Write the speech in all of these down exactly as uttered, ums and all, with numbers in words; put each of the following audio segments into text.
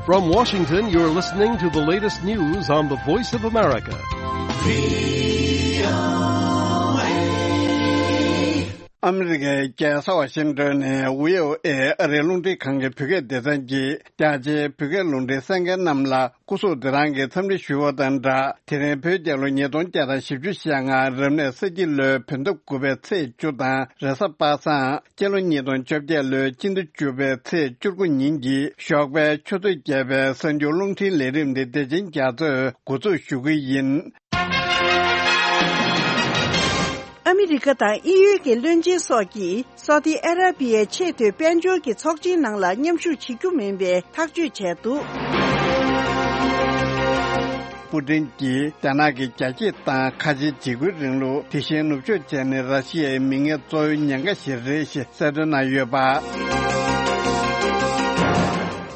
From Washington, you're listening to the latest news on the Voice of America. ཨ་མི་རི་ཀའི་རྒྱལ་ས་ཝ་ཤིང་ཏོན་ནས་བྷི་ཨོ་ཨེ་ཨ་རིའི་རླུང་འཕྲིན་ཁང་གི་བོད་སྐད་སྡེ་ཚན་གྱིས་རྒྱ་ཆེའི་བོད་སྐད་རླུང་འཕྲིན་གསན་མཁན་རྣམས་ལ་སྐུ་གཟུགས་བདེ་ཐང་གི་འཚམས་འདྲི་ཞུ་བ་དང་སྦྲགས། དེ་རིང་བོད་རྒྱལ་ལོ་ཉིས་སྟོང་བརྒྱ་དང་བཞི་བཅུ་ཞེ་ལྔ་རབ་གནས་ས་ཁྱི་ལོའི་བོད་ཟླ་དགུ་པའི་ཚེས་བཅུ་དང་རེས་གཟའ་པ་སངས། སྤྱི་ལོ་ཉིས་སྟོང་བཅོ་བརྒྱད་ལོའི་སྤྱི་ཟླ་བཅུ་པའི་ཚེས་བཅུ་དགུ་ཉིན་གྱི་ཞོགས་པའི་ཆུ་ཚོད་བརྒྱད་པའི་གསར་འགྱུར་རླུང་འཕྲིན་ལས་རིམ་འདི་བདེ་ཆེན་རྒྱ་མཚོས་འགོ་འཛུགས་ཞུ་གི་ཡིན། ཨ་མི་རི་ཀ་དང་དབྱིན་ཡུལ་གྱི་བློན་ཆེན་སོགས་ཀྱིས་སོ་ཏི་ཨ་ར་པི་ཡའི་ཆེས་མཐོའི་དཔལ་འབྱོར་གྱི་ཚོགས་ཆེན་ནང་ལ་མཉམ་ཞུགས་བྱེད་རྒྱུ་མིན་པའི་ཐག་གཅོད་བྱས་འདུག། པུ་ཏིན་གྱིས་རྒྱ་ནག་གི་རྒྱལ་གཅེས་དང་ཁ་ཆེའི་འཇིགས་སྐུལ་རིང་ལུགས། དེ་བཞིན་ནུབ་ཕྱོགས་བཅས་ནི་ར་ཤི་ཡའི་མིང་ངན་གཙོ་བོའི་ཉེན་ཁ་ཞིག་རེད་ཞེས་གསལ་སྟོན་གནང་ཡོད་པ།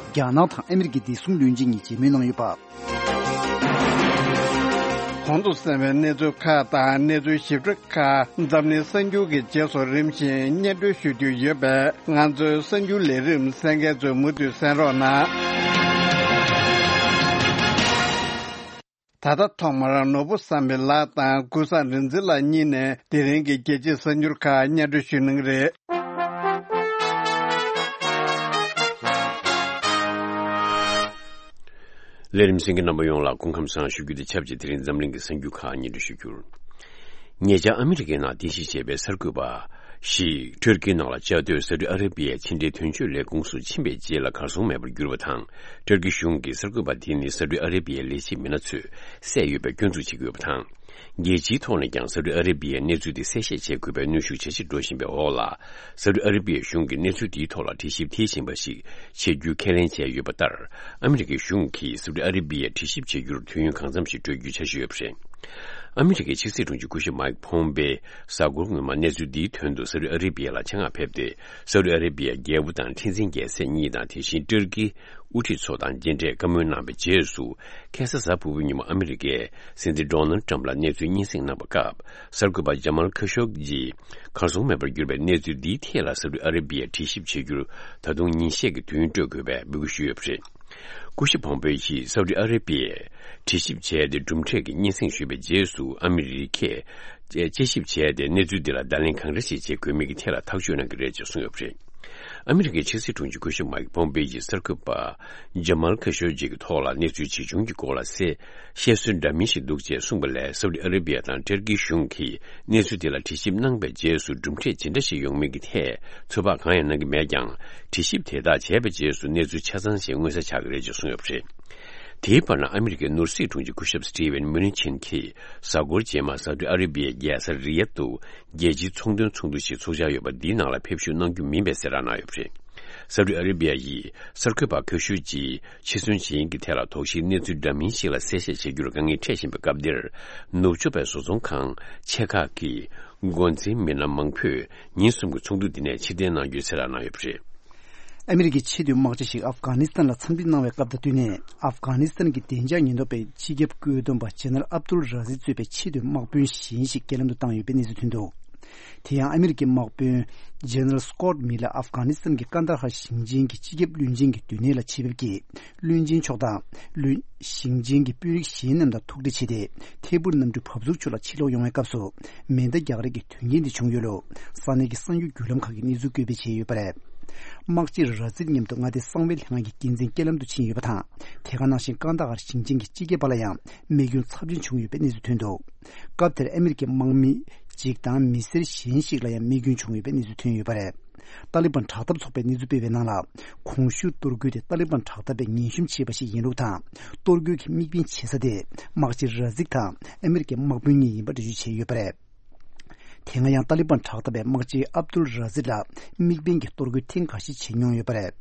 རྒྱ་ནག་དང་ཨ་མི་རི་ཀའི་བདེ་སྲུང་བློན་ཆེན་གཉིས་མཇལ་མོལ་གནང་ཡོད་པ། གོང་དུ་གསན་པའི་གནས་ཚུལ་ཁག་དང་གནས་ཚུལ་ཞིབ་ཕྲ་ཁག་འཛམ་གླིང་གསར་འགྱུར་གྱི་རྗེས་སུ་རིམ་བཞིན་སྙན་སྒྲོན་ཞུ་རྒྱུ་ཡོད་པས། ང་ཚོའི་གསར་འགྱུར་ལས་རིམ་གསན་མཁན་ཚོས་མུ་མཐུད་གསན་རོགས་གནང་། ད་ལྟ་ཐོག་མར་ནོར་བུ་བསམ་འཕེལ་ལགས་དང་ཀུན་བཟང་རིག་འཛིན་ལགས་གཉིས་ནས་དེ་རིང་གི་རྒྱལ་སྤྱིའི་གསར་འགྱུར་ཁག་སྙན་སྒྲོན་ཞུ་གནང་གི་རེད། ལས་རིམ་གསན་མཁན་རྣམ་པ་ཡོངས་ལ་སྐུ་ཁམས་བཟང་ཞུ་རྒྱུ་དང་ཆབས་ཅིག་དེ་རིང་འཛམ་གླིང་གི་གསར་འགྱུར་ཁག་སྙན་སྒྲོན་ཞུ་རྒྱུར། ཉེ་ཆར་ཨ་མི་རི་ཀའི་ནང་རྟེན་གཞི་བྱས་པའི་གསར་འགོད་པ་ཞིག་ཊར་ཀིའི་ནང་ལ་བཅའ་སྡོད་སའུ་ཏི་ཨ་རེ་བྷི་ཡའི་ཕྱི་འབྲེལ་དོན་གཅོད་ལས་ཁུངས་སུ་ཕྱིན་པའི་རྗེས་ལ་གར་སོང་མེད་པར་གྱུར་བ་དང་། ཊར་ཀི་གཞུང་གིས་གསར་འགོད་པ་དེ་ནི་སའུ་ཏི་ཨ་རེ་བྷི་ཡའི་ལས་བྱེད་མི་སྣ་ཚོས་བསད་ཡོད་པའི་སྐྱོན་འཛུགས་བྱེད་ཀྱི་ཡོད་པ་དང་། རྒྱལ་སྤྱིའི་ཐོག་ནས་ཀྱང་སའུ་ཏི་ཨ་རེ་བྷི་ཡའི་གནས་ཚུལ་དེ་གསལ་བཤད་བྱེད་དགོས་པའི་གནོན་ཤུགས་ཇེ་ཆེར་འགྲོ་བཞིན་པའི་འོག་ལ། སའུ་ཏི་ཨ་རེ་བྷི་ཡའི་གཞུང་གིས་གནས་ཚུལ་དེའི་ཐོག་ལ་དྲི་ཞིབ་མཐིལ་ཕྱིན་པ་ཞིག་བྱེད་རྒྱུའི་ཁས་ལེན་བྱས་ཡོད་པ་ལྟར། ཨ་མི་རི་ཀའི་གཞུང་གིས་སའུ་ཏི་ཨ་རེ་བྷི་ཡར་དྲི་ཞིབ་བྱེད་རྒྱུར་དུས་ཡུན་གང་འཚམ་ཞིག་སྤྲོད་རྒྱུའི་འཆར་གཞི་ཡོད་པ་རེད། ཨ་མི་རི་ཀའི་ཕྱི་སྲིད་དྲུང་ཆེ་སྐུ་ཞབས་མཱིག་ཕོམ་པེ་གཟའ་འཁོར་སྔོན་མ་གནས་ཚུལ་འདིའི་དོན་དུ་སའུ་ཏི་ཨ་རེ་བྷི་ཡ་ལ་ཆེད་མངགས་ཕེབས་ཏེ། སའུ་ཏི་ཨ་རེ་བྷི་ཡའི་རྒྱལ་པོ་དང་ཁྲི་འཛིན་རྒྱལ་སྲས་གཉིས་དང་། དེ་བཞིན་ཊར་ཀིའི་དབུ་ཁྲིད་ཚོ་དང་མཇལ་འཕྲད་བཀའ་མོལ་གནང་བའི་རྗེས་སུ། ཁ་སང་གཟའ་ཕུར་བུའི་ཉིན་མོ་ཨ་མི་རི་ཀའི་སྲིད་འཛིན་ཌོ་ནལ་ཊྲམ་ལ་གནས་ཚུལ་སྙན་སེང་གནང་བའི་སྐབས། གསར་འགོད་པ་ཇ་མལ་ཁ་ཤོག་ཇི་གར་སོང་མེད་པར་གྱུར་པའི་གནས་ཚུལ་འདིའི་ཐད་ལ་སའུ་ཏི་ཨ་རེ་བྷི་ཡར་དྲི་ཞིབ་བྱེད་རྒྱུར་ད་དུང་ཉིན་ཤས་ཀྱི་དུས་ཡུན་སྤྲོད་དགོས་པའི་འབོད་སྐུལ་ཞུས་ཡོད་པ་རེད། སྐུ་ཞབས་ཕོམ་པེ་ཡིས་སའུ་ཏི་ཨ་རེ་བྷི་ཡར་དྲི་ཞིབ་བྱས་ཏེ་གྲུབ་འབྲས་ཀྱི་སྙན་སེང་ཞུས་པའི་རྗེས་སུ། ཨ་མི་རི་ཀས་དཔྱད་ཞིབ་བྱས་ཏེ་གནས་ཚུལ་འདི་ལ་བརྡ་ལན་གང་འདྲ་ཞིག་བྱེད་དགོས་མིན་གྱི་ཐད་ལ་ཐག་གཅོད་གནང་གི་རེད་ཅེས་གསུངས་ཡོད་པ་རེད། ཨ་མི་རི་ཀའི་ཕྱི་སྲིད་དྲུང་ཆེ་སྐུ་ཞབས་མཱིག་ཕོམ་པེ་ཡིས་གསར་འགོད་པ་ཇ་མལ་ཁ་ཤོ་ཇི་གི་ཐོག་ལ་གནས་ཚུལ་ཇི་བྱུང་གི་སྐོར་ལ་གསལ་བཤད་སྲོལ་འདྲ་མིན་ཞིག་འདུག་ཅེས་གསུངས་པ་ལས། སའུ་ཏི་ཨ་རེ་བྷི་ཡ་དང་ཊར་ཀིའི་གཞུང་གིས་གནས་ཚུལ་དེ་ལ་དྲི་ཞིབ་གནང་པའི་རྗེས་སུ་གྲུབ་འབྲས་ཇི་འདྲ་ཞིག་ཡོང་མིན་གྱི་ཐད་ཚོད་དཔག་གང་ཡང་གནང་གི་མེད་ཀྱང་། དྲི་ཞིབ་དེ་དག་བྱས་པའི་རྗེས་སུ་གནས་ཚུལ་ཆ་ཚང་ཞིག་མངོན་གསལ་ཆགས་ཀྱི་རེད་ཅེས་གསུངས་ཡོད་པ་རེད། དེའི་བར་ན་ཨ་མི་རི་ཀའི་ནོར་སྲིད་དྲུང་ཆེ་སྐུ་ཞབས་སི་ཊི་ཝན་མུ་ནི་ཆིན་གྱིས་གཟའ་འཁོར་རྗེས་མ་སའུ་ཏི་ཨ་རེ་བྷི་ཡའི་རྒྱལ་ས་རི་ཡད་དུ་རྒྱལ་སྤྱིའི་ཚོང་དོན་ཚོགས་འདུ་ཞིག་ཚོགས་འཆར་ཡོད་པ་འདིའི་ནང་ལ་ཕེབས་ཞུགས་གནང་རྒྱུ་མིན་པའི་གསལ་བསྒྲགས་གནང་ཡོད་པ་རེད། སའུ་ཏི་ཨ་རེ་བྷི་ཡ་ཡིས་གསར་འགོད་པ་ཁ་ཤོ་ཇི་ཕྱིར་ཚོང་བྱེད་ཡུལ་གྱི་ཐད་ལ་དོགས་གཞིའི་གནས་ཚུལ་འདྲ་མིན་ཞིག་ལ་གསལ་བཤད་བྱེད་རྒྱུར་དཀའ་ངལ་འཕྲད་བཞིན་པའི་སྐབས་འདིར། ནུབ་ཕྱོགས་པའི་བཟོ་ཚོང་ཁང་ཆེ་ཁག་གི་འགོ་འཛིན་མི་སྣ་མང་པོས་ཉིན་གསུམ་གྱི་ཚོགས་འདུ་འདི་ནས་ཕྱིར་འཐེན་གནང་རྒྱུའི་གསལ་བསྒྲགས་གནང་ཡོད་པ་རེད། ཨ་མི་རི་ཀའི་ཆེས་མཐོའི་དམག་སྤྱི་ཞིག་ཨབ་གྷ་ནི་སི་ཐན་ལ་འཚམས་འདྲི་གནང་བའི་སྐབས་དང་བསྟུན་ནས། ཨབ་གྷ་ནི་སི་ཐན་གྱི་བདེ་འཇགས་ཉེན་རྟོག་པའི་སྤྱི་ཁྱབ་བཀོད་འདོམས་པ་ཇེ་ནེ་རལ་ཨབ་དུལ་ར་ཟི་གཙོས་པའི་ཆེས་མཐོའི་དམག་དཔོན་གཞན་ཞིག་རྐྱེན་ལམ་དུ་བཏང་ཡོད་པའི་གནས་ཚུལ་ཐོན་འདུག། དེ་ཡང་ཨ་མི་རི་ཀའི་དམག་དཔོན་ཇེ་ནེ་རལ་སི་ཀོཊ་མི་ལ་ཨབ་གྷ་ནི་སི་ཐན་གྱི་ཀན་ད་ཧར་ཞིང་ཆེན་གྱི་སྤྱི་ཁྱབ་བློན་ཆེན་གྱི་སྡོད་གནས་ལ་ཆེད་ཕེབས་ཀྱིས། བློན་ཆེན་མཆོག་དང་བློན་ཞིང་ཆེན་གྱི་དཔོན་རིགས་གཞན་རྣམས་དང་ཐུག་འཕྲད་བྱས་ཏེ། ཐད་འཕུར་གནམ་གྲུ་བབས་ཚུགས་ཕྱོགས་ལ་ཕྱིར་ལོག་ཡོང་བའི་སྐབས་སུ། མེ་མདའ་རྒྱག་རེས་ཀྱི་དོན་རྐྱེན་དེ་བྱུང་ཡོད་ལུགས་ས་གནས་ཀྱི་གསང་ཡུལ་བརྒྱུད་ལམ་ཁག་གིས་གནས་ཚུལ་བཀོད་སྤེལ་བྱས་ཡོད་པ་རེད། དམག་སྤྱི་ར་ཟིད་མཉམ་དུ་མངའ་སྡེ་གསང་བའི་ལྷན་ཁང་གི་འགན་འཛིན་རྐྱེན་ལམ་དུ་ཕྱིན་ཡོད་པ་དང་། དེ་ག་ནང་བཞིན་ཀན་ད་ཧར་ཞིང་ཆེན་གྱི་སྤྱི་ཁྱབ་པ་ལ་ཡང་རྨས་སྐྱོན་ཚབས་ཆེན་བྱུང་ཡོད་པའི་གནས་ཚུལ་ཐོན་འདུག། སྐབས་དེར་ཨ་མི་རི་ཀའི་དམག་མི་གཅིག་དང་མི་སེར་གཞན་ཞིག་ལ་ཡང་རྨས་སྐྱོན་བྱུང་ཡོད་པའི་གནས་ཚུལ་ཐོན་ཡོད་པ་རེད། ཏཱ་ལི་བན་དྲག་འཐབ་ཚོགས་པས་གནས་ཚུལ་སྤེལ་བའི་ནང་ལ། གོང་ཞུས་གཏོར་རྒོལ་དེ་ཏཱ་ལི་བན་དྲག་འཐབ་པས་ངན་ཞིབ་བྱས་པ་ཞིག་ཡིན་ལུགས་དང་། གཏོར་རྒོལ་གྱི་དམིགས་འབེན་བྱེད་ས་དེ་དམག་སྤྱི་ར་ཟིག་དང་ཨ་མི་རི་ཀའི་དམག་དཔོན་གཉིས་ཡིན་པ་འགྲེལ་བརྗོད་བྱས་ཡོད་པ་རེད། དེ་སྔ་ཡང་ཏཱ་ལི་བན་དྲག་འཐབ་པས་དམག་སྤྱི་ཨབ་དུལ་ར་ཟིད་ལ་དམིགས་འབེན་གྱི་གཏོར་རྒོལ་ཐེངས་འགའ་ཞིག་བྱེད་མྱོང་ཡོད་པ་རེད།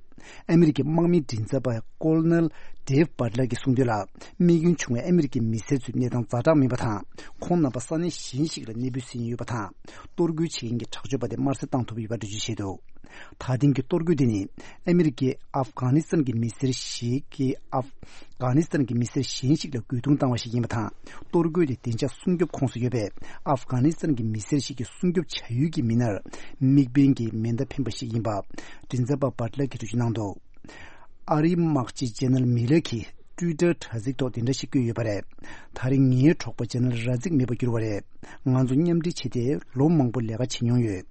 ཨ་མི་རི་ཀའི་དམག་མིའི་མགྲིན་ཚབ་པ་ཀོ་ལོ་ནེལ་ཌེབ་བྷཊ་ལར་གྱིས་གསུངས་དོན་ལ། རྨས་སྐྱོན་བྱུང་བའི་ཨ་མི་རི་ཀའི་མི་སེར་ཚོའི་གནས་སྟངས་ཛ་དྲག་མིན་པ་དང་། ཁོང་རྣམ་པ་ས་གནས་གཞན་ཞིག་ལ་གནས་སྤོས་ཟིན་ཡོད་པ་དང་། གཏོར་རྒོལ་བྱེད་མཁན་གྱི་དྲག་སྤྱོད་པ་དེ་དམར་གསོད་བཏང་ཐུབ་ཡོད་པ་འགྲེལ་བརྗོད་བྱས་འདུག། ད་ཐེངས་ཀྱི་གཏོར་རྒོལ་དེ་ནི། ཨ་མི་རི་ཀས་ཨབ་གྷ་ནི་སི་ཐན་གྱི་མི་སེར་ཞིག་གིས་ཨབ་གྷ་ནི་སི་ཐན་གྱི་མི་སེར་གཞན་ཞིག་ལ་རྒོལ་རྡུང་བཏང་བ་ཞིག་ཡིན་པ་དང་། གཏོར་རྒོལ་དེ་བདེ་འཇགས་སྲུང་སྐྱོབ་ཁོངས་སུ་ཡོད་པའི་ཨབ་གྷ་ནི་སི་ཐན་གྱི་མི་སེར་ཞིག་གི་སྲུང་སྐྱོབ་བྱ་ཡུལ་གྱི་མི་སྣར་དམིགས་འབེན་གྱིས་མེ་མདའ་འཕེན་པ་ཞིག་ཡིན་པ། མགྲིན་ཚབ་པ་བྷཊ་ལར་གྱིས་འགྲེལ་བརྗོད་གནང་འདུག། ཨ་རིའི་དམག་སྤྱི་ཇེ་ནལ་མི་ལར་གྱིས་ཊུའི་ཊར་དྲ་ཚིགས་ཐོག་དེ་འདྲ་ཞིག་བཀོད་ཡོད་པ་རེད། ད་རིང་ངའི་གྲོགས་པོ་ཇེ་ནལ་ར་ཛིག་མེད་པར་གྱུར་བ་རེད། ང་ཚོ་མཉམ་འབྲེལ་བྱས་ཏེ་ལོ་མང་པོ་ལས་ཀ་བྱེད་མྱོང་ཡོད།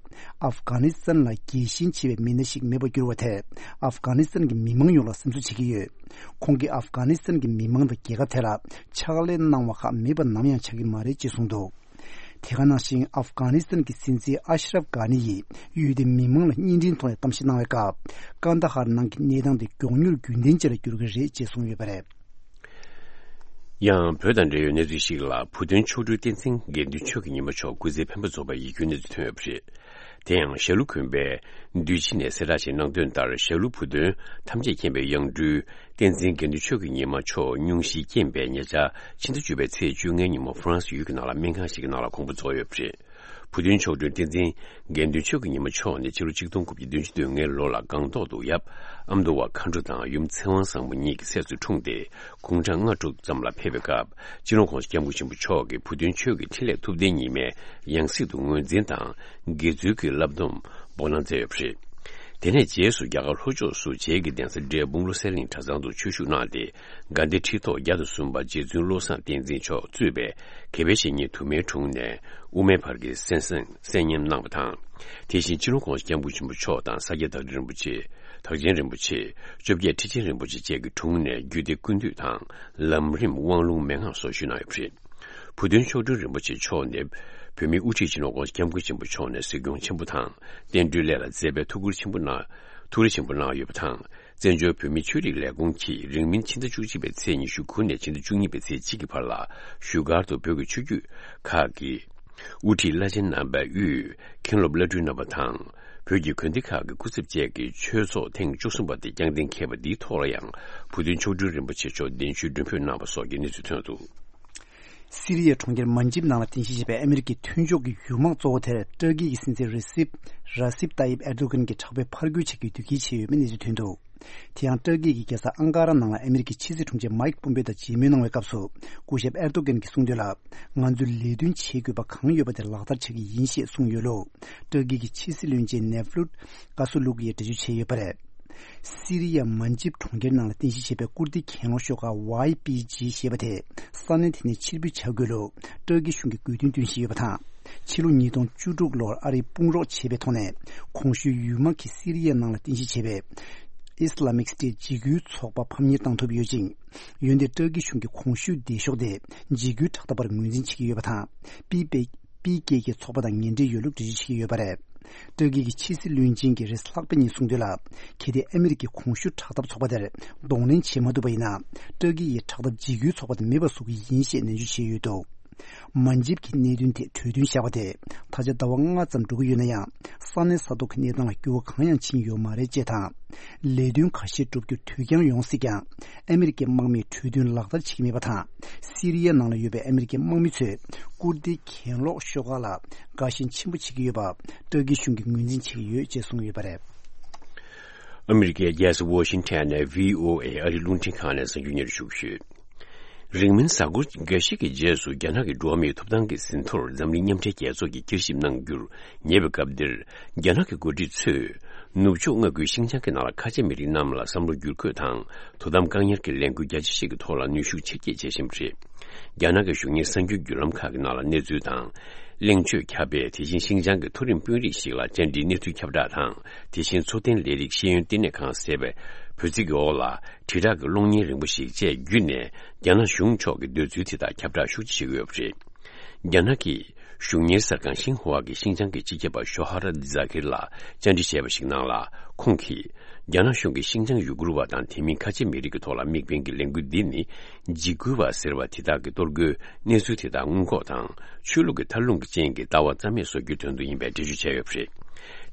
ཨབ་གྷ་ནི་སི་ཐན་ལ་རྒྱལ་ཞེན་ཆེ་བའི་མི་སྣ་ཞིག་མེད་པར་གྱུར་བ་དེས་ཨབ་གྷ་ནི་སི་ཐན་གྱི་མི་མང་ཡོངས་ལ་སེམས་གསོ་བྱེད་ཀྱི་ཡོད། ཁོང་གིས་ཨབ་གྷ་ནི་སི་ཐན་གྱི་མི་མང་དང་རྒྱལ་ཁབ་དེ་ལ་ཕྱག་ལས་གནང་བ་ཁག་མེད་པ་ནམ་ཡང་ཆགས་ཀྱི་མ་རེད་ཅེས་གསུངས་འདུག། དེ་ག་ནང་བཞིན་ཨབ་གྷ་ནི་སི་ཐན་གྱི་སྲིད་འཛིན་ཨ་ཤ་རབ་གྷ་ནི་ཡིས་ཡུལ་དེའི་མི་མང་ལ་བརྙན་འཕྲིན་ཐོག་ནས་གཏམ་བཤད་གནང་བའི་སྐབས། ཀན་ད་ཧར་ནང་གི་གནས་སྟངས་དེ་མགྱོགས་མྱུར་རྒྱུན་ལྡན་ཅན་ལ་འགྱུར་གྱི་རེད་ཅེས་གསུངས་ཡོད་པ་རེད། ཡང་བོད་དང་འབྲེལ་ཡོད་གནས་ཚུལ་ཞིག་ལ། བུ་སྟོན་མཆོག་སྤྲུལ་བསྟན་འཛིན་དགེ་འདུན་ཆོས་ཀྱི་ཉི་མ་མཆོག་སྐུ་ཚེ་འཕེན་པ་རྫོགས་པའི་ཡིད་སྐྱོའི་གནས་ཚུལ་ཐོན་ཡོད་པ་རེད། དེ་ཡང་ཞྭ་ལུ་དགོན་པའི་འདུས་སྤྱི་ནས་གསལ་བསྒྲགས་ཤིག་གནང་དོན་ལྟར། ཞྭ་ལུ་བུ་སྟོན་ཐམས་ཅད་མཁྱེན་པའི་དབྱངས་སྤྲུལ་བསྟན་འཛིན་དགེ་འདུན་ཆོས་ཀྱི་ཉི་མ་མཆོག་སྙུང་གཞིའི་རྐྱེན་པས་ཉེ་ཆར་ཕྱི་ཟླ་བཅུ་པའི་ཚེས་བཅོ་ལྔའི་ཉིན་མོ་ཧྥ་རན་སི་ཡུལ་གྱི་ནང་ལ་སྨན་ཁང་ཞིག་གི་ནང་ལ་དགོངས་པ་རྫོགས་ཡོད་པ་རེད། བུ་སྟོན་མཆོག་སྤྲུལ་བསྟན་འཛིན་དགེ་འདུན་ཆོས་ཀྱི་ཉི་མ་མཆོག་ནི་ཕྱི་ལོ་ཆིག་སྟོང་དགུ་བརྒྱ་བདུན་ཅུ་དོན་ལྔའི་ལོ་ལ་སྒང་ཏོག་ཏུ་ཡབ་ཨ་མདོ་བ་མཁའ་འགྲོ་དང་ཡུམ་ཚེ་དབང་བཟང་པོ་གཉིས་ཀྱི་སྲས་སུ་འཁྲུངས་ཏེ། དགུང་གྲངས་ལྔ་དྲུག་ཙམ་ལ་ཕེབས་པའི་སྐབས། སྤྱི་ནོར་༸གོང་ས་༸སྐྱབས་མགོན་ཆེན་པོ་མཆོག་གིས་བུ་སྟོན་ཆོས་ཀྱི་འཕྲིན་ལས་ཐུབ་བསྟན་ཉི་མའི་ཡང་སྲིད་དུ་ངོས་འཛིན་དང་། དགེ་ཚུལ་གྱི་བསླབ་སྡོམ་འབོགས་གནང་མཛད་ཡོད་པ་རེད། དེ་ནས་རྗེས་སུ་རྒྱ་གར་ལྷོ་ཕྱོགས་སུ་བྱེས་ཀྱི་གདན་ས་འབྲས་སྤུངས་བློ་གསལ་གླིང་གྲྭ་ཚང་དུ་ཆོས་ཞུགས་གནང་སྟེ། དགའ་ལྡན་ཁྲི་ཐོག་བརྒྱ་དང་གསུམ་པ་རྗེ་བཙུན་བློ་བཟང་བསྟན་འཛིན་མཆོག་གཙོས་པའི་དགེ་བའི་བཤེས་གཉེན་དུ་མའི་དྲུང་ནས་དབུ་མའི་བར་གྱི་གསན་གཟིགས་གསན་ཉམས་གནང་བ་དང་། དེ་བཞིན་སྤྱི་ནོར་༸གོང་ས་༸སྐྱབས་མགོན་ཆེན་པོ་མཆོག་དང་ས་སྐྱ་བདག་ཆེན་རིན་པོ་ཆེ། བདག་ཆེན་རིན་པོ་ཆེ། བཅོ་བརྒྱད་ཁྲི་ཆེན་རིན་པོ་ཆེ་བཅས་ཀྱི་དྲུང་ནས་རྒྱུད་སྡེ་ཀུན་བཏུས་དང་། ལམ་རིམ། དབང་ལུང་མན་ངག་སོགས་ཞུས་གནང་ཡོད་པ་རེད། བུ་སྟོན་མཆོག་སྤྲུལ་རིན་པོ་ཆེ་མཆོག་ནི། བོད་མིའི་དབུ་ཁྲིད་སྤྱི་ནོར་༸གོང་ས་༸སྐྱབས་མགོན་ཆེན་པོ་མཆོག་ནས་གཟིགས་སྐྱོང་ཆེན་པོ་དང་། བསྟན་འགྲོའི་ལས་ལ་མཛད་པའི་ཐུགས་ཁུར་ཆེན་པོ་གནང་། ཐུགས་རེ་ཆེན་པོ་གནང་ཡོད་པ་དང་། བཙན་བྱོལ་བོད་མིའི་ཆོས་རིག་ལས་ཁུངས་ཀྱིས་རིང་མིན་ཕྱི་ཟླ་བཅུ་གཅིག་པའི་ཚེས་ཉི་ཤུ་དགུ་ནས་ཕྱི་ཟླ་བཅུ་གཉིས་པའི་ཚེས་གཅིག་གི་བར་ལ། བཞུགས་སྒར་དུ་བོད་ཀྱི་ཆོས་བརྒྱུད་ཁག་གི་དབུ་ཁྲིད་བླ་ཆེན་རྣམ་པ་དབུས། མཁན་སློབ་བླ་སྤྲུལ་རྣམ་པ་དང་། བོད་ཀྱི་དགོན་སྡེ་ཁག་གི་སྐུ་ཚབ་བཅས་ཀྱི་ཆོས་ཚོགས་ཐེངས་བཅུ་གསུམ་པ་དེ་རྐྱང་གདན་འཁེལ་བ་འདིའི་ཐོག་ལ་ཡང་། བུ་སྟོན་མཆོག་སྤྲུལ་རིན་པོ་ཆེ་མཆོག་གདན་ཞུའི་མགྲོན་འབོད་གནང་བ་སོགས་ཀྱི་གནས་ཚུལ་ཐོན་འདུག། སི་རི་ཡའི་གྲོང་ཁྱེར་མན་ཇིབ་ནང་ལ་རྟེན་གཞི་བྱས་པའི་ཨ་མེ་རི་ཀའི་མཐུན་ཕྱོགས་ཀྱི་གཞུང་དམག་གཙོ་བོ་དེར་ཏུར་ཀི་ཡི་སྲིད་འཛིན་རེ་སིབ། ར་སིབ་ཏཱ་ཡིབ་ཨེར་དོ་གན་གྱིས་དྲག་པོའི་ཕར་རྒོལ་བྱེད་རྒྱུའི་དུས་འགོ་ཚུགས་ཡོད་པའི་གནས་ཚུལ་ཐོན་འདུག། དེ་ཡང་ཏུར་ཀི་ཡི་རྒྱལ་ས་ཨང་ཀ་ར་ནང་ལ་ཨ་མེ་རི་ཀའི་ཕྱི་སྲིད་དྲུང་ཆེ་མའིག་པོམ་པེ་དང་མཇལ་མོལ་གནང་བའི་སྐབས་སུ། སྐུ་ཞབས་ཨེར་དོ་གན་གྱིས་གསུངས་དོན་ལ། ང་ཚོས་ལས་དོན་བྱེད་དགོས་པ་གང་ཡོད་པ་དེ་ལག་བསྟར་བྱ་གི་ཡིན་ཞེས་གསུངས་ཡོད་ལུགས། ཏུར་ཀི་གི་ཕྱི་སྲིད་བློན་ཆེན་ནེ་ཕླུད་ཀ་སུ་ལུག་ཡིས་འགྲེལ་བརྗོད་བྱས་ཡོད་པ་རེད། སི་རི་ཡ་མན་ཇིབ་གྲོང་ཁྱེར་ནང་ལ་རྟེན་གཞི་བྱས་པའི་ཀུར་ཏི་གྱེན་ལོག་ཤོག་ཁག་ཝའི་པི་ཇི་ཞེས་པ་དེ་ས་གནས་དེ་ནས་ཕྱིར་འབུད་བྱ་དགོས་ལུགས་ཏུར་ཀི་གཞུང་གིས་དགོས་འདུན་བཏོན་བཞིན་ཡོད་པ་དང་། ཕྱི་ལོ་ཉིས་སྟོང་བཅུ་དྲུག་ལོར་ཨ་རིས་དཔུང་རོགས་བྱས་པའི་ཐོག་ནས། གོང་ཞུས་ཡུལ་དམག་གིས་སི་རི་ཡའི་ནང་ལ་རྟེན་གཞི་བྱས་པའི་ཨི་སི་ལ་མིག་སི་ཊེ་ཊི་འཇིགས་སྐུལ་ཚོགས་པ་ཕམ་ཉེས་བཏང་ཐུབ་ཡོད་ཅིང་། འོན་ཏེ་ཏུར་ཀི་གཞུང་གིས་གོང་ཞུས་སྡེ་ཤོག་དེ་འཇིགས་སྐུལ་དྲག་འཐབ་པར་ངོས་འཛིན་བྱེད་ཀྱི་ཡོད་པ་དང་། པི་པེ། པི་ཀེ་ཀེ་ཚོགས་པ་དང་ངན་འབྲེལ་ཡོད་ལུགས་འགྲེལ་བརྗོད་བྱེད་ཀྱི་ཡོད་པ་རེད། ཏུར་ཀི་གི་ཕྱི་སྲིད་བློན་ཆེན་གྱིས་རེས་ལྷག་པའི་ཉིན་གསུངས་དོན་ལ། གལ་ཏེ་ཨ་མི་རི་ཀའི་གོང་ཞུས་དྲག་འཐབ་ཚོགས་པ་དེར་གདོང་ལེན་བྱེད་མ་ཐུབ་པ་ཡིན་ན། ཏུར་ཀི་ཡིས་དྲག་འཐབ་འཇིགས་སྐུལ་ཚོགས་པ་དེ་མེད་པ་བཟོ་གི་ཡིན་ཞེས་ནན་བརྗོད་བྱས་ཡོད་འདུག། མན་ཇིབ་ཀྱིས་གནད་དོན་དེ་གྲོས་མཐུན་བཞག་པ་དེ་ད་ཆ་ཟླ་བ་ལྔ་ཙམ་འགྲོ་གི་ཡོད་ན་ཡང་། ས་གནས་ས་ཐོག་གི་གནས་སྟངས་ལ་འགྱུར་བ་གང་ཡང་ཕྱིན་ཡོད་མ་རེད་ཅེས་དང་། ལས་དོན་ཁ་ཤས་བསྒྲུབ་རྒྱུར་དུས་འགྱངས་ཡོང་སྲིད་ཀྱང་། ཨ་མི་རི་ཀའི་དམག་མིས་གྲོས་མཐུན་ལག་བསྟར་བྱེད་ཀྱི་མེད་པ་དང་། སི་རི་ཡའི་ནང་ལ་ཡོད་པའི་ཨ་མི་རི་ཀའི་དམག་མི་ཚོས་ཀུར་ཏི་གྱེན་ལོག་ཤོག་ཁག་ལ་དགའ་ཞེན་ཆེན་པོ་བྱེད་ཀྱི་ཡོད་པ་ཏུར་ཀི་གཞུང་གིས་ངོས་འཛིན་བྱེད་ཀྱི་ཡོད་ཅེས་གསུངས་ཡོད་པ་རེད། ཨ་མི་རི་ཀའི་རྒྱལ་ས་ཝོ་ཤིང་ཊོན་ནས་བྷི་ཨོ་ཨེ་ཨ་རིའི་རླུང་འཕྲིན་ཁང་ནས་གསར་འགྱུར་སྙན་སྒྲོན་ཞུ་གི་ཡོད། རིང་མིན་གཟའ་འཁོར་འགའ་ཞིག་གི་རྗེས་སུ་རྒྱ་ནག་གི་འགྲོ་བ་མིའི་ཐོབ་ཐང་གི་ཟིན་ཐོར་འཛམ་གླིང་མཉམ་འབྲེལ་རྒྱལ་ཚོགས་ཀྱིས་བསྐྱར་ཞིབ་གནང་རྒྱུར་ཉེ་བའི་སྐབས་འདིར། རྒྱ་ནག་གི་འགོ་ཁྲིད་ཚོས་ནུབ་ཕྱོགས་མངའ་ཁུལ་ཤིན་ཅང་གི་ནང་ལ་ཁ་ཆེ་མི་རིགས་རྣམས་ལ་བསམ་བློ་བསྒྱུར་བཀོད་དང་དོ་དམ་བཀག་ཉར་གྱི་ལས་འགུལ་རྒྱ་ཆེ་ཞིག་གི་ཐོག་ལ་ནུས་ཤུགས་ཆེར་སྐྱེད་བྱེད་བཞིན་པ་རེད། རྒྱ་ནག་གི་གཞུང་གཉེར་གསར་འགྱུར་བརྒྱུད་ལམ་ཁག་གི་ནང་ལ་གནས་ཚུལ་དང་། གླེང་བརྗོད་ཁྱབ་པས་དེ་བཞིན་ཤིན་ཅང་གི་མཐོ་རིམ་དཔོན་རིགས་ཤིག་ལ་བཅར་འདྲིའི་གནས་ཚུལ་ཁྱབ་བསྒྲགས་དང་། དེ་བཞིན་འཚོ་རྟེན་ལས་རིགས་ཤེས་ཡོན་ལྟེ་གནས་ཁང་ཟེར་བའི་བོད་ཚིག་གི་འོག་ལ་དྲིལ་བསྒྲགས་ཀྱི་གློག་བརྙན་རིང་པོ་ཞིག་བཅས་བརྒྱུད་ནས་རྒྱ་ནག་གཞུང་ཕྱོགས་ཀྱི་འདོད་ཚུལ་དེ་དག་ཁྱབ་བསྒྲགས་ཤུགས་ཆེ་བྱེད་ཀྱི་ཡོད་པ་རེད། རྒྱ་ནག་གི་གཞུང་གཉེར་གསར་ཁང་ཤིན་ཧྭ་གིས་ཤིན་ཅང་གི་སྤྱི་ཁྱབ་པ་ཞོ་ཧ་ར་ཛ་ཁིར་ལ་བཅར་འདྲི་བྱས་པ་ཞིག་ནང་ལ། ཁོང་གིས། རྒྱ་ནག་གཞུང་གིས་ཤིན་ཅང་ཡུ་གུར་བ་དང་དེ་མིན་ཁ་ཆེ་མི་རིགས་ཀྱི་ཐོག་ལ་དམིགས་འབེན་གྱི་ལས་འགུལ་འདི་ནི། འཇིགས་སྐུལ་བ་ཟེར་བ་དེ་དག་གི་གཏོར་རྒོལ་གནས་ཚུལ་དེ་དག་སྔོན་འགོག་དང་། ཆོས་ལུགས་ཀྱི་མཐའ་ལྷུང་གི་རྐྱེན་གྱིས་ལྟ་བ་རྩ་མེད་བཟོ་རྒྱུའི་དོན་དུ་ཡིན་པའི་འགྲེལ་བརྗོད་བྱས་ཡོད་པ་རེད།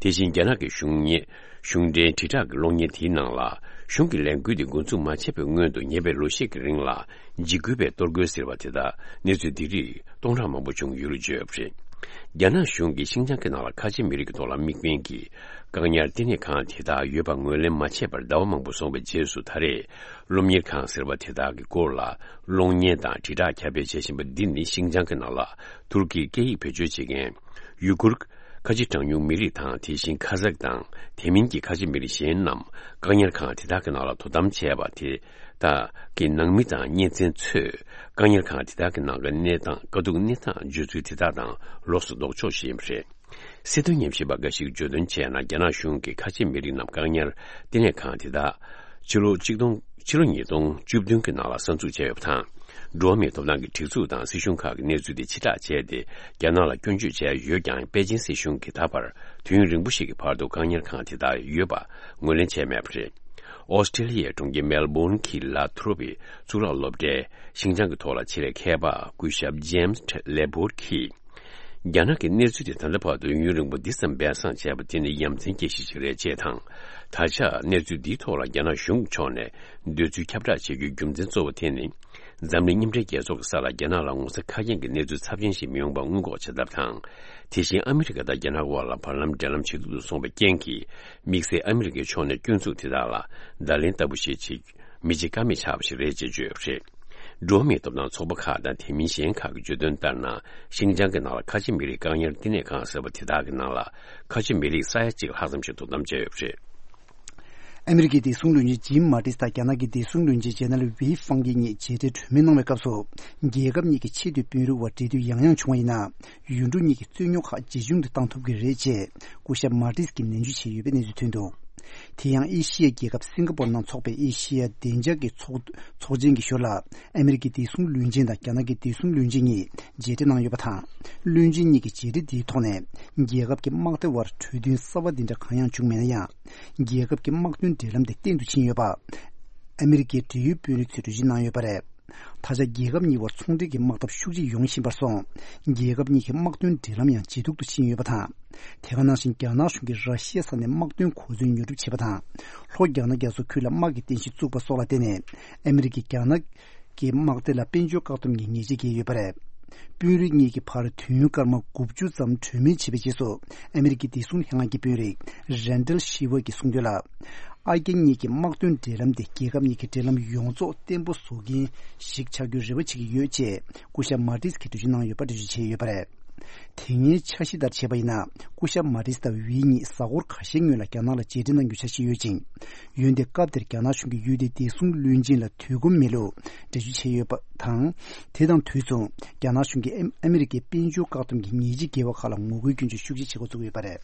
དེ་བཞིན་རྒྱ་ནག་གི་གཞུང་གཉེར། གཞུང་འབྲེལ་དྲིལ་བསྒྲགས་ཀྱི་གློག་བརྙན་དེའི་ནང་ལ། གཞུང་གི་ལས་འགུལ་འདི་འགོ་འཛུགས་མ་བྱས་པའི་སྔོན་དུ་ཉེ་བའི་ལོ་ཤས་ཀྱི་རིང་ལ། འཇིགས་སྐུལ་བའི་གཏོར་རྒོལ་ཟེར་བ་དེ་དག་གནས་ཚུལ་འདི་རིགས་སྟོང་ཕྲག་མང་པོ་བྱུང་ཡོད་ལུགས་བརྗོད་ཡོད་པ་རེད། རྒྱ་ནག་གཞུང་གིས་ཤིན་ཅང་གི་ནང་ལ་ཁ་ཆེ་མི་རིགས་ཀྱི་ཐོག་ལ་དམིགས་འབེན་གྱིས་བཀག་ཉར་ལྟེ་གནས་ཁང་དེ་དག་ཡོད་པ་ངོས་ལེན་མ་བྱས་པར་ཟླ་བ་མང་པོ་སོང་བའི་རྗེས་སུ། ད་རེས་སློབ་གཉེར་ཁང་ཟེར་བ་དེ་དག་གི་སྐོར་ལ་གློག་བརྙན་དང་དྲིལ་བསྒྲགས་ཁྱབ་སྤེལ་བྱེད་བཞིན་པ་འདི་ནི་ཤིན་ཅང་གི་ནང་ལ་ཐུར་ཀིའི་སྐད་ཡིག་བེད་སྤྱོད་བྱེད་མཁན་ཡུ་གུར། ཁ་ཆེ་གྲངས་ཉུང་མི་རིགས་དང་། དེ་བཞིན་ཁ་ཛག་དང་དེ་མིན་གྱི་ཁ་ཆེ་མི་རིགས་གཞན་རྣམས་བཀག་ཉར་ཁང་དེ་དག་གི་ནང་ལ་དོ་དམ་བྱས་པ་དེ་དག་གི་ནང་མི་དང་གཉེན་ཚན་ཚོས་བཀག་ཉར་ཁང་དེ་དག་གི་ནང་གི་གནས་སྟངས། དཀའ་སྡུག་གནས་སྟངས་བརྗོད་ཚུལ་དེ་དག་དང་ལོགས་སུ་ལྡོག་ཕྱོགས་ཤིག་ཡིན་པ་རེད། སྲིད་དོན་ཉམས་ཞིབ་པ་འགའ་ཞིག་གིས་བརྗོད་དོན་བྱས་ན། རྒྱ་ནག་གཞུང་གིས་ཁ་ཆེ་མི་རིགས་རྣམས་བཀག་ཉར་བསྟི་གནས་ཁང་དེ་དག་ཕྱི་ལོ་གཅིག་སྟོང་ཕྱི་ལོ་ཉིས་སྟོང་བཅུ་བདུན་གྱི་ནང་ལ་གསར་འཛུགས་བྱས་ཡོད་པ་དང་། འགྲོ་བ་མིའི་ཐོབ་ཐང་གི་སྒྲིག་འཛུགས་དང་སྲིད་གཞུང་ཁག་གིས་གནས་ཚུལ་དེ་ཕྱིར་བསྒྲགས་བྱས་ཏེ། རྒྱ་ནག་ལ་སྐྱོན་བརྗོད་བྱས་ཡོད་ཀྱང་། པེ་ཅིན་སྲིད་གཞུང་གིས་ད་བར་དུས་ཡུན་རིང་པོ་ཞིག་གི་བར་དུ་བཀག་ཉར་ཁང་དེ་དག་ཡོད་པ་ངོས་ལེན་བྱས་མེད་པ་རེད། ཨོ་སི་ཀྲེ་ལི་ཡའི་གྲོང་ཁྱེར་མེལ་བྷོན་གྱི་ལ་ཐོ་རོ་པའི་གཙུག་ལག་སློབ་གྲྭའི་ཤིན་ཅང་གི་ཐོག་ལ་ཆེད་ལས་མཁས་པ་སྐུ་ཞབས་ཇེམ་སི་ལེ་བྷོར་གྱིས། རྒྱ་ནག་གིས་གནས་ཚུལ་དེ་ད་ལྟ་བར་དུ་ཡུན་རིང་པོ་འདི་ཙམ་སྦས་གསང་བྱས་པ་དེ་ནི་ཡ་མཚན་སྐྱེ་གཞི་ཞིག་རེད་ཅེས་དང་། ད་ཆ་གནས་ཚུལ་འདིའི་ཐོག་ལ་རྒྱ་ནག་གཞུང་གི་ཕྱོགས་ནས་འདོད་ཚུལ་ཁྱབ་བསྒྲགས་བྱེད་རྒྱུའི་རྒྱུ་མཚན་གཙོ་བོ་དེ་ནི། འཛམ་གླིང་མཉམ་འབྲེལ་རྒྱལ་ཚོགས་ཀྱི་ས་ལ་རྒྱ་ནག་ལ་ངོ་ཚ་ཁ་སྐྱེངས་ཀྱི་གནས་ཚུལ་ཚབས་ཆེན་ཞིག་མི་ཡོང་པ་སྔོན་འགོག་བྱེད་ཐབས་དང་། དེ་བཞིན་ཨ་མི་རི་ཀ་དང་རྒྱ་ནག་དབར་ལ་བར་ལམ་འབྲེལ་ལམ་ཇེ་སྡུག་ཏུ་སོང་བའི་རྐྱེན་གྱིས། དམིགས་བསལ་ཨ་མི་རི་ཀའི་ཕྱོགས་ནས་སྐྱོན་འཛུགས་དེ་དག་ལ་བརྡ་ལན་ལྟ་བུ་ཞིག་ཅིག་མི་བྱེད་ཀ་མེད་ཆགས་པ་ཞིག་རེད་ཅེས་བརྗོད་ཡོད་པ་རེད། འགྲོ་བ་མིའི་ཐོབ་ཐང་ཚོགས་པ་ཁག་དང་དེ་མིན་གཞན་ཁག་གིས་བརྗོད་དོན་ལྟར་ན། ཤིན་ཅང་གི་ནང་ལ་ཁ་ཆེ་མི་རིགས་བཀག་ཉར་བསྟི་གནས་ཁང་ཟེར་བ་དེ་དག་གི་ནང་ལ་ཁ་ཆེ་མི་རིགས་ས་ཡ་གཅིག་ལྷག་ཙམ་ཞིག་དོ་དམ་བྱས་ཡོད་པ་རེད། ཨ་མི་རི་ཀའི་བདེ་སྲུང་བློན་ཆེན་ཇིམ་མ་ཏིས་དང་རྒྱ་ནག་གི་བདེ་སྲུང་བློན་ཆེན་ཇེ་ནལ་ཝི་ཧྥང་གི་གཉིས་མཇལ་འཕྲད་གྲོས་མོལ་གནང་བའི་སྐབས་སུ། རྒྱལ་ཁབ་གཉིས་ཀྱི་ཆེས་མཐོའི་དཔོན་རིགས་དབར་འབྲེལ་མཐུད་ཡང་ཡང་བྱུང་བ་ཡིན་ན། ཡུལ་གྲུ་གཉིས་ཀྱི་རྩོད་རྙོག་ཁག་ཇེ་ཆུང་དུ་གཏང་ཐུབ་ཀྱི་རེད་ཅེས་སྐུ་ཞབས་མ་ཏིས་ཀྱིས་ནན་བརྗོད་བྱས་ཡོད་པའི་གནས་ཚུལ་ཐོན་འདུག་དེ་ཡང་ཨེ་ཤི་ཡའི་རྒྱལ་ཁབ་སིང་ག་པོར་ནང་འཚོགས་པའི་ཨེ་ཤི་ཡ་བདེ་འཇགས་ཀྱི་ཚོགས་ཚོགས་ཆེན་གྱི་ཞོར་ལ། ཨ་མི་རི་ཀའི་བདེ་སྲུང་བློན་ཆེན་དང་རྒྱ་ནག་གི་བདེ་སྲུང་བློན་ཆེན་གཉིས་མཇལ་འཕྲད་གནང་ཡོད་པ་དང་། བློན་ཆེན་གཉིས་ཀྱི་མཇལ་འཕྲད་འདིའི་ཐོག་ནས། རྒྱལ་ཁབ་ཀྱི་དམག་སྡེ་དབར་གྲོས་མཐུན་གསར་བ་འདི་འདྲ་གང་ཡང་བྱུང་མེད་ན་ཡང་། རྒྱལ་ཁབ་ཀྱི་དམག་དོན་འབྲེལ་ལམ་དེ་བརྟན་དུ་ཕྱིན་ཡོད་པ། ཨ་མི་རི་ཀའི་འབྲེལ་ཡོད་དཔོན་རིགས་ཚོས་འགྲེལ་བརྗོད་གནང་ཡོད་པ་རེད། ད་ཆ་རྒྱལ་ཁབ་གཉིས་དབར་ཚོང་འབྲེལ་གྱི་དམག་འཐབ་ཤུགས་ཆེ་ཡོང་བཞིན་པར་སོང་། རྒྱལ་ཁབ་གཉིས་ཀྱི་དམག་དོན་འབྲེལ་ལམ་ཡང་ཇེ་སྡུག་ཏུ་ཕྱིན་ཡོད་པ་དང་། དེ་ག་ནང་བཞིན་རྒྱ་ནག་གཞུང་གིས་ར་ཤི་ཡ་ས་ནས་དམག་དོན་གོ་མཚོན་ཉོ་སྒྲུབ་བྱས་པ་དང་། ལྷོ་རྒྱ་ནག་རྒྱ་མཚོ་ཁུལ་ལ་དམག་གི་རྟེན་གཞི་བཙུགས་པ་སོགས་ལ་བརྟེན་ནས། ཨ་མི་རི་ཀས་རྒྱ་ནག་གི་དམག་སྡེ་ལ་དཔལ་འབྱོར་བཀག་སྡོམ་གྱི་ཉེས་ཆད་བཀལ་ཡོད་པ་རེད། དཔོན་རིགས་གཉིས་ཀྱི་བར་དུས་ཡུན་སྐར་མ་དགུ་བཅུ་ཙམ་གྲོས་མོལ་བྱས་པའི་རྗེས་སུ། ཨ་མི་རི་ཀའི་བདེ་སྲུང་ལྷན་ཁང་གི་དཔོན་རིགས་རན་ཌལ་ཤི་ཝར་གྱིས་གསུངས་དོན་ལ། ཨ་རྒྱ་གཉིས་ཀྱི་དམག་དོན་འབྲེལ་ལམ་དེ་རྒྱལ་ཁབ་གཉིས་ཀྱི་འབྲེལ་ལམ་ཡོངས་རྫོགས་བརྟན་པོ་བཟོ་མཁན་ཞིག་ཆགས་རྒྱུའི་རེ་བ་བྱེད་ཀྱི་ཡོད་ཅེས་སྐུ་ཞབས་མ་ཏིས་ཀྱིས་འགྲེལ་བརྗོད་གནང་ཡོད་པ་འགྲེལ་བརྗོད་བྱས་ཡོད་པ་རེད། དེ་སྔའི་འཆར་གཞི་ལྟར་བྱས་པ་ཡིན་ན། སྐུ་ཞབས་མ་ཏིས་དང་ཝི་གཉིས་གཟའ་འཁོར་ཁ་ཤས་སྔོན་ལ་རྒྱ་ནག་ལ་མཇལ་འཕྲད་གནང་རྒྱུའི་འཆར་གཞི་ཡོད་ཅིང་། འོན་ཏེ་སྐབས་དེར་རྒྱ་ནག་གཞུང་གིས་ཡུལ་དེའི་བདེ་སྲུང་བློན་ཆེན་ལ་དུས་ཁོམ་མེད་ལུགས་འགྲེལ་བརྗོད་བྱས་ཡོད་པ་དང་། དེ་དང་དུས་མཚུངས་རྒྱ་ནག་གཞུང་གིས་ཨ་ཨ་མི་རི་ཀའི་དཔལ་འབྱོར་བཀག་སྡོམ་གྱི་ཉེས་ཆད་འགེལ་བ་ཁག་ལ་ངོ་རྒོལ་སྐྱོན་བརྗོད་ཤུགས་ཆེ་བྱེད་འགོ་བཙུགས་ཡོད་པ་རེད།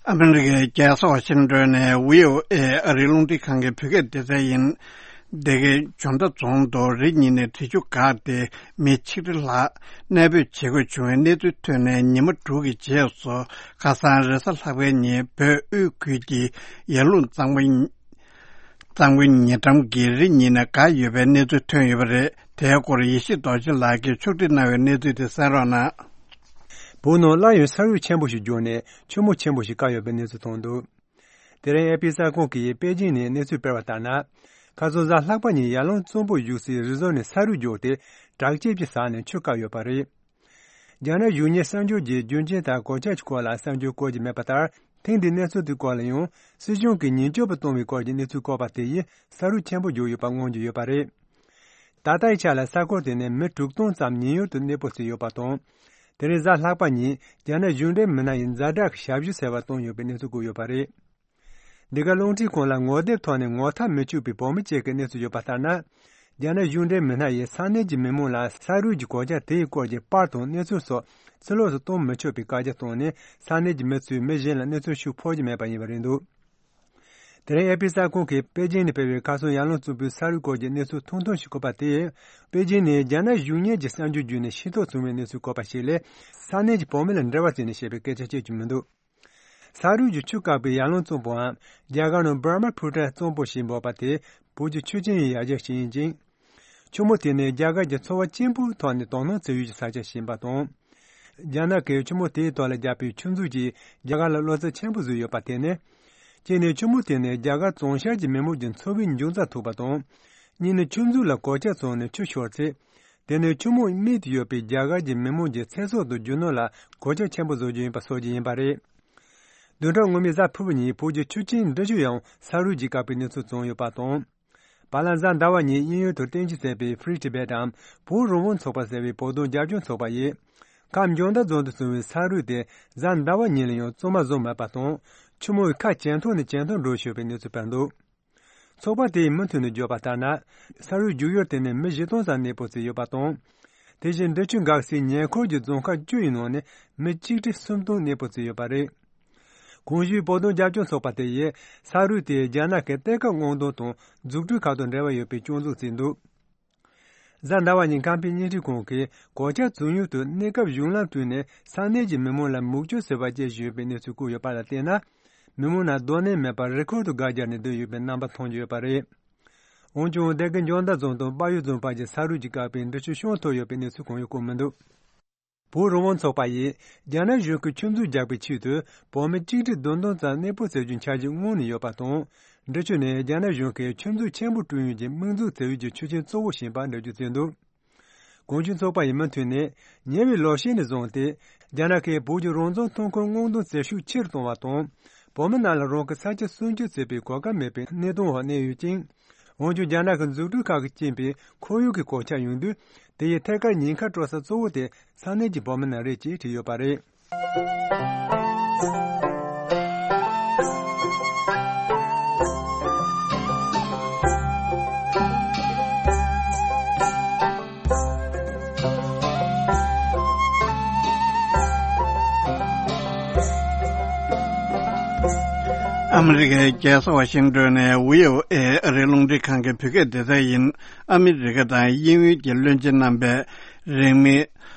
ཨ་མི་རི་ཀའི་རྒྱལ་ས་ཝ་ཤིང་ཏོན་ནས་བྷི་ཨོ་ཨེ་ཨ་རིའི་རླུང་འཕྲིན་ཁང་གི་བོད་སྐད་སྡེ་ཚན་ཡིན། སྡེ་དགེ་འཇོ་མདའ་རྫོང་དུ་རི་ཉིལ་ནས་འབྲི་ཆུ་འགགས་ཏེ་མི་ཆིག་ཁྲི་ལྷག་གནས་སྤོས་བྱེད་དགོས་བྱུང་བའི་གནས་ཚུལ་ཐོན་ནས་ཉི་མ་དྲུག་གི་རྗེས་སུ། ཁ་སང་རེས་གཟའ་ལྷག་པའི་ཉིན་བོད་དབུས་ཁུལ་གྱི་ཡར་ཀླུང་གཙང་པོ་གཙང་པོའི་ཉེ་འགྲམ་གྱི་རི་ཉིལ་ནས་འགག་ཡོད་པའི་གནས་ཚུལ་ཐོན་ཡོད་པ་རེད། དེའི་སྐོར་ཡེ་ཤེས་རྡོ་རྗེ་ལགས་ཀྱིས་ཕྱོགས་སྒྲིག་གནང་བའི་གནས་ཚུལ་དེ་གསན་རོགས་གནང་། བོད་ནང་སླར་ཡང་ས་རུད་ཆེན་པོ་ཞིག་རྒྱུག་ནས་ཆུ་མོ་ཆེན་པོ་ཞིག་བཀག་ཡོད་པའི་གནས་ཚུལ་ཐོན་འདུག་དེ་རིང་ཨེ་པི་གསར་ཁང་གིས་པེ་ཅིན་ནས་གནས་ཚུལ་སྤེལ་བ་ལྟར་ན། ཁ་སང་གཟའ་ལྷག་པ་ཉིན་ཡར་ཀླུང་གཙང་པོར་བཞུགས་སའི་རི་བཟོ་ནས་ས་རུད་རྒྱུག་སྟེ་བྲག་ཅེབ་ཀྱི་ས་ནས་ཆུ་བཀག་ཡོད་པ་རེད། རྒྱ་ནག་གཞུང་གཉེར་གསར་འགྱུར་གྱིས་རྒྱུ་རྐྱེན་དང་གོད་ཆག་གི་སྐོར་ལ་གསར་འགྱུར་བཀོད་ཀྱི་མེད་པ་ལྟར། ཐེངས་འདིའི་གནས་ཚུལ་དེའི་སྐོར་ལ་ཡང་སྲིད་གཞུང་གིས་ཉེན་སྐྱོབ་པ་གཏོང་བའི་སྐོར་གྱི་གནས་ཚུལ་བཀོད་པ་དེ་ཡིས་ས་རུད་ཆེན་པོ་རྒྱུག་ཡོད་པ་མངོན་གྱི་ཡོད་པ་རེད། ད་ལྟའི་ཆ་ལ་ས་ཁུལ་དེ་ནས་མི་དྲུག་སྟོང་ཙམ་ཉེན་གཡོལ་དུ་གནས་སྤོ་བྱས་ཡོད་པ་དང་། དེ་རིང་གཟའ་ལྷག་པ་ཉིན་རྒྱ་ནག་གཞུང་འབྲེལ་མི་སྣ་ཡིས་ཛ་དྲག་གི་ཞབས་ཞུ་ཟེར་བ་བཏང་ཡོད་པའི་གནས་ཚུལ་བཀོད་ཡོད་པ་རེད། འདི་ག་རླུང་འཕྲིན་ཁང་ལ་ངོ་དེབ་ཐོག་ནས་ངོ་ཐག་མི་ཆོད་པའི་བོད་མི་གཅིག་གི་གནས་ཚུལ་ཡོད་པ་ལྟར་ན། རྒྱ་ནག་གཞུང་འབྲེལ་མི་སྣ་ཡིས་ས་གནས་ཀྱི་མི་མང་ལ་ས་རུད་ཀྱི་གོད་ཆག་དེའི་སྐོར་གྱི་པར་དང་གནས་ཚུལ་སོགས་ཕྱི་ལོགས་སུ་གཏོང་མི་ཆོག་པའི་བཀའ་རྒྱ་བཏང་ནས། ས་གནས་ཀྱི་མི་ཚོས་མི་གཞན་ལ་གནས་ཚུལ་ཤོད་ཕོད་ཀྱི་མེད་པ་ཡིན་པ་རེད་འདུག་དེ་རིང་ཨེ་པི་གསར་ཁང་གིས་པེ་ཅིན་ནས་སྤེལ་བའི་ཁ་སང་ཡར་ཀླུང་གཙང་པོའི་ས་རུད་སྐོར་གྱི་གནས་ཚུལ་ཐུང་ཐུང་ཞིག་བཀོད་པ་དེས། པེ་ཅིན་ནས་རྒྱ་ནག་གཞུང་གཉེར་གྱི་གསར་འགྱུར་བརྒྱུད་ནས་ཤེས་རྟོགས་བྱུང་བའི་གནས་ཚུལ་བཀོད་པ་ཞིག་ལས། ས་གནས་ཀྱི་བོད་མི་ལ་འབྲེལ་བ་བྱས་ནས་བཤད་པའི་སྐད་ཆ་བཤད་རྒྱུ་མི་འདུག་ས་རུད་ཀྱི་ཆུ་བཀག་པའི་ཡར་ཀླུང་གཙང་པོའམ། རྒྱ་གར་ནང་འབར་མ་ཕུ་ཊ་གཙང་པོ་ཞེས་འབོད་པ་དེ་བོད་ཀྱི་ཆུ་ཆེན་ཡི་ཡར་རྒྱས་ཤིག་ཡིན་ཅིང་། ཆུ་མོ་དེ་ནི་རྒྱ་གར་གྱི་ཚོ་བ་ཆེན་པོའི་ཐོག་ནས་དོ་སྣང་བྱེད་ཡུལ་གྱི་ས་ཆ་ཞིག་ཡིན་པ་དང་། རྒྱ་ནག་གིས་ཆུ་མོ་དེའི་ཐོག་ལ་བརྒྱབ་པའི་ཆུ་མཛོད་ཀྱིས་རྒྱ་གར་ལ་བློ་འཚབ་ཆེན་པོ་བཟོས་ཡོད་པ་དེ་ནི། གཅིག་ནི་ཆུ་མོ་དེ་ནི་རྒྱ་གར་བྱང་ཤར་གྱི་མི་མང་གི་འཚོ་བའི་འབྱུང་རྩར་ཐུག་པ་དང་། གཉིས་ནི་ཆུ་མཛོད་ལ་གོད་ཆག་བྱུང་ནས་ཆུ་ཤོར་ཚེ། དེ་ནི་ཆུ་མོ་རྨིས་ཏེ་ཡོད་པའི་རྒྱ་གར་གྱི་མི་མང་གི་ཚེ་སྲོག་དང་རྒྱུ་ནོར་ལ་གོད་ཆག་ཆེན་པོ་བཟོ་རྒྱུ་ཡིན་པ་སོགས་ཀྱི་ཡིན་པ་རེད། བདུན་ཕྲག་སྔོན་མའི་གཟའ་ཕུར་བུ་ཉིན་བོད་ཀྱི་ཆུ་ཆེན་འབྲི་ཆུ་ཡང་ས་རུད་ཀྱིས་བཀག་པའི་གནས་ཚུལ་བྱུང་ཡོད་པ་དང་། བར་ལ་གཟའ་ཟླ་བ་ཉིན་དབྱིན་ཡུལ་དུ་རྟེན་གཞི་བྱས་པའི་Free Tibet་འམ་བོད་རང་དབང་ཚོགས་པ་ཟེར་བའི་བོད་དོན་རྒྱབ་སྐྱོར་ཚོགས་པ་ཡིས། ཁམས་འཇང་ཐང་རྫོང་དུ་བྱུང་བའི་ས་རུད་དེ་གཟའ་ཟླ་བ་ཉིན་ལ་ཡང་བཙོང་མ་བཟོ་མེད་པ་དང་། ཆུ་མོ་ཁ་ཇེ་མཐོ་ནས་ཇེ་མཐོར་འགྲོ་བཞིན་ཡོད་པའི་གནས་ཚུལ་སྤེལ་འདུག་ཚོགས་པ་དེའི་མུ་མཐུད་ནས་བརྗོད་པ་ལྟར་ན། ས་རུད་རྒྱུག་ཡུལ་དེ་ནས་མི་བཞི་སྟོང་ཙམ་གནས་སྤོ་བྱས་ཡོད་པ་དང་། དེ་བཞིན་འབྲི་ཆུ་འགག་སའི་ཉེ་འཁོར་གྱི་རྫོང་ཁག་བཅུ་ཡི་ནང་ནས་མི་གཅིག་ཁྲི་སུམ་སྟོང་གནས་སྤོ་བྱས་ཡོད་པ་རེད། གོང་ཞུས་བོད་དོན་རྒྱབ་སྐྱོར་ཚོགས་པ་དེ་ཡིས་ས་རུད་དེ་རྒྱ་ནག་གི་གཏེར་ཁ་སྔོག་འདོན་དང་འཛུགས་སྐྲུན་ཁག་དང་འབྲེལ་བ་ཡོད་པའི་སྐྱོན་འཛུགས་བྱས་འདུག་གཟའ་ཟླ་བ་ཉིན་ཁམས་པའི་བརྙན་འཕྲིན་ཁང་གིས་གོད་ཆག་བྱུང་ཡུལ་དུ་གནས་སྐབས་གཞུང་ལམ་བསྐྲུན་ནས་ས་གནས་ཀྱི་མི་མང་ལ་མུག་ཆུ་ཟེར་བ་སྐྱེལ་བཞིན་ཡོད་པའི་གནས་ཚུལ་བཀོད་ཡོད་པ་ལ་བལྟས་ན། མི་མང་རྣམས་སྡོད་གནས་མེད་པར་རི་ཁུལ་དུ་སྒར་རྒྱག་ནས་སྡོད་ཡོད་པའི་རྣམ་པ་མཐོང་རྒྱུ་ཡོད་པ་རེད། འོན་ཀྱང་སྡེ་དགེ་འཇང་ཐང་རྫོང་དང་དཔལ་ཡུལ་རྫོང་བར་གྱི་ས་རུད་ཀྱིས་བཀག་པའི་འབྲི་ཆུ་བཤམས་ཐུབ་ཡོད་པའི་གནས་ཚུལ་གང་ཡང་བཀོད་མི་འདུག་བོད་རང་དབང་ཚོགས་པ་ཡིས་རྒྱ་ནག་གཞུང་གིས་ཆུ་མཛོད་རྒྱག་པའི་ཆེད་དུ་བོད་མི་གཅིག་ཁྲི་བདུན་སྟོང་ཙམ་གནས་སྤོ་བྱ་རྒྱུའི་འཆར་གཞི་སྔོན་ནས་ཡོད་པ་དང་། འབྲི་ཆུ་ནས་རྒྱ་ནག་གཞུང་གིས་ཆུ་མཛོད་ཆེན་པོ་བསྐྲུན་ཡུལ་གྱི་དམིགས་འཛུགས་བྱ་ཡུལ་གྱི་ཆུ་རྐྱེན་གཙོ་བོ་ཞིག་ཡིན་པ་འགྲེལ་བརྗོད་བྱས་འདུག་གོང་ཞུས་ཚོགས་པ་ཡིས་མུ་མཐུད་ནས། ཉེ་བའི་ལོ་ཤས་ནས་བཟུང་སྟེ། རྒྱ་ནག་གིས་བོད་ཀྱི་རང་བཙན་ཐོན་ཁུངས་སྔོག་འདོན་བྱེད་ཤུགས་ཆེ་རུ་གཏོང་བ་དང་། བོད་མི་རྣམས་ལ་རང་གི་ས་ཆ་སྲུང་སྐྱོབ་བྱེད་པའི་གོ་སྐབས་མེད་པའི་གནས་སྟངས་འོག་གནས་ཡོད་ཅིང་། འོན་ཀྱང་རྒྱ་ནག་གི་འཛུགས་སྐྲུན་ཁག་གིས་རྐྱེན་པས་ཁོར་ཡུག་གི་གོད་ཆག་ཡོང་དུས། དེ་ཡི་ཐད་ཀར་ཉེན་ཁ་སྤྲོད་ས་གཙོ་བོ་དེ་ས་གནས་ཀྱི་བོད་མི་རྣམས་རེད་ཅེས་བྲིས་ཡོད་པ་རེད། ཨ་མི་རི་ཀའི་རྒྱལ་ས་ཝ་ཤིང་ཏོན་ནས་བྷི་ཨོ་ཨེ་ཨ་རིའི་རླུང་འཕྲིན་ཁང་གི་བོད་སྐད་སྡེ་ཚན་ཡིན། ཨ་མི་རི་ཀ་དང་དབྱིན་ཡུལ་གྱི་བློན་ཆེན་རྣམ་པས་རིང་མིན་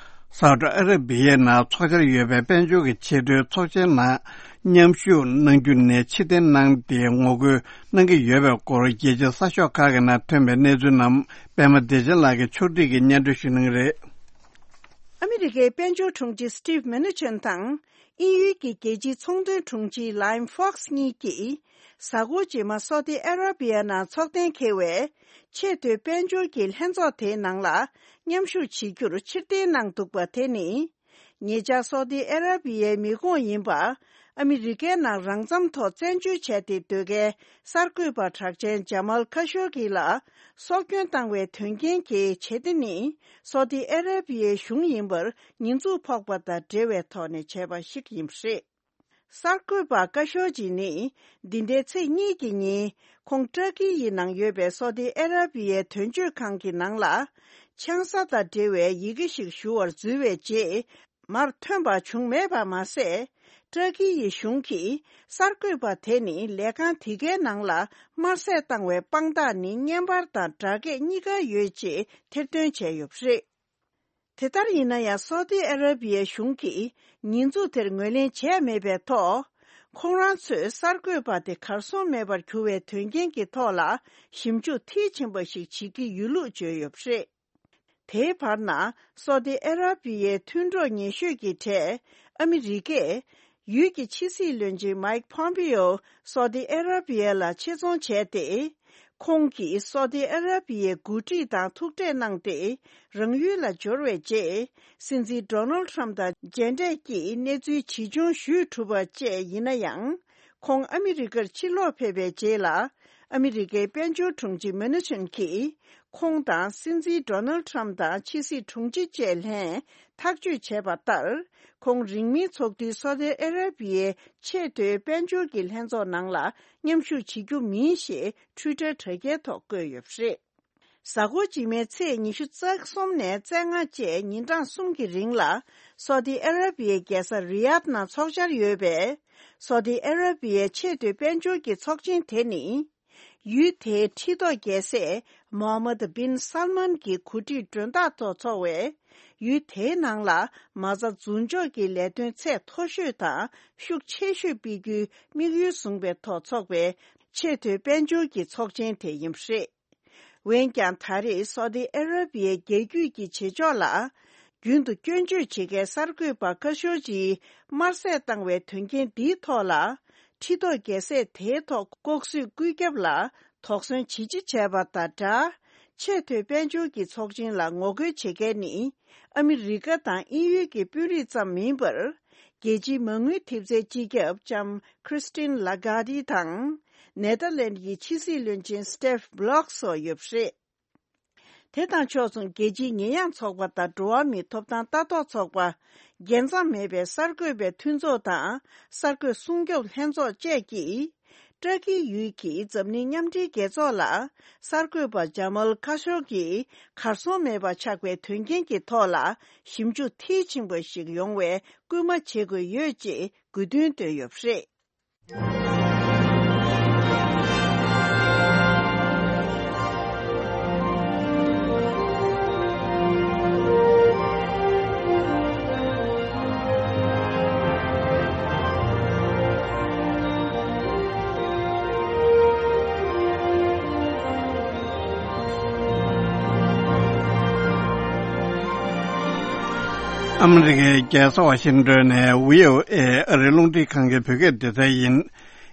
སའུ་ཏི་ཨ་ར་བི་ཡའི་ནང་འཚོགས་འཆར་ཡོད་པའི་དཔལ་འབྱོར་གྱི་ཆེས་མཐོའི་ཚོགས་ཆེན་ནང་མཉམ་ཞུགས་གནང་རྒྱུ་ནས་ཕྱིར་འཐེན་གནང་སྟེ་ངོ་རྒོལ་གནང་གི་ཡོད་པའི་སྐོར་རྒྱལ་སྤྱིའི་གསར་ཤོག་ཁག་གི་ནང་ཐོན་པའི་གནས་ཚུལ་རྣམས་པད་མ་བདེ་ཆེན་ལགས་ཀྱིས་ཕྱོགས་སྒྲིག་གིས་སྙན་སྒྲོན་ཞུ་གནང་གི་རེད། ཨ་མི་རི་ཀའི་དཔལ་འབྱོར་དྲུང་ཆེ་སི་ཊིབ་མེ་ནུ་ཆིན་དང་། དབྱིན་ཡུལ་གྱི་རྒྱལ་སྤྱིའི་ཚོང་དོན་དྲུང་ཆེ་ལའིམ་ཧྥོག་སི་གཉིས་ཀྱིས། གཟའ་འཁོར་རྗེས་མ་སོ་ཏི་ཨ་ར་བི་ཡ་ནང་འཚོགས་གཏན་འཁེལ་བའི་ཆེས་མཐོའི་དཔལ་འབྱོར་གྱི་ལྷན་ཚོགས་དེའི་ནང་ལ་མཉམ་ཞུགས་བྱེད་རྒྱུར་ཕྱིར་འཐེན་གནང་འདུག་པ་དེ་ནི། ཉེ་ཆར་སོ་ཏི་ཨ་ར་བི་ཡའི་མི་ཁོངས་ཡིན་པ། ཨ་མི་རི་ཀའི་ནང་རང་འཚམ་ཐོག་བཙན་བྱོལ་བྱས་ཏེ་སྡོད་མཁན་གསར་འགོད་པ་གྲགས་ཅན་ཇ་མལ་ཁ་ཤོ་གི་ལ་སྲོག་སྐྱོན་བཏང་བའི་དོན་རྐྱེན་གྱི་བྱེད་གཏེ་ནི་སོ་ཏི་ཨ་ར་བི་ཡའི་གཞུང་ཡིན་པར་ཉེས་འཛུགས་ཕོག་པ་དང་འབྲེལ་བའི་ཐོག་ནས་བྱས་པ་ཞིག་ཡིན་པ་རེད། གསར་འགོད་པ་ཀ་ཤོ་ཇི་ནི་འདི་ཟླའི་ཚེས་གཉིས་ཀྱི་ཉིན་ཁོང་ཏྲ་ཀི་ཡི་ནང་ཡོད་པའི་སོ་ཏི་ཨ་ར་བི་ཡའི་དོན་གཅོད་ཁང་གི་ནང་ལ་ཆང་ས་དང་འབྲེལ་བའི་ཡི་གེ་ཞིག་ཞུ་བར་འཛུལ་བའི་རྗེས། མར་ཐོན་པ་བྱུང་མེད་པ་མ་ཟད། ཏྲ་ཀི་ཡི་གཞུང་གིས་གསར་འགོད་པ་དེ་ནི་ལས་ཁང་དེ་གའི་ནང་ལ་དམར་ཟས་བཏང་བའི་དཔང་རྟགས་ནི་བརྙན་པར་དང་སྦྲགས་སྐད་གཉིས་ཀ་ཡོད་ཅེས་ཐེར་འདོན་བྱས་ཡོད་པ་རེད། དེ་ལྟར་ཡིན་ན་ཡང་སོ་ཏི་ཨ་ར་བི་ཡའི་གཞུང་གིས་ཉེས་འཛུགས་དེར་ངོས་ལེན་བྱས་མེད་པའི་ཐོག་ཁོང་རང་ཚོས་གསར་འགོད་པ་དེ་གར་སོང་མེད་པར་གྱུར་བའི་དོན་རྐྱེན་གྱི་ཐོག་ལ་ཞིབ་འཇུག་མཐིལ་ཕྱིན་པ་ཞིག་བྱེད་ཀྱི་ཡོད་ལུགས་བརྗོད་ཡོད་པ་རེད། དེའི་བར་ན་སོ་ཏི་ཨ་ར་བི་ཡའི་མཐུན་གྲོགས་ཉེ་ཤོས་ཀྱི་གྲས་ཨ་མི་རི་ཀས་ཡུལ་གྱི་ཕྱི་སྲིད་བློན་ཆེན་མའིག་ཕོམ་པིའོ་སོ་ཏི་ཨ་ར་བི་ཡ་ལ་ཆེད་རྫོང་བྱས་ཏེ། ཁོང་གིས་སོ་ཏི་ཨ་ར་བི་ཡའི་འགོ་ཁྲིད་དང་ཐུག་འཕྲད་གནང་སྟེ། རང་ཡུལ་ལ་འབྱོར་བའི་རྗེས། སྲིད་འཛིན་ཌོ་ནལ་ཊམ་དང་མཇལ་འཕྲད་ཀྱིས་གནས་ཚུལ་ཇི་བྱུང་ཞུས་གྲུབ་པ་བཅས་ཡིན་ན་ཡང་། ཁོང་ཨ་མི་རི་ཀར་ཕྱིར་ལོག་ཕེབས་པའི་རྗེས་ལ། ཨ་མི་རི་ཀའི་དཔལ་འབྱོར་དྲུང་ཆེ་མེ་ནུ་ཆིན་གྱིས། ཁོང་དང་སྲིད་འཛིན་ཌོ་ནལ་ཊམ་དང་ཕྱི་སྲིད་དྲུང་ཆེ་བཅས་ལྷན་ཐག་གཅོད་བྱས་པ་ལྟར། ཁོང་རིང་མིན་ཚོགས་འདུའི་སོ་ཏི་ཨ་ར་བི་ཡའི་ཆེས་མཐོའི་དཔལ་འབྱོར་གྱི་ལྷན་ཚོགས་ནང་ལ་མཉམ་ཞུགས་བྱེད་རྒྱུ་མིན་ཞེས་ཊུའི་ཊར་དྲ་རྒྱའི་ཐོག་བཀོད་ཡོད་པ་རེད། གཟའ་འཁོར་རྗེས་མའི་ཚེས་ཉི་ཤུ་རྩ་གསུམ་ནས་རྩ་ལྔ་བཅས་ཉིན་གྲངས་གསུམ་གྱི་རིང་ལ། སོ་ཏི་ཨ་ར་བི་ཡའི་རྒྱལ་ས་རི་ཡཱད་ནང་འཚོགས་འཆར་ཡོད་པའི། སོ་ཏི་ཨ་ར་བི་ཡའི་ཆེས་མཐོའི་དཔལ་འབྱོར་གྱི་ཚོགས་ཆེན་དེ་ནི། ཡུལ་དེའི་ཁྲི་ཐོག་རྒྱལ་སྲས་མོ་ཧམ་མད་བིན་སལ་མན་གྱི་གོ་སྒྲིག་མགྲོན་བདག་ཐོག་འཚོགས་པའི། ཡུལ་དེའི་ནང་ལ་མ་རྩ་འཛུགས་འཇོག་གི་ལས་དོན་ཚད་མཐོ་ཤོས་དང་ཤུགས་ཆེ་ཤོས་སྤེལ་རྒྱུའི་དམིགས་ཡུལ་བཟུང་བའི་ཐོག་འཚོགས་པའི་ཆེས་མཐོའི་དཔལ་འབྱོར་གྱི་ཚོགས་ཆེན་དེ་ཡིན་པ་རེད། འོན་ཀྱང་ད་རེས་སོ་ཏི་ཨ་ར་བི་ཡའི་རྒྱལ་རྒྱུད་ཀྱི་བྱེད་ཕྱོགས་ལ། རྒྱུན་དུ་སྐྱོན་བརྗོད་བྱེད་མཁན་གསར་འགོད་པ་ཁ་ཤོར་ཅིག་དམར་ཟས་བཏང་བའི་དོན་རྐྱེན་འདིའི་ཐོག་ལ། ཁྲི་ཐོག་རྒྱལ་སྲས་དེའི་ཐོག་ལྐོག་གསོད་སྐུལ་རྒྱབ་ལ་དོགས་ཟོན་ཇི་ཆེ་བྱས་པ་དང་སྦྲགས། ཆེས་མཐོའི་དཔལ་འབྱོར་གྱི་ཚོགས་ཆེན་ལ་ངོ་རྒོལ་བྱེད་མཁན་ནི། ཨ་མི་རི་ཀ་དང་དབྱིན་ཡུལ་གྱི་དཔོན་རིགས་ཙམ་མིན་པར། རྒྱལ་སྤྱིའི་མ་དངུལ་ཐེབས་རྩའི་སྤྱི་ཁྱབ་ལྕམ་ཁྲིས་ཏིན་ལ་གྷར་ཌི་དང་། ནེ་ཐར་ལན་གྱི་ཕྱི་སྲིད་བློན་ཆེན་སི་ཏེབ་བྷི་ལོག་སོགས་ཡོད་པ་རེད། དེ་དང་ཕྱོགས་མཚུངས་རྒྱལ་སྤྱིའི་ཉེས་ཡངས་ཚོགས་པ་དང་འགྲོ་བ་མིའི་ཐོབ་ཐང་ལྟ་རྟོག་ཚོགས་པ། རྒྱལ་མཚམས་མེད་པའི་གསར་འགོད་པའི་མཐུན་ཚོགས་དང་གསར་འགོད་སྲུང་སྐྱོབ་ལྷན་ཚོགས་བཅས་ཀྱིས། ཏྲ་ཀི་ཡུལ་གྱི་འཛམ་གླིང་མཉམ་འབྲེལ་རྒྱལ་ཚོགས་ལ་གསར་འགོད་པ་ཇ་མལ་ཁ་ཤོ་གིས་གར་སོང་མེད་པ་ཆགས་པའི་དོན་རྐྱེན་གྱི་ཐོག་ལ་ཞིབ་འཇུག་མཐིལ་ཕྱིན་པ་ཞིག་ཡོང་བའི་སྐུལ་མ་བྱེད་དགོས་ཡོད་ཅེས་དགོས་འདུན་བཏོན་ཡོད་པ་རེད། ཨ་མི་རི་ཀའི་རྒྱལ་ས་ཝ་ཤིང་ཏོན་ནས་བྷི་ཨོ་ཨེ་ཨ་རིའི་རླུང་འཕྲིན་ཁང་གི་བོད་སྐད་སྡེ་ཚན་ཡིན།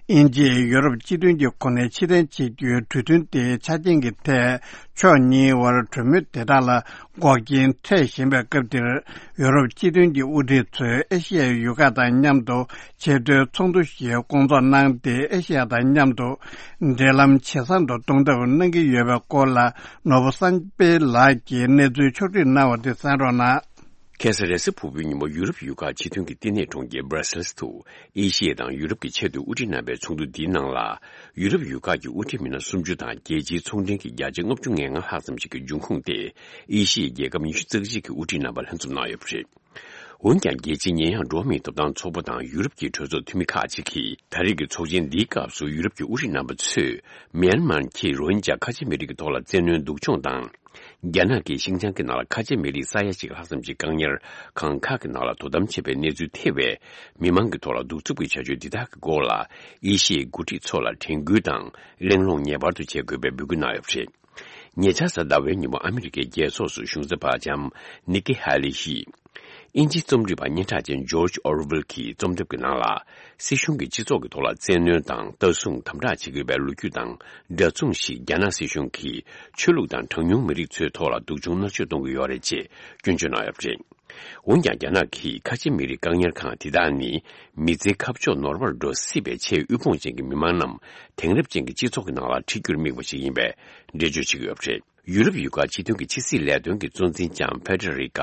དབྱིན་ཇིས་ཡུ་རོབ་སྤྱི་མཐུན་གྱི་གོ་གནས་ཕྱིར་འཐེན་བྱེད་རྒྱུའི་གྲོས་མཐུན་དེའི་ཆ་རྐྱེན་གྱི་ཐད་ཕྱོགས་གཉིས་དབར་གྲོས་མོལ་དེ་དག་ལ་འགོག་རྐྱེན་འཕྲད་བཞིན་པའི་སྐབས་འདིར། ཡུ་རོབ་སྤྱི་མཐུན་གྱི་དབུ་ཁྲིད་ཚོས་ཨེ་ཤི་ཡའི་ཡུལ་ཁག་དང་མཉམ་དུ་ཆེས་མཐོའི་ཚོགས་འདུ་ཞིག་སྐོང་ཚོགས་གནང་སྟེ། ཨེ་ཤི་ཡ་དང་མཉམ་དུ་འབྲེལ་ལམ་ཇེ་བཟང་དུ་གཏོང་ཐབས་གནང་གི་ཡོད་པའི་སྐོར་ལ། ནོར་བུ་བསམ་འཕེལ་ལགས་ཀྱིས་གནས་ཚུལ་ཕྱོགས་བསྒྲིགས་གནང་བ་དེ་གསན་རོགས་གནང་། ཁ་སང་རེས་གཟའ་ཕུར་བུའི་ཉིན་མོ་ཡུ་རོབ་ཡུལ་ཁག་སྤྱི་མཐུན་གྱི་བསྟི་གནས་གྲོང་ཁྱེར་སྦྲ་སེལ་སི་དུ། ཨེ་ཤི་ཡ་དང་ཡུ་རོབ་ཀྱི་ཆེད་དུ་དབུ་ཁྲིད་རྣམ་པའི་ཚོགས་འདུ་འདིའི་ནང་ལ། ཡུ་རོབ་ཡུལ་ཁག་གི་དབུ་ཁྲིད་མི་སྣ་སུམ་ཅུ་དང་རྒྱལ་སྤྱིའི་ཚོང་འབྲེལ་གྱི་རྒྱ་ཆེ་ལྔ་བཅུ་ང་ལྔ་ལྷག་ཙམ་ཞིག་གི་འབྱུང་ཁུངས་ཏེ། ཨེ་ཤི་ཡའི་རྒྱལ་ཁབ་ཉི་ཤུ་རྩ་གཅིག་གི་དབུ་ཁྲིད་རྣམ་པ་ལྷན་འཛོམས་གནང་ཡོད་པ་རེད། འོན་ཀྱང་རྒྱལ་སྤྱིའི་ཉེས་ཡངས་འགྲོ་བ་མིའི་ཐོབ་ཐང་ཚོགས་པ་དང་ཡུ་རོབ་ཀྱི་གྲོས་ཚོགས་འཐུས་མི་ཁག་ཅིག་གིས། ད་རེས་ཀྱི་ཚོགས་ཆེན་འདིའི་སྐབས་སུ་ཡུ་རོབ་ཀྱི་དབུ་ཁྲིད་རྣམ་པ་ཚོས། མེན་མར་གྱིས་རོ་ཧིན་ཇཱ་ཁ་ཆེ་མི་རིགས་ཀྱི་ཐོག་ལ་བཙན་གནོན་སྡུག་སྦྱོང་དང་། རྒྱ་ནག་གིས་ཤིན་ཅང་གི་ནང་ལ་ཁ་ཆེ་མི་རིགས་ས་ཡ་གཅིག་ལྷག་ཙམ་ཞིག་བཀག་ཉར་ཁང་ཁག་གི་ནང་ལ་དོ་དམ་བྱེད་པའི་གནས་ཚུལ་ཐེ་བའི་མི་མང་གི་ཐོག་ལ་གདུག་རྩུབ་ཀྱི་བྱ་སྤྱོད་འདི་དག་གི་སྐོར་ལ། ཨེ་ཤི་ཡའི་འགོ་ཁྲིད་ཚོ་ལ་དྲན་སྐུལ་དང་གླེང་སློང་ངེས་པར་དུ་བྱེད་དགོས་པའི་འབོད་སྐུལ་གནང་ཡོད་པ་རེད། ཉེ་ཆར་གཟའ་ཟླ་བའི་ཉིན་མོ་ཨ་མི་རི་ཀའི་རྒྱལ་ཚོགས་སུ་གཞུང་ཚབ་པ་ལྕམ་ནི་ཀི་ཧ་ལི་ཡིས། དབྱིན་ཇིའི་རྩོམ་སྒྲིག་པ་སྙན་གྲགས་ཅན་ཇོརྗ་ཨོར་ཝེལ་གྱི་རྩོམ་ཐབས་ཀྱི་ནང་ལ། སྲིད་གཞུང་གིས་སྤྱི་ཚོགས་ཀྱི་ཐོག་ལ་བཙན་གནོན་དང་ལྟ་སྲུང་དམ་དྲག་བྱེད་དགོས་པའི་ལོ་རྒྱུས་དང་འདྲ་མཚུངས་ཤིག་རྒྱ་ནག་སྲིད་གཞུང་གིས་ཆོས་ལུགས་དང་གྲངས་ཉུང་མི་རིགས་ཚོའི་ཐོག་ལ་སྡུག་སྦྱོང་མནར་གཅོད་གཏོང་གི་ཡོད་རེད་ཅེས་སྐྱོན་བརྗོད་གནང་ཡོད་པ་རེད། འོན་ཀྱང་། རྒྱ་ནག་གིས་ཁ་ཆེ་མི་རིགས་བཀག་ཉར་ཁང་དེ་དག་ནི། མི་ཚེའི་ཁ་ཕྱོགས་ནོར་བར་འགྲོ་སྲིད་པའི་ཆེས་དབུལ་ཕོངས་ཅན་གྱི་མི་མང་རྣམས་དེང་རབས་ཅན་གྱི་སྤྱི་ཚོགས་ཀྱི་ནང་ལ་ཁྲིད་རྒྱུར་དམིགས་པ་ཞིག་ཡིན་པའི་འགྲེལ་བརྗོད་བྱེད་ཀྱི་ཡོད་པ་རེད། ཡུ་རོབ་ཡུལ་ཁག་སྤྱི་མཐུན་གྱི་ཕྱི་སྲིད་ལས་དོན་གྱི་གཙོ་འཛིན་ལྕམ་ཕེ་ཏྲ་རི་ཀ་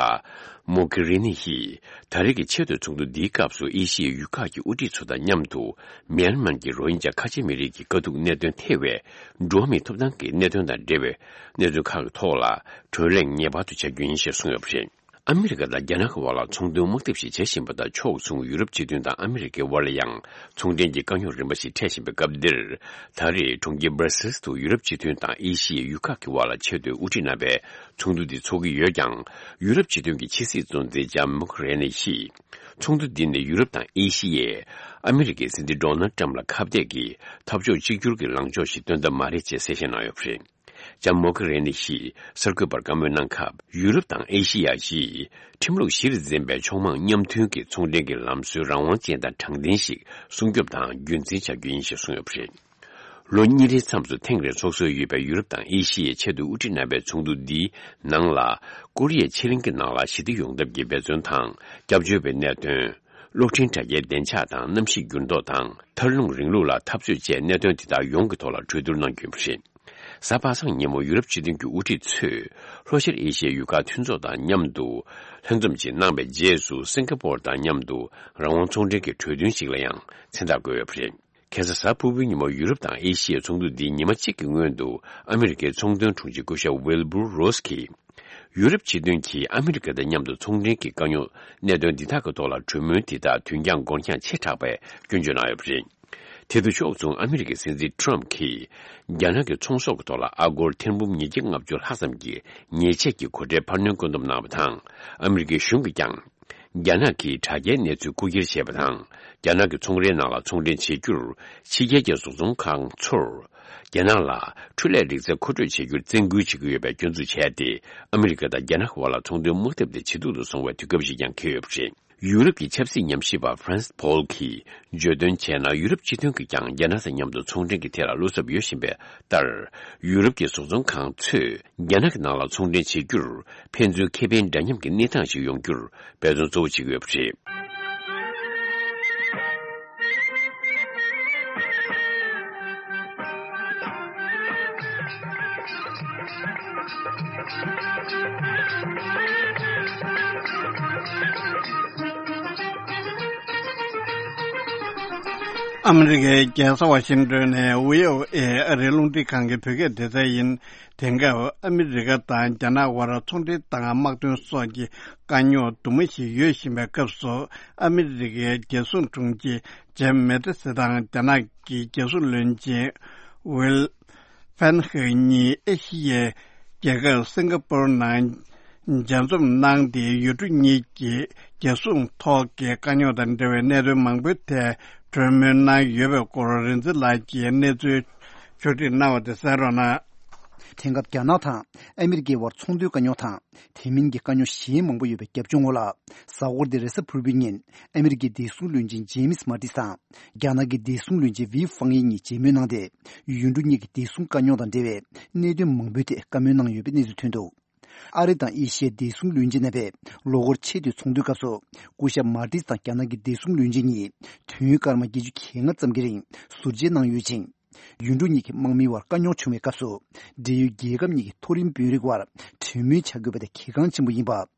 མོ་གྷེ་རི་ནི་ཡིས། ད་རེས་ཀྱི་ཆེས་མཐོའི་ཚོགས་འདུ་འདིའི་སྐབས་སུ། ཨེ་ཤི་ཡའི་ཡུལ་ཁག་གི་དབུ་ཁྲིད་ཚོ་དང་མཉམ་དུ། མེན་མར་གྱི་རོ་ཧིན་ཇཱ་ཁ་ཆེ་མི་རིགས་ཀྱི་དཀའ་སྡུག་གནད་དོན་ཐེ་བའི་འགྲོ་བ་མིའི་ཐོབ་ཐང་གི་གནད་དོན་དང་འབྲེལ་བའི་གནད་དོན་ཁག་གི་ཐོག་ལ་གྲོས་གླེང་ངེས་པར་དུ་བྱ་རྒྱུ་ཡིན་ཞེས་གསུངས་ཡོད་པ་རེད། ཨ་མི་རི་ཀ་དང་རྒྱ་ནག་གི་དབར་ལ་ཚོང་དོན་དམག་འཐབ་ཞིག་བྱེད་བཞིན་པ་དང་། ཕྱོགས་མཚུངས་ཡུ་རོབ་སྤྱི་མཐུན་དང་ཨ་མི་རི་ཀའི་དབར་ལ་ཡང་ཚོང་འབྲེལ་གྱི་དཀའ་རྙོག་རིམ་པ་ཞིག་འཕྲད་བཞིན་པའི་སྐབས་འདིར། ད་རེས་གྲོང་ཁྱེར་སྦྲ་སེལ་སི་དུ་ཡུ་རོབ་སྤྱི་མཐུན་དང་ཨེ་ཤི་ཡའི་ཡུལ་ཁག་གི་དབར་ལ་ཆེས་མཐོའི་དབུ་ཁྲིད་རྣམ་པའི་ཚོགས་འདུ་འདི་འཚོགས་ཀྱི་ཡོད་ཀྱང་། ཡུ་རོབ་སྤྱི་མཐུན་གྱི་ཕྱི་སྲིད་གཙོ་འཛིན་ལྕམ་མོག་རེ་ནི་ཡིས། ཚོགས་འདུ་འདི་ནི་ཡུ་རོབ་དང་ཨེ་ཤི་ཡས་ཨ་མི་རི་ཀའི་སྲིད་འཛིན་ཌོ་ནལ་ཊམ་ལ་ཁ་གཏད་ཀྱིས་འཐབ་ཕྱོགས་གཅིག་གྱུར་གྱི་ལངས་ཕྱོགས་ཤིག་སྟོན་ཐབས་མ་རེད་ཅེས་གསལ་བཤད་གནང་ཡོད་པ་རེད། ལྕམ་མོག་རེ་ནི་ཡིས་གསར་འགོད་པར་བཀའ་མོལ་གནང་སྐབས། ཡུ་རོབ་དང་ཨེ་ཤི་ཡ་བཞིས་ཁྲིམས་ལུགས་གཞིར་འཛིན་པའི་ཕྱོགས་མང་མཉམ་མཐུན་གྱི་ཚོང་འབྲེལ་གྱི་ལམ་སྲོལ་རང་དབང་ཅན་དང་དྲང་བདེན་ཞིག་སྲུང་སྐྱོབ་དང་རྒྱུན་འཛིན་བྱ་རྒྱུ་ཡིན་ཞེས་གསུངས་ཡོད་པ་རེད། ལོ་གཉིས་རེའི་མཚམས་སུ་ཐེངས་རེ་འཚོགས་སྲོལ་ཡོད་པའི་ཡུ་རོབ་དང་ཨེ་ཤི་ཡའི་ཆེས་མཐོའི་དབུ་ཁྲིད་རྣམ་པའི་ཚོགས་འདུ་འདིའི་ནང་ལ། ཀོ་རི་ཡའི་ཕྱེད་གླིང་གི་ནང་ལ་ཞི་བདེ་ཡོང་ཐབས་ཀྱི་འབད་བརྩོན་དང་། སྐྱབས་བཅོལ་བའི་གནད་དོན། གློག་འཕྲིན་དྲ་རྒྱའི་བདེ་འཇགས་དང་གནམ་གཤིས་འགྱུར་ལྡོག་དང་། མཐར་ལྷུང་རིང་ལུགས་ལ་འཐབ་རྩོད་བཅས་གནད་དོན་དེ་དག་ཡོངས་ཀྱི་ཐོག་ལ་གྲོས་བསྡུར་གནང་རྒྱུ་ཡིན་པ་རེད། གཟའ་པ་སངས་ཉིན་མོ་ཡུ་རོབ་སྤྱི་མཐུན་གྱི་དབུ་ཁྲིད་ཚོས། ལྷོ་ཤར་ཨེ་ཤི་ཡའི་ཡུལ་ཁག་མཐུན་ཚོགས་དང་མཉམ་དུ་ལྷན་འཛོམས་ཤིག་གནང་བའི་རྗེས་སུ། སིང་ག་པོར་དང་མཉམ་དུ་རང་དབང་ཚོང་འབྲེལ་གྱི་གྲོས་མཐུན་ཞིག་ལ་ཡང་མཚན་རྟགས་བཀོད་ཡོད་པ་རེད། ཁ་སང་གཟའ་ཕུར་བུའི་ཉིན་མོ་ཡུ་རོབ་དང་ཨེ་ཤི་ཡའི་ཚོགས་འདུ་འདིའི་ཉི་མ་གཅིག་གི་སྔོན་དུ། ཨ་མི་རི་ཀའི་ཚོང་དོན་དྲུང་ཆེ་སྐུ་ཞབས་ཝིལ་བུར་རོས་ཀྱིས། ཡུ་རོབ་སྤྱི་མཐུན་གྱིས་ཨ་མི་རི་ཀ་དང་མཉམ་དུ་ཚོང་འབྲེལ་གྱི་དཀའ་རྙོག་གནད་དོན་འདི་དག་གི་ཐོག་ལ་གྲོས་མོལ་དེ་དག་དུས་འགྱངས་འགོར་འགྱངས་ཆེ་དྲགས་པའི་སྐྱོན་བརྗོད་གནང་ཡོད་པ་རེད། དེ་དང་ཕྱོགས་མཚུངས། ཨ་མི་རི་ཀའི་སྲིད་འཛིན་ཊམ་གྱིས། རྒྱ་ནག་གི་ཚོང་ཟོག་གི་ཐོག་ལ་ཨ་སྒོར་ཐེར་འབུམ་ཉིས་བརྒྱ་ལྔ་བཅུ་ལྷག་ཙམ་གྱི་ཉེས་ཆད་ཀྱི་གོ་ཁྲལ་འཕར་སྣོན་བཀོད་འདོམས་གནང་བ་དང་། ཨ་མི་རི་ཀའི་གཞུང་གིས་ཀྱང་། རྒྱ་ནག་གིས་དྲ་རྒྱའི་གནས་ཚུལ་རྐུ་འཁྱེར་བྱས་པ་དང་། རྒྱ་ནག་གི་ཚོང་རའི་ནང་ལ་ཚོང་འབྲེལ་བྱེད་རྒྱུར། ཕྱི་རྒྱལ་གྱི་བཟོ་ཚོང་ཁང་ཚོར། རྒྱ་ནག་ལ་འཕྲུལ་ལས་རིག་རྩལ་མཁོ་སྤྲོད་བྱེད་རྒྱུར་བཙན་སྐུལ་བྱེད་ཀྱི་ཡོད་པའི་སྐྱོན་འཛུགས་བྱས་ཏེ། ཨ་མི་རི་ཀ་དང་རྒྱ་ནག་གི་དབར་ལ་ཚོང་དོན་དམག་འཐབ་དེ་ཇེ་སྡུག་ཏུ་སོང་བའི་དུས་སྐབས་ཤིག་ཀྱང་འཁེལ་ཡོད་པ་རེད། ཡུ་རོབ་ཀྱི་ཆབ་སྲིད་ཉམས་ཞིབ་པ་ཧྥ་རན་སི་ཕོལ་གྱིས་བརྗོད་དོན་བྱས་ན། ཡུ་རོབ་སྤྱི་མཐུན་གྱིས་ཀྱང་རྒྱ་ནག་དང་མཉམ་དུ་ཚོང་འབྲེལ་གྱི་ཐད་ལ་བློ་འཚབ་ཡོད་བཞིན་པ་ལྟར། ཡུ་རོབ་ཀྱི་བཟོ་ཚོང་ཁང་ཚོས་རྒྱ་ནག་གི་ནང་ལ་ཚོང་འབྲེལ་བྱེད་རྒྱུར་ཕན་ཚུན་ཁེ་ཕན་འདྲ་མཉམ་གྱི་གནས་སྟངས་ཤིག་ཡོང་རྒྱུར་འབད་བརྩོན་གཙོ་བོ་བྱེད་ཀྱི་ཡོད་པ་རེད། ཨ་མི་རི་ཀའི་རྒྱལ་ས་ཝ་ཤིང་ཏོན་ནས་བྷི་ཨོ་ཨེ་ཨ་རིའི་རླུང་འཕྲིན་ཁང་གི་བོད་སྐད་སྡེ་ཚན་ཡིན། དེང་སྐབས་ཨ་མི་རི་ཀ་དང་རྒྱ་ནག་དབར་ཚོང་འབྲེལ་དང་དམག་དོན་སོགས་ཀྱི་དཀའ་རྙོག་དུ་མ་ཞིག་ཡོད་བཞིན་པའི་སྐབས་སུ། ཨ་མི་རི་ཀའི་རྒྱལ་སྲུང་དྲུང་ཆེ་ཇེམ་མེ་ཏི་སི་དང་རྒྱ་ནག་གི་རྒྱལ་སྲུང་བློན་ཆེན་ཝིལ་ཕན་ཧེ་གཉིས་ཨེ་ཤི་ཡའི་རྒྱལ་ཁབ་སིང་ག་པོར་ནང་མཇལ་འཛོམས་གནང་སྟེ། ཡུལ་གྲུ་གཉིས་ཀྱི་རྒྱལ་སྲུང་ཐོག་གི་དཀའ་རྙོག་དང་འབྲེལ་བའི་གནད་དོན་མང་པོའི་ཐད་གྲོས་མོལ་གནང་ཡོད་པའི་སྐོར། རིག་འཛིན་ལགས་ཀྱིས་གནས་ཚུལ་ཕྱོགས་སྒྲིག་གནང་བ་དེ་གསན་རོགས་གནང་། དེང་སྐབས་རྒྱ་ནག་དང་ཨ་མི་རི་ཀའི་དབར་ཚོང་དོན་དཀའ་རྙོག་དང་། དེ་མིན་གྱི་དཀའ་རྙོག་གཞན་མང་པོ་ཡོད་པའི་རྒྱབ་ལྗོངས་འོག་ལ། གཟའ་འཁོར་འདིར་རེས་གཟའ་ཕུར་བུའི་ཉིན་ཨ་མི་རི་ཀའི་བདེ་སྲུང་བློན་ཆེན་ཇེམ་སི་མ་ཏིས་དང་། རྒྱ་ནག་གི་བདེ་སྲུང་བློན་ཆེན་ཝི་ཧྥང་ཡི་གཉིས་མཇལ་མོལ་གནང་སྟེ། ཡུལ་གྲུ་གཉིས་ཀྱི་བདེ་སྲུང་དཀའ་རྙོག་དང་འབྲེལ་བའི་གནད་དོན་མང་པོའི་ཐད་བཀའ་མོལ་གནང་ཡོད་པའི་གནས་ཚུལ་ཐོན་འདུག། ཨ་རི་དང་ཨེ་ཤི་ཡའི་བདེ་སྲུང་བློན་ཆེན་རྣམ་པས་ལོ་འཁོར་ཆེས་མཐོའི་ཚོགས་འདུའི་སྐབས་སུ། སྐུ་ཞབས་མ་ཏིས་དང་རྒྱ་ནག་གི་བདེ་སྲུང་བློན་ཆེན་གཉིས་དུས་ཡུན་སྐར་མ་བརྒྱད་ཅུ་གྱ་ལྔ་ཙམ་གྱི་རིང་ཟུར་མཇལ་གནང་ཡོད་ཅིང་། ཡུལ་གྲུ་གཉིས་ཀྱི་དམག་མིའི་དབར་དཀའ་རྙོག་བྱུང་བའི་སྐབས་སུ། འབྲེལ་ཡོད་རྒྱལ་ཁབ་གཉིས་ཀྱི་མཐོ་རིམ་དཔོན་རིགས་དབར་གྲོས་མོལ་བྱ་དགོས་པ་དེ་གལ་འགངས་ཆེན་པོ་ཡིན་པ།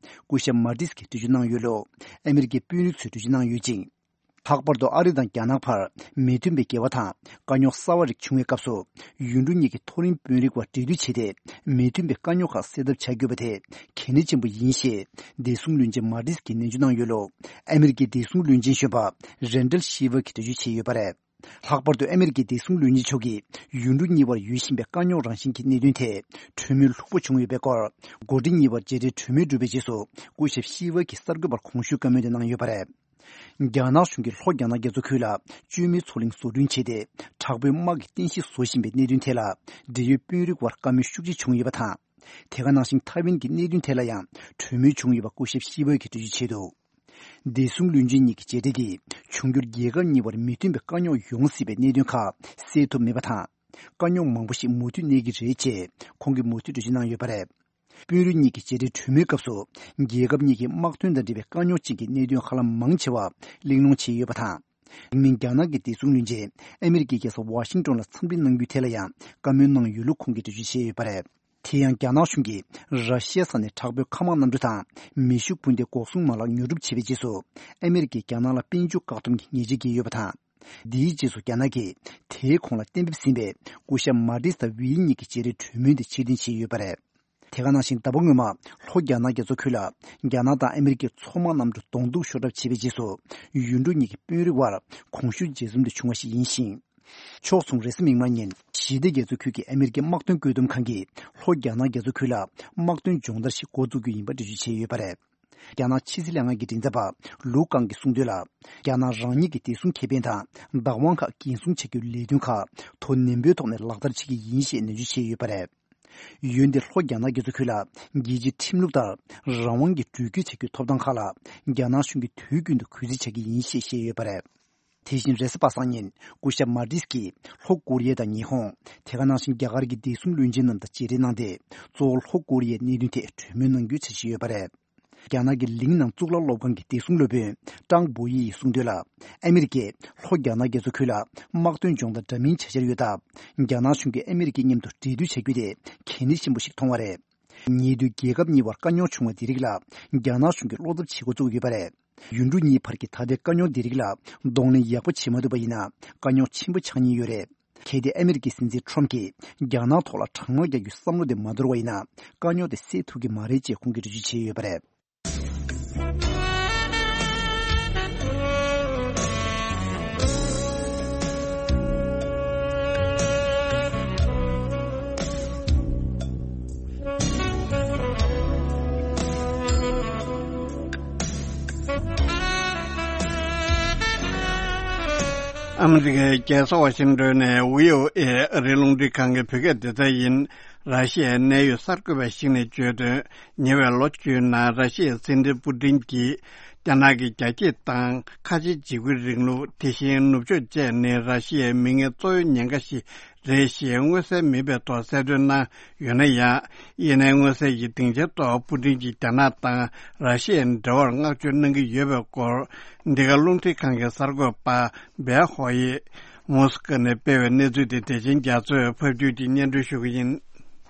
སྐུ་ཞབས་མ་ཏིས་ཀྱིས་འགྲེལ་བརྗོད་གནང་ཡོད་ལུགས་ཨ་མི་རི་ཀའི་དཔོན་རིགས་ཚོས་འགྲེལ་བརྗོད་གནང་ཡོད་ཅིང་། ལྷག་པར་དུ་ཨ་རི་དང་རྒྱ་ནག་བར་མི་མཐུན་པའི་འགལ་བ་དང་དཀའ་རྙོག་གསར་བ་རིགས་བྱུང་བའི་སྐབས་སུ། ཡུལ་གྲུ་གཉིས་ཀྱི་མཐོ་རིམ་དཔོན་རིགས་དབར་འབྲེལ་མཐུད་བྱས་ཏེ། མི་མཐུན་པའི་དཀའ་རྙོག་ཁག་སེལ་ཐབས་བྱ་དགོས་པ་དེ་གལ་གནད་ཆེན་པོ་ཡིན་ཞེས། བདེ་སྲུང་བློན་ཆེན་མ་ཏིས་ཀྱིས་ནན་བརྗོད་གནང་ཡོད་ལུགས་ཨ་མི་རི་ཀའི་བདེ་སྲུང་བློན་ཆེན་གཞོན་པ་རན་ཌལ་ཤི་ཝར་གྱིས་འགྲེལ་བརྗོད་བྱས་ཡོད་པ་རེད། ལྷག་པར་དུ་ཨ་མི་རི་ཀའི་བདེ་སྲུང་བློན་ཆེན་མཆོག་གིས་ཡུལ་གྲུ་གཉིས་བར་ཡོད་བཞིན་པའི་དཀའ་རྙོག་རང་བཞིན་གྱི་གནད་དོན་ཐད་གྲོས་མོལ་ལྷུག་པོ་བྱུང་ཡོད་པའི་སྐོར། འགོ་ཁྲིད་གཉིས་བར་མཇལ་འཕྲད་གྲོས་མོལ་གྲུབ་པའི་རྗེས་སུ། སྐུ་ཞབས་ཤི་ཝར་གྱིས་གསར་འགོད་པར་གོང་ཞུས་བཀའ་མོལ་དེ་གནང་ཡོད་པ་རེད། རྒྱ་ནག་གཞུང་གིས་ལྷོ་རྒྱ་ནག་རྒྱ་མཚོ་ཁུལ་ལ་བཅོས་མའི་མཚོ་གླིང་བཟོ་སྐྲུན་བྱས་ཏེ། དྲག་པོའི་དམག་གི་རྟེན་གཞི་བཟོ་བཞིན་པའི་གནད་དོན་ཐད་ལ། འབྲེལ་ཡོད་དཔོན་རིགས་དབར་བཀའ་མོལ་ཤུགས་ཆེ་བྱུང་ཡོད་པ་དང་། དེ་ག་ནང་བཞིན་ཐའེ་ཝན་གྱི་གནད་དོན་ཐད་ལ་ཡང་གྲོས་མོལ་བྱུང་ཡོད་པ་སྐུ་ཞབས་ཤི་ཝར་གྱིས་འགྲེལ་བརྗོད་བྱས་འདུག། བདེ་སྲུང་བློན་ཆེན་གཉིས་ཀྱི་མཇལ་འཕྲད་ཀྱིས་འབྱུང་འགྱུར་རྒྱལ་ཁབ་གཉིས་བར་མི་མཐུན་པའི་དཀའ་རྙོག་ཡོང་སྲིད་པའི་གནད་དོན་ཁག་སེལ་ཐུབ་མེད་པ་དང་། དཀའ་རྙོག་མང་པོ་ཞིག་མུ་མཐུད་གནས་ཀྱི་རེད་ཅེས་ཁོང་གིས་མུ་མཐུད་འགྲེལ་བརྗོད་གནང་ཡོད་པ་རེད། དཔོན་རིགས་གཉིས་ཀྱི་མཇལ་འཕྲད་གྲོས་མོལ་སྐབས་སུ། རྒྱལ་ཁབ་གཉིས་ཀྱི་དམག་དོན་དང་འབྲེལ་བའི་དཀའ་རྙོག་ཅན་གྱི་གནད་དོན་ཧ་ལམ་མང་ཆེ་བ་གླེང་སློང་བྱས་ཡོད་པ་དང་། དེ་མིན་རྒྱ་ནག་གི་བདེ་སྲུང་བློན་ཆེན་ཨ་མི་རི་ཀའི་རྒྱལ་ས་ཝ་ཤིང་ཏོན་ལ་འཚམས་འདྲི་གནང་རྒྱུའི་ཐད་ལ་ཡང་བཀའ་མོལ་གནང་ཡོད་ལུགས་ཁོང་གིས་འགྲེལ་བརྗོད་བྱས་ཡོད་པ་རེད། དེ་ཡང་རྒྱ་ནག་གཞུང་གིས་ར་ཤི་ཡའི་ས་ནས་དྲག་པོའི་མཁའ་དམག་གནམ་གྲུ་དང་མེ་ཤུགས་འཕུར་མདེལ་འགོག་སྲུང་མ་ལག་ཉོ་སྒྲུབ་བྱས་པའི་རྗེས་སུ། ཨ་མི་རི་ཀས་རྒྱ་ནག་ལ་དཔལ་འབྱོར་བཀག་སྡོམ་གྱི་ཉེས་ཆད་བཀལ་ཡོད་པ་དང་། འདིའི་རྗེས་སུ་རྒྱ་ནག་གིས་དེའི་གོང་ལ་གཏན་འབེབས་ཟིན་པའི་སྐུ་ཞབས་མ་ཏིས་དང་ཝེ་ཡི་གཉིས་ཀྱི་མཇལ་འཕྲད་གྲོས་མོལ་དེ་ཕྱིར་འཐེན་བྱས་ཡོད་པ་རེད། དེ་ག་ནང་བཞིན་ཟླ་བ་སྔོན་མ་ལྷོ་རྒྱ་ནག་རྒྱ་མཚོ་ཁུལ་ལ་རྒྱ་ནག་དང་ཨ་མི་རི་ཀའི་མཚོ་དམག་གནམ་གྲུ་གདོང་ཐུག་ཤོར་གྲབས་བྱས་པའི་རྗེས་སུ། ཡུལ་གྲུ་གཉིས་ཀྱི་དཔོན་རིགས་དབར་གོང་ཞུས་མཇལ་འཛོམས་དེ་བྱུང་བ་ཞིག་ཡིན་ཞིང་། ཕྱོགས་མཚུངས་རེས་གཟའ་མིག་དམར་ཉིན་ཞི་བདེ་རྒྱ་མཚོ་ཁུལ་གྱི་ཨ་མི་རི་ཀའི་དམག་དོན་བཀོད་འདོམས་ཁང་གིས་ལྷོ་རྒྱ་ནག་རྒྱ་མཚོ་ཁུལ་ལ་དམག་དོན་སྦྱོང་བརྡར་ཞིག་འགོ་བཙུགས་རྒྱུ་ཡིན་པ་འགྲེལ་བརྗོད་བྱས་ཡོད་པ་རེད། རྒྱ་ནག་ཕྱི་སྲིད་ལྷན་ཁང་གི་མགྲིན་ཚབ་པ་ལུའུ་ཀང་གིས་གསུངས་དོན་ལ། རྒྱ་ནག་རང་ཉིད་ཀྱི་བདེ་སྲུང་ཁེ་ཕན་དང་བདག་དབང་ཁག་འགན་སྲུང་བྱ་རྒྱུའི་ལས་དོན་ཁག་དོ་ནན་པོའི་ཐོག་ནས་ལག་བསྟར་བྱེད་ཀྱི་ཡིན་ཞེས་ནན་བརྗོད་བྱས་ཡོད་པ་རེད། འོན་ཏེ་ལྷོ་རྒྱ་ནག་རྒྱ་མཚོ་ཁུལ་ལ་རྒྱལ་སྤྱིའི་ཁྲིམས་ལུགས་ལྟར་རང་དབང་གིས་འགྲུལ་སྐྱོད་བྱ་རྒྱུའི་ཐོབ་ཐང་ཁག་ལ་རྒྱ་ནག་གཞུང་གིས་དུས་རྒྱུན་དུ་གུས་བརྩི་བྱ་གི་ཡིན་ཞེས་བཤད་ཡོད་པ་རེད། དེ་བཞིན་རེས་གཟའ་པ་སངས་ཉིན་སྐུ་ཞབས་མ་ཏིས་ཀྱིས་ལྷོ་ཀོ་རི་ཡ་དང་ཉི་ཧོང་། དེ་ག་ནང་བཞིན་རྒྱ་གར་གྱི་བདེ་སྲུང་བློན་ཆེན་རྣམས་དང་མཇལ་འཕྲད་གནང་སྟེ། གཙོ་བོ་ལྷོ་ཀོ་རི་ཡའི་གནད་དོན་ཐད་གྲོས་མོལ་གནང་རྒྱུའི་འཆར་གཞི་ཡོད་པ་རེད། རྒྱ་ནག་གི་ལིང་ནང་གཙུག་ལག་སློབ་ཁང་གི་བདེ་སྲུང་སློབ་དཔོན་ཀྲང་པོ་ཡི་ཡིས་གསུངས་དོན་ལ། ཨ་མི་རི་ཀས་ལྷོ་རྒྱ་ནག་རྒྱ་མཚོ་ཁུལ་ལ་དམག་དོན་སྦྱོང་བརྡར་འདྲ་མིན་བྱ་འཆར་ཡོད་སྟབས། རྒྱ་ནག་གཞུང་གིས་ཨ་མི་རི་ཀའི་མཉམ་དུ་འབྲེལ་མཐུད་བྱ་རྒྱུ་དེ་གལ་གནད་ཆེན་པོ་ཞིག་མཐོང་བ་རེད། ཉེ་དུས་རྒྱལ་ཁབ་གཉིས་བར་དཀའ་རྙོག་བྱུང་བ་འདི་རིགས་ལ་རྒྱ་ནག་གཞུང་གིས་བློ་འཚབ་བྱེད་འགོ་བཙུགས་ཡོད་པ་རེད། ཡུལ་གྲུ་གཉིས་བར་གྱི་ད་ལྟའི་དཀའ་རྙོག་འདི་རིགས་ལ་གདོང་ལེན་ཡག་པོ་བྱེད་མ་ཐུབ་པ་ཡིན་ན་དཀའ་རྙོག་ཆེན་པོ་ཆགས་ཉེན་ཡོད་རེད། གལ་ཏེ་ཨ་མི་རི་ཀའི་སྲིད་འཛིན་ཁྲོམ་གྱིས་རྒྱ་ནག་ཐོག་ལ་དྲག་དམག་རྒྱག་རྒྱུའི་བསམ་བློ་དེ་མ་དོར་བ་ཡིན་ན། དཀའ་རྙོག་དེ་སེལ་ཐུབ་ཀྱི་མ་རེད་ཅེས་ཁོང་གིས་འགྲེལ་བརྗོད་བྱས་ཡོད་པ་རེད། ཨ་མི་རི་ཀའི་རྒྱལ་ས་ཝ་ཤིང་ཏོན་ནས་བྷི་ཨོ་ཨེ་ཨ་རིའི་རླུང་འཕྲིན་ཁང་གི་བོད་སྐད་སྡེ་ཚན་ཡིན། ར་ཤི་ཡའི་གནད་ཡོད་གསར་འགོད་པ་ཞིག་ནས་བརྗོད་དོན། ཉེ་བའི་ལོ་བཅུའི་ནང་ར་ཤི་ཡའི་སྲིད་འཛིན་པུ་ཏིན་གྱིས་རྒྱ་ནག་གི་རྒྱ་སྐྱེད་དང་ཁ་ཆེའི་འཇིགས་སྐུལ་རིང་ལུགས། དེ་བཞིན་ནུབ་ཕྱོགས་བཅས་ནི་ར་ཤི་ཡའི་མིང་ངན་གཙོ་བོའི་ཉེན་ཁ་ཞིག་རེད་ཞེས་མངོན་གསལ་མིན་པའི་ཐོག་གསལ་སྟོན་གནང་ཡོད་ན་ཡང་། ཡིན་ནའི་མངོན་གསལ་གྱི་སྡིངས་ཆའི་ཐོག་པུ་ཏིན་གྱིས་རྒྱ་ནག་དང་ར་ཤི་ཡའི་འབྲེལ་བར་བསྔགས་བརྗོད་གནང་གི་ཡོད་པའི་སྐོར། འདི་ག་རླུང་འཕྲིན་ཁང་གི་གསར་འགོད་པ་སྦེ་ཧོ་ཡིས་མོ་སི་ཀོ་ནས་སྤེལ་བའི་གནས་ཚུལ་དེ་བདེ་ཆེན་རྒྱ་མཚོས་ཕབ་སྒྱུར་གྱིས་སྙན་སྒྲོན་ཞུ་གི་ཡིན།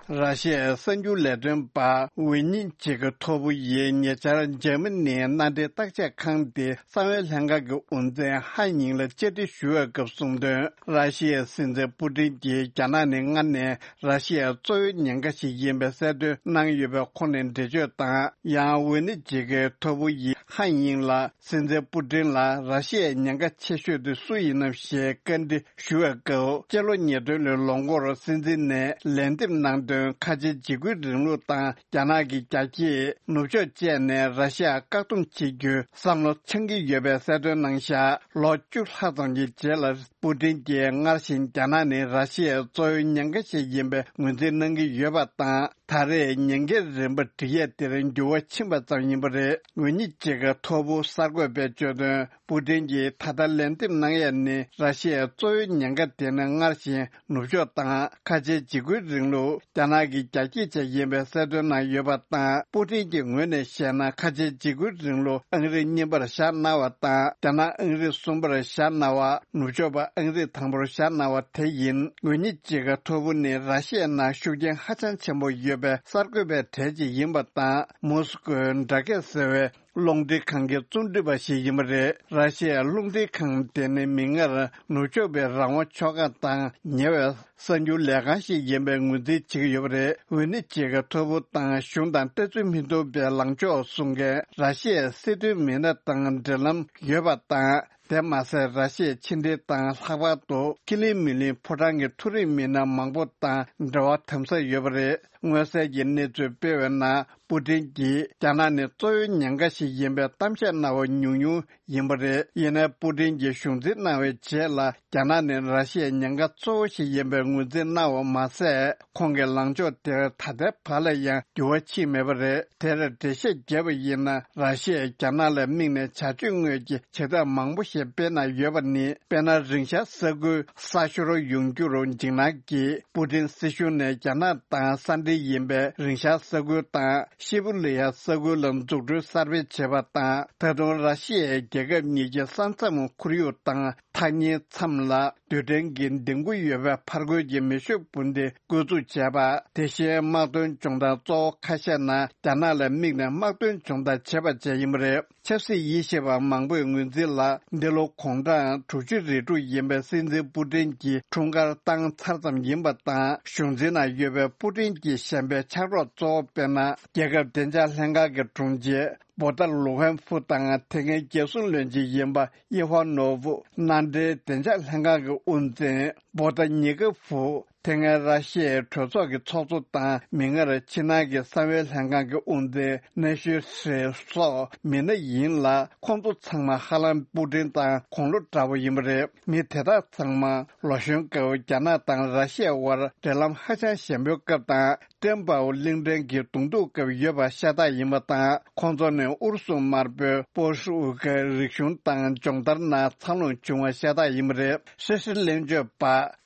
ར་ཤི་ཡའི་གསར་འགྱུར་ལས་དོན་པ་ཝི་ནི་ཅི་གི་ཐོ་བུ་ཡིས་ཉེ་ཆར་འཇར་མ་ནིའི་མནའ་འབྲེལ་བརྟག་དཔྱད་ཁང་དེ་གསང་བའི་ལྷན་ཁང་གི་དབུ་འཛིན་ཧན་ཡིང་ལ་བཅར་འདྲི་ཞུ་བའི་སྐབས་གསུངས་དོན། ར་ཤི་ཡའི་སྲིད་འཛིན་པུ་ཏིན་གྱིས་རྒྱ་ནག་ནི་སྔར་ནས་ར་ཤི་ཡའི་གཙོ་བོའི་ཉེན་ཁ་ཞིག་ཡིན་པའི་གསལ་སྟོན་གནང་ཡོད་པའི་ཁོངས་ནས་འགྲེལ་བརྗོད་དང་། ཡང་ཝི་ནི་ཅི་གི་ཐོ་བུ་ཡིས་ཧན་ཡིང་ལ། སྲིད་འཛིན་པུ་ཏིན་ལ་ར་ཤི་ཡའི་ཉེན་ཁ་ཆེ་ཤོས་དེ་སུ་ཡིན་ནམ་ཞེས་བཀའ་འདྲི་ཞུ་བའི་སྐབས། སྤྱི་ལོ་ཉིས་སྟོང་ལོའི་ལོ་འགོར་སྲིད་འཛིན་ནས་ལན་འདེབས་གནང་དོན། ཁ་ཆེའི་འཇིགས་སྐུལ་རིང་ལུགས་དང་རྒྱ་ནག་གི་རྒྱལ་སྤྱིའི་ནུབ་ཕྱོགས་བཅས་ནས་ར་ཤི་ཡར་བཀག་སྡོམ་བྱེད་རྒྱུའི་བསམ་བློ་འཆང་གི་ཡོད་པའི་གསལ་སྟོན་གནང་བཞག་ལོ་བཅུ་ལྷག་ཙམ་གྱི་རྗེས་ལ། པུ་ཏིན་གྱིས་སྔར་བཞིན་རྒྱ་ནག་ནི་ར་ཤི་ཡའི་གཙོ་བོའི་ཉེན་ཁ་ཞིག་ཡིན་པའི་ངོས་འཛིན་གནང་གི་ཡོད་པ་དང་། ད་རེས་ཉེན་ཁའི་རིམ་པ་སྒྲིག་ཡས་དེར་འགྱུར་བ་ཕྱིན་པ་ཙམ་ཡིན་པ་རེད། ཝི་ནི་ཅི་གི་ཐོ་བུ་གསར་འགོད་པས་བརྗོད་དོན། པུ་ཏིན་གྱིས་ད་ལྟ་ལན་འདེབས་གནང་ཡས་ནི་ར་ཤི་ཡའི་གཙོ་བོའི་ཉེན་ཁ་དེ་ནི་སྔར་བཞིན་ནུབ་ཕྱོགས་དང་ཁ་ཆེའི་འཇིགས་སྐུལ་རིང་ལུགས་རྒྱ་ནག་གི་རྒྱལ་སྤྱི་བཅས་ཡིན་པའི་གསལ་སྟོན་གནང་ཡོད་པ་དང་། པུ་ཏིན་གྱི་ངོས་ནས་བཤད་ན། ཁ་ཆེའི་འཇིགས་སྐུལ་རིང་ལུགས་ཨང་རིམ་གཉིས་པར་བཞག་གནང་བ་དང་། རྒྱ་ནག་ཨང་རིམ་གསུམ་པར་བཞག་གནང་བ། ནུབ་ཕྱོགས་པ་ཨང་རིམ་དང་པོར་བཞག་གནང་བ་དེ་ཡིན། ཝི་ནི་ཅི་གི་ཐོ་བུ་ནི་ར་ཤི་ཡའི་ནང་ཤུགས་རྐྱེན་ཧ་ཅང་ཆེན་པོ་ཡོད་པའི་གསར་འགོད་པའི་གྲས་ཅིག་ཡིན་པ་དང་། མོ་སི་ཀོའི་སྦྲག་སྐད་ཟེར་བའི་རླུང་འཕྲིན་ཁང་གི་རྩོམ་སྒྲིག་པ་ཞིག་ཡིན་པ་རེད། ར་ཤི་ཡའི་རླུང་འཕྲིན་ཁང་དེ་ནི་མིག་སྔར་ནུབ་ཕྱོགས་པའི་རང་དབང་ཕྱོགས་ཁག་དང་ཉེ་བའི་གསར་འགྱུར་ལས་ཁང་ཞིག་ཡིན་པའི་ངོས་འཛིན་བྱེད་ཀྱི་ཡོད་པ་རེད། ཝི་ནི་ཅི་གི་ཐོ་བུ་དང་གཞུང་དང་ལྟ་ཚུལ་མི་མཐུན་པའི་ལངས་ཕྱོགས་གསུང་མཁན་ར་ཤི་ཡའི་སྲིད་དོན་མི་སྣ་དང་འབྲེལ་ལམ་ཡོད་པ་དང་། དེ་མ་ཟད། ར་ཤི་ཡའི་ཕྱི་འབྲེལ་དང་ལྷག་པར་དུ་ཀི་ལིང་མི་ལིང་ཕོ་བྲང་གི་མཐོ་རིམ་མི་སྣ་མང་པོ་དང་འབྲེལ་བ་དམ་ཟབ་ཡོད་པ་རེད། མངོན་གསལ་གྱི་གནས་ཚུལ་སྤེལ་བའི་ནང་། པུ་ཏིན་གྱིས་རྒྱ་ནག་ནི་གཙོ་བོའི་ཉེན་ཁ་ཞིག་ཡིན་པའི་གཏམ་བཤད་གནང་བ་ཉུང་ཉུང་ཡིན་པ་རེད། ཡིན་ནའི་པུ་ཏིན་གྱིས་གཞུང་འཛིན་གནང་བའི་རྗེས་ལ། རྒྱ་ནག་ནི་ར་ཤི་ཡའི་ཉེན་ཁ་གཙོ་བོ་ཞིག་ཡིན་པའི་ངོས་འཛིན་གནང་བ་མ་ཟད། ཁོང་གི་ལངས་ཕྱོགས་དེར་ད་ལྟའི་བར་ལ་ཡང་འགྱུར་བ་ཕྱིན་མེད་པ་རེད། དེར་འགྲེལ་བཤད་བརྒྱབ་པ་ཡིན་ན། ར་ཤི་ཡས་རྒྱ་ནག་ལ་དམིགས་ནས་བྱ་སྤྱོད་དངོས་ཀྱི་བྱེད་ཐབས་མང་པོ་ཞིག་སྤེལ་གནང་ཡོད་པ་ནི། དཔེར་ན། རིང་ཤར་ས་ཁུལ་གསར་ཤོར་ཡོང་རྒྱུར་འཇིགས་སྣང་གིས། པུ་ཏིན་སྲིད་གཞུང་ནས་རྒྱ་ནག་དང་ས་འབྲེལ་ཡིན་པའི་རིང་ཤར་ས་ཁུལ་དང་། ཤི་བུ་ལི་ཡ་ས་ཁུལ་ལ་འཛུགས་སྐྲུན་གསར་སྤེལ་བྱས་པ་དང་། ད་དུང་ར་ཤི་ཡས་རྒྱལ་ཁབ་གཉིས་ཀྱི་ས་མཚམས་ཁོར་ཡུག་དང་། ཐག་ཉེའི་མཚམས་ལ་རྡུལ་ཕྲན་གྱི་ལྡིང་སྐུ་ཡོད་པའི་ཕར་རྒོལ་གྱི་མེ་ཤུགས་འཕུར་མདེལ་བཀོལ་འཛུགས་བྱས་པ། དེ་བཞིན་དམག་དོན་སྦྱོང་བརྡར་གཙོ་བོ་ཁ་ཤས་ནང་རྒྱ་ནག་ལ་དམིགས་ནས་དམག་དོན་སྦྱོང་བརྡར་བྱས་པ་བཅས་ཡིན་པ་རེད། ཆབ་སྲིད་དབྱེ་ཞིབ་པ་མང་པོས་ངོས་འཛིན་ལ། འདི་ལོ་དགུང་གྲངས་དྲུག་ཅུ་རེ་དྲུག་ཡིན་པའི་སྲིད་འཛིན་པུ་ཏིན་གྱི་འཁྲུངས་སྐར་བཏང་ཚར་ཙམ་ཡིན་པ་དང་། གཞུང་འཛིན་ནང་ཡོད་པའི་པུ་ཏིན་གྱི་གཞན་པའི་ཕྱག་རོགས་གཙོ་བོ་དཔེར་ན། རྒྱལ་ཁབ་བདེ་འཇགས་ལྷན་ཁང་གི་དྲུང་ཆེ་བོ་ཏཱ་ལུ་ཧན་ཧྥུ་དང་། དེ་སྔའི་རྒྱལ་སྲུང་བློན་ཆེན་ཡིན་པ་ཨི་ཧོ་ནོ་ཝུ། མནའ་འབྲེལ་བདེ་འཇགས་ལྷན་ཁང་གི་དབུ་འཛིན་བོ་ཏཱ་ཉི་ཀ་ཧྥུ། དེ་སྔའི་ར་ཤི་ཡའི་གྲོས་ཚོགས་ཀྱི་ཚོགས་གཙོ་དང་། མིག་སྔར་ཕྱི་ནང་གི་གསང་བའི་ལྷན་ཁང་གི་དབུ་འཛིན་ནེ་ཤི་ཧྲེ་སོགས་མི་སྣ་ཡིན་ལ། ཁོང་ཚོ་ཚང་མ་ཧ་ལམ་པུ་ཏིན་དང་དགུང་ལོ་འདྲ་བོ་ཡིན་པ་རེད། མི་དེ་དག་ཚང་མ་ལོ་གཞོན་སྐབས་རྒྱ་ནག་དང་ར་ཤི་ཡའི་དབར་འབྲེལ་ལམ་ཧ་ཅང་ཞན་པོའི་སྐབས་དང་། ཀྲེན་པའོ་གླིང་ཕྲན་གྱི་གདོང་ཐུག་སྐབས་ཡོད་པ་ཤ་སྟག་ཡིན་པ་དང་། ཁོང་ཚོ་ནི་ཨུ་རུ་སུ་དམར་པོའི་པོ་ཤུ་ཝུ་ཀའི་རིག་གཞུང་དང་སྦྱོང་བརྡར་ནང་འཚར་ལོངས་བྱུང་བ་ཤ་སྟག་ཡིན་པ་རེད། ཧྲི་ཧྲི་གླེང་བརྗོད་པ་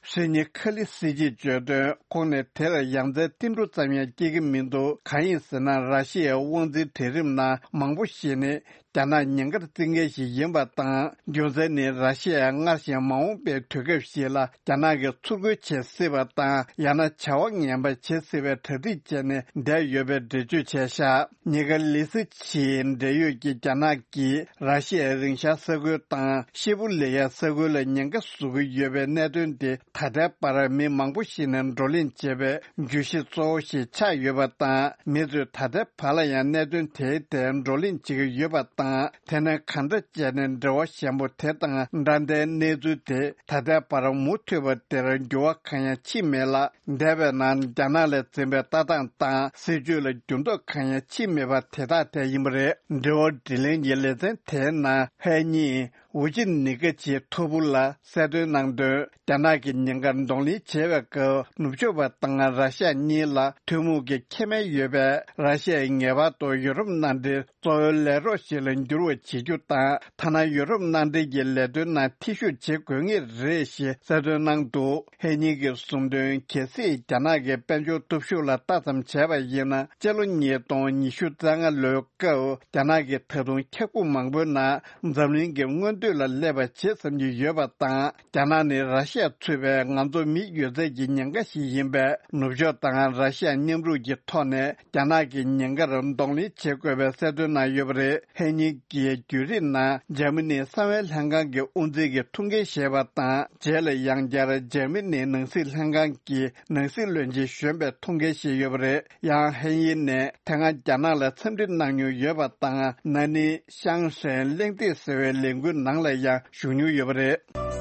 ཧྲི་ཉི་ཁ་ལི་སི་ཅིས་བརྗོད་དོན། ཁོང་ནི་དེར་ཡང་རྩེ་ཏིལ་འབྲུ་ཙམ་ཡང་སྐྱེ་གི་མི་འདུག་གང་ཡིན་ཟེར་ན། ར་ཤི་ཡའི་དབང་འཛིན་གྲལ་རིམ་ནང་མང་པོ་ཞིག་ནི། རྒྱ་ནག་ཉེན་ཁར་བརྩི་མཁན་ཞིག་ཡིན་པ་དང་། རྒྱུ་མཚན་ནི། ར་ཤི་ཡས་སྔར་བཞིན་མ་འོངས་པའི་དུས་སྐབས་ཤིག་ལ་རྒྱ་ནག་གིས་ཚུར་རྒོལ་བྱེད་སྲིད་པ་དང་། ཡང་ན་བྱ་བ་ངན་པ་བྱེད་སྲིད་པའི་གྲ་སྒྲིག་བྱས་ནས་བསྡད་ཡོད་པའི་འགྲེལ་བརྗོད་བྱས་བཞག་ཉི་ཀ་ལི་སི་ཆིའི་འབྲེལ་ཡོད་ཀྱི་རྒྱ་ནག་གིས་ར་ཤི་ཡའི་རིང་ཤར་ས་ཁུལ་དང་ཤི་བུ་ལེ་ཡ་ས་ཁུལ་ལ་ཉེན་ཁ་བཟོ་གི་ཡོད་པའི་གནད་དོན་དེ། ད་ལྟའི་བར་མི་མང་པོ་ཞིག་ནས་བགྲོ་གླེང་བྱས་པའི་བརྗོད་གཞི་གཙོ་བོ་ཞིག་ཆགས་ཡོད་པ་དང་། མི་ཚོས་ད་ལྟའི་བར་ལ་ཡང་གནད་དོན་དེའི་ཐད་བགྲོ་གླེང་བྱེད་ཀྱི་ཡོད་པ་དང་། དེ་ནས་གང་འདྲ་བྱས་ནས་འབྲེལ་བ་ཞན་པོ་དེ་དང་འདྲ་ཟླའི་གནས་ཚུལ་དེ་ད་ལྟའི་བར་མུ་མཐུད་པ་དེར་འགྱུར་བ་གང་ཡང་ཕྱིན་མེད་ལ། འདས་པའི་ནང་རྒྱ་ནག་ལས་འཛིན་པའི་ལྟ་སྟངས་དང་སྲིད་བྱུས་ལ་འགྱུར་ལྡོག་གང་ཡང་ཕྱིན་མེད་པ་དེ་དག་དེ་ཡིན་པ་རེད། འབྲེལ་བ་དྲིས་ལན་གྱི་ལེ་ཚན་དེའི་ནང་ཧའེ་ཉིན། ཝུ་ཅི་ནི་ཀ་ཆིའི་ཐོ་བུ་ལ་གསལ་སྟོན་གནང་དོན། རྒྱ་ནག་གི་ཉེན་ཁར་གདོང་ལེན་བྱེད་པའི་སྐབས། ནུབ་ཕྱོགས་པ་དང་ར་ཤ་གཉིས་ལ་ཐུན་མོང་གི་ཁེ་ཕན་ཡོད་པས། ར་ཤ་ཡས་ངེས་པར་དུ་ཡུ་རོབ་མནའ་འབྲེལ་གཙོ་བོའི་ལས་རོགས་ཤིག་ལ་འགྱུར་བ་བྱེད་རྒྱུ་དང་། ཐ་ན་ཡུ་རོབ་མནའ་འབྲེལ་གྱི་ལས་དོན་ནང་ཐེ་ཞུགས་བྱེད་དགོས་ངེས་རེད་ཞེས་གསལ་སྟོན་གནང་འདུག་ཧའེ་ཉིན་གྱིས་གསུངས་དོན། གལ་སྲིད་རྒྱ་ནག་གི་དཔལ་འབྱོར་སྟོབས་ཤུགས་ལ་ལྟ་ཙམ་བྱས་པ་ཡིན་ན། སྤྱི་ལོ་ཉིས་སྟོང་ཉི་ཤུ་རྩ་ལྔ་ལོའི་སྐབས། རྒྱ་ནག་གིས་ད་དུང་ཁྱབ་ཁོངས་མང་པོའི་ནང་འཛམ་གླིང་གི་སྔོན་ཐོན། ལ་སླེབས་པ་བྱེད་བསམ་གྱི་ཡོད་པ་དང་། རྒྱ་ནག་ནི་ར་ཤི་ཡ་ཚུད་པའི་ང་ཚོ་མི་ཡོད་ཚད་ཀྱི་ཉེན་ཁ་ཞིག་ཡིན་པས། ནུབ་ཕྱོགས་དང་ར་ཤི་ཡ་མཉམ་རུབ་ཀྱི་ཐོག་ནས་རྒྱ་ནག་གི་ཉེན་ཁར་གདོང་ལེན་བྱེད་དགོས་པའི་གསལ་སྟོན་གནང་ཡོད་པ་རེད། ཧེ་ཉིན་གྱི་བརྒྱུད་རིམ་ནང་འཇར་མ་ནིའི་གསང་བའི་ལྷན་ཁང་གི་དབུ་འཛིན་གྱིས་ཐུགས་འགན་བཞེས་པ་དང་། རྗེས་ལ་ཡང་བསྐྱར་འཇར་མ་ནིའི་ནང་སྲིད་ལྷན་ཁང་གི་ནང་སྲིད་བློན་ཆེན་གཞོན་པས་ཐུགས་འགན་བཞེས་ཡོད་པ་རེད། ཡང་ཧེ་ཡིན་ནས་དེ་སྔ་རྒྱ་ནག་ལ་འཚམས་འདྲི་གནང་མྱོང་ཡོད་པ་དང་། ན་ནིང་ཤང་ཧྲན་གླེང་སྟེགས་ཟེར་བའི་ལས་འགུལ་ནང་ལ་ཡང་ཞུགས་མྱོང་ཡོད་པ་རེད།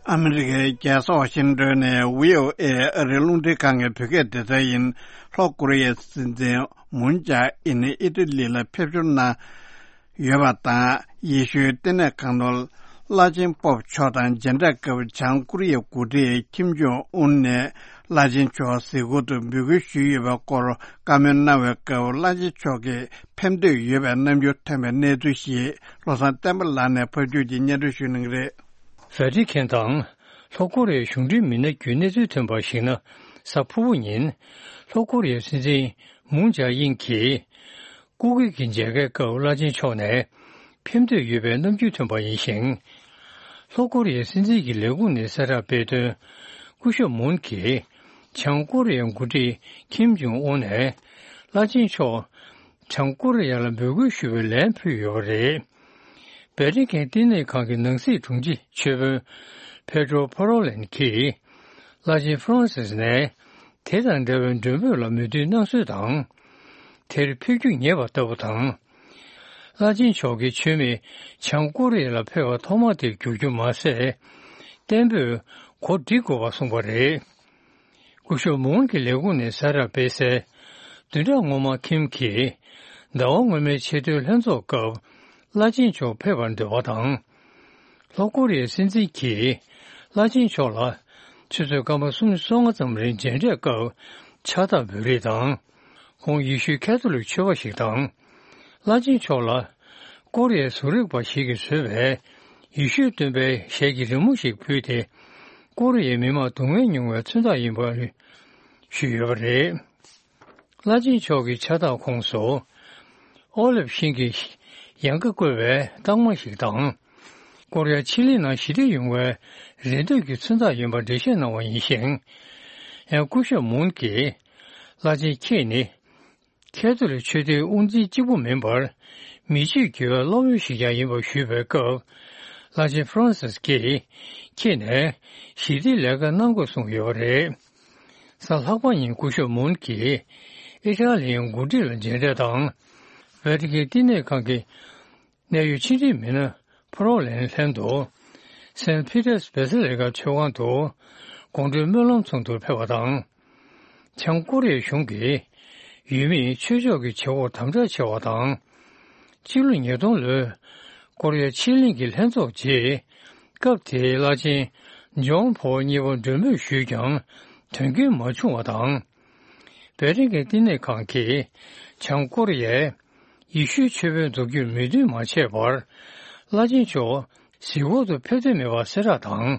ཨ་མི་རི་ཀའི་རྒྱལ་ས་ཝ་ཤིང་ཏོན་ནས་བྷི་ཨོ་ཨེ་ཨ་རིའི་རླུང་འཕྲིན་ཁང་གི་བོད་སྐད་སྡེ་ཚན་ཡིན། ལྷོ་ཀོ་རི་ཡའི་སྲིད་འཛིན་མུན་ཇཱ་ཨིན་ཨི་ཏི་ལི་ལ་ཕེབས་འབྱོར་གནང་ཡོད་པ་དང་། ཡེ་ཤུའི་ལྟེ་གནས་ཁང་ནོར་བླ་ཆེན་པོབ་མཆོག་དང་མཇལ་འཕྲད་སྐབས། བྱང་ཀོ་རི་ཡའི་འགོ་ཁྲིད་ཁིམ་ཇོང་ཨུན་ནས་བླ་ཆེན་མཆོག་གཟིགས་སྐོར་དུ་འབོད་སྐུལ་ཞུས་ཡོད་པའི་སྐོར་བཀའ་མོལ་གནང་བའི་སྐབས། བླ་ཆེན་མཆོག་གིས་ཕེབས་འདོད་ཡོད་པའི་རྣམ་འགྱུར་ཐོན་པའི་གནས་ཚུལ་ཞིག་བློ་བཟང་བསྟན་པ་ལགས་ནས་ཕབ་སྒྱུར་གྱིས་སྙན་སྒྲོན་ཞུ་གནང་གི་རེད། ཝེ་ཏི་ཁན་དང་ལྷོ་ཀོ་རི་ཡའི་གཞུང་འབྲེལ་མི་སྣ་བརྒྱུད་གནས་ཚུལ་ཐོན་པར་གཞིགས་ན། གཟའ་ཕུར་བུ་ཉིན་ལྷོ་ཀོ་རི་ཡའི་སྲིད་འཛིན་མུན་ཇཱ་ཨིན་གྱིས་སྐུ་སྒེར་གྱི་མཇལ་ཁའི་སྐབས་བླ་ཆེན་མཆོག་ནས་ཕེབས་འདོད་ཡོད་པའི་རྣམ་འགྱུར་ཐོན་པ་ཡིན་ཞིང་། ལྷོ་ཀོ་རི་ཡའི་སྲིད་འཛིན་གྱི་ལས་ཁུངས་ནས་གསལ་བསྒྲགས་སྤེལ་དོན། སྐུ་ཞབས་མུན་གྱིས་བྱང་ཀོ་རི་ཡའི་འགོ་ཁྲིད་ཁིམ་ཇོང་ཨུན་ནས་བླ་ཆེན་མཆོག་བྱང་ཀོ་རི་ཡ་ལ་འབོད་སྐུལ་ཞུ་བའི་ལན་ཕུལ་ཡོད་པ་རེད། ཝེ་ཏི་ཁན་བསྟི་གནས་ཁང་གི་ནང་སྲིད་དྲུང་ཆེ་ཆོས་དཔོན་ཕེ་ཏྲོ་ཕ་རོ་ལན་གྱིས་བླ་ཆེན་ཧྥ་རན་སིས་ནས་དེ་དང་འབྲེལ་བའི་མགྲོན་འབོད་ལ་མོས་མཐུན་གནང་སྲོལ་དང་། དེར་ཕེབས་རྒྱུ་ཉེ་བ་ལྟ་བུ་དང་། བླ་ཆེན་མཆོག་གིས་མཆོད་མེ་བྱང་ཀོ་རི་ཡ་ལ་ཕེབས་པ་ཐོག་མ་དེར་བསྒྱུར་རྒྱུ་མ་ཟད། གཏན་འབེབས་གོ་སྒྲིག་དགོས་པ་གསུངས་པ་རེད། སྐུ་ཞབས་མུན་གྱི་ལས་ཁུངས་ནས་གསལ་བསྒྲགས་སྤེལ་གསལ། བདུན་ཕྲག་སྔོན་མ་ཁིམ་གྱིས་ཟླ་བ་སྔོན་མའི་ཆེས་མཐོའི་ལྷན་ཚོགས་སྐབས་བླ་ཆེན་མཆོག་ཕེབས་པར་འདོད་པ་དང་། ལྷོ་ཀོ་རི་ཡའི་སྲིད་འཛིན་གྱིས་བླ་ཆེན་མཆོག་ལ་ཆུ་ཚོད་སྐར་མ་སུམ་ཅུ་སོ་ལྔ་ཙམ་རིང་མཇལ་འཕྲད་སྐབས་ཕྱག་རྟགས་འབུལ་རེས་དང་། ཁོང་ཡེ་ཤུའི་ཁ་ཐོ་ལིག་ཆོས་པ་ཞིག་དང་། བླ་ཆེན་མཆོག་ལ་ཀོ་རི་ཡའི་བཟོ་རིག་པ་ཞིག་གིས་བཟོས་པའི་ཡེ་ཤུའི་སྟོན་པའི་ཞལ་གྱི་རི་མོ་ཞིག་ཕུལ་ཏེ། ཀོ་རི་ཡའི་མི་མང་སྡུག་བསྔལ་མྱོང་བའི་མཚོན་རྟགས་ཡིན་པ་ཞུས་ཡོད་པ་རེད། བླ་ཆེན་མཆོག་གི་ཕྱག་རྟགས་ཁོངས་སུ། ཨོ་ལིབ་ཤིང་གི་ཡལ་ག་བཀོད་པའི་རྟགས་མ་ཞིག་དང་། ཀོ་རི་ཡ་ཕྱེད་གླིང་ནང་ཞི་བདེ་ཡོང་བའི་རེ་འདོད་ཀྱི་མཚོན་རྟགས་ཡིན་པ་འགྲེལ་བཤད་གནང་བ་ཡིན་ཞིང་། ཡང་སྐུ་ཞབས་མུན་གྱིས་བླ་ཆེན་ཁྱེད་ནི་ཁ་ཐོ་ལིག་ཆོས་སྡེའི་དབུ་འཛིན་གཅིག་པུ་མིན་པར། མི་ཆོས་དགེ་བའི་སློབ་དཔོན་ཞིག་ཀྱང་ཡིན་པར་ཞུས་པའི་སྐབས། བླ་ཆེན་ཧྥ་རན་སིས་ཀྱིས་ཁྱེད་ནས་ཞི་བདེའི་ལས་ཀ་གནང་དགོས་གསུངས་ཡོད་པ་རེད། གཟའ་ལྷག་པ་ཉིན་སྐུ་ཞབས་མུན་གྱིས་ཨི་ཊ་ལིའི་འགོ་ཁྲིད་ལ་མཇལ་འཕྲད་དང་། ཝེ་ཏི་ཁན་བསྟི་གནས་ཁང་གི་གནད་ཡོད་ཕྱི་འབྲེལ་མི་སྣ་ཕ་རོ་ལན་ལྷན་དུ། སེན་ཕི་ཏར་སྦེ་སི་ལི་ཀ་མཆོད་ཁང་དུ་དགོང་དྲོའི་སྨོན་ལམ་ཚོགས་འདུར་ཕེབས་པ་དང་། བྱང་ཀོ་རི་ཡའི་གཞུང་གིས་ཡུལ་མིས་ཆོས་ཕྱོགས་ཀྱི་བྱེད་སྒོར་དམ་དྲག་བྱས་པ་དང་། སྤྱི་ལོ་ཉིས་སྟོང་ལོའི་ཀོ་རི་ཡ་ཕྱེད་གླིང་གི་ལྷན་ཚོགས་རྗེས། སྐབས་དེའི་བླ་ཆེན་ཇོན་ཕོལ་གཉིས་པ་མགྲོན་འབོད་ཞུས་ཀྱང་དོན་རྐྱེན་མ་བྱུང་བ་དང་། ཝེ་ཏི་ཁན་བསྟི་གནས་ཁང་གིས་བྱང་ཀོ་རི་ཡས་ཡེ་ཤུའི་ཆོས་དཔོན་འཛུགས་རྒྱུར་མོས་མཐུན་མ་བྱས་པར། བླ་ཆེན་མཆོག་གཟིགས་སྐོར་དུ་ཕེབས་འདོད་མེད་པ་གསལ་བསྒྲགས་དང་།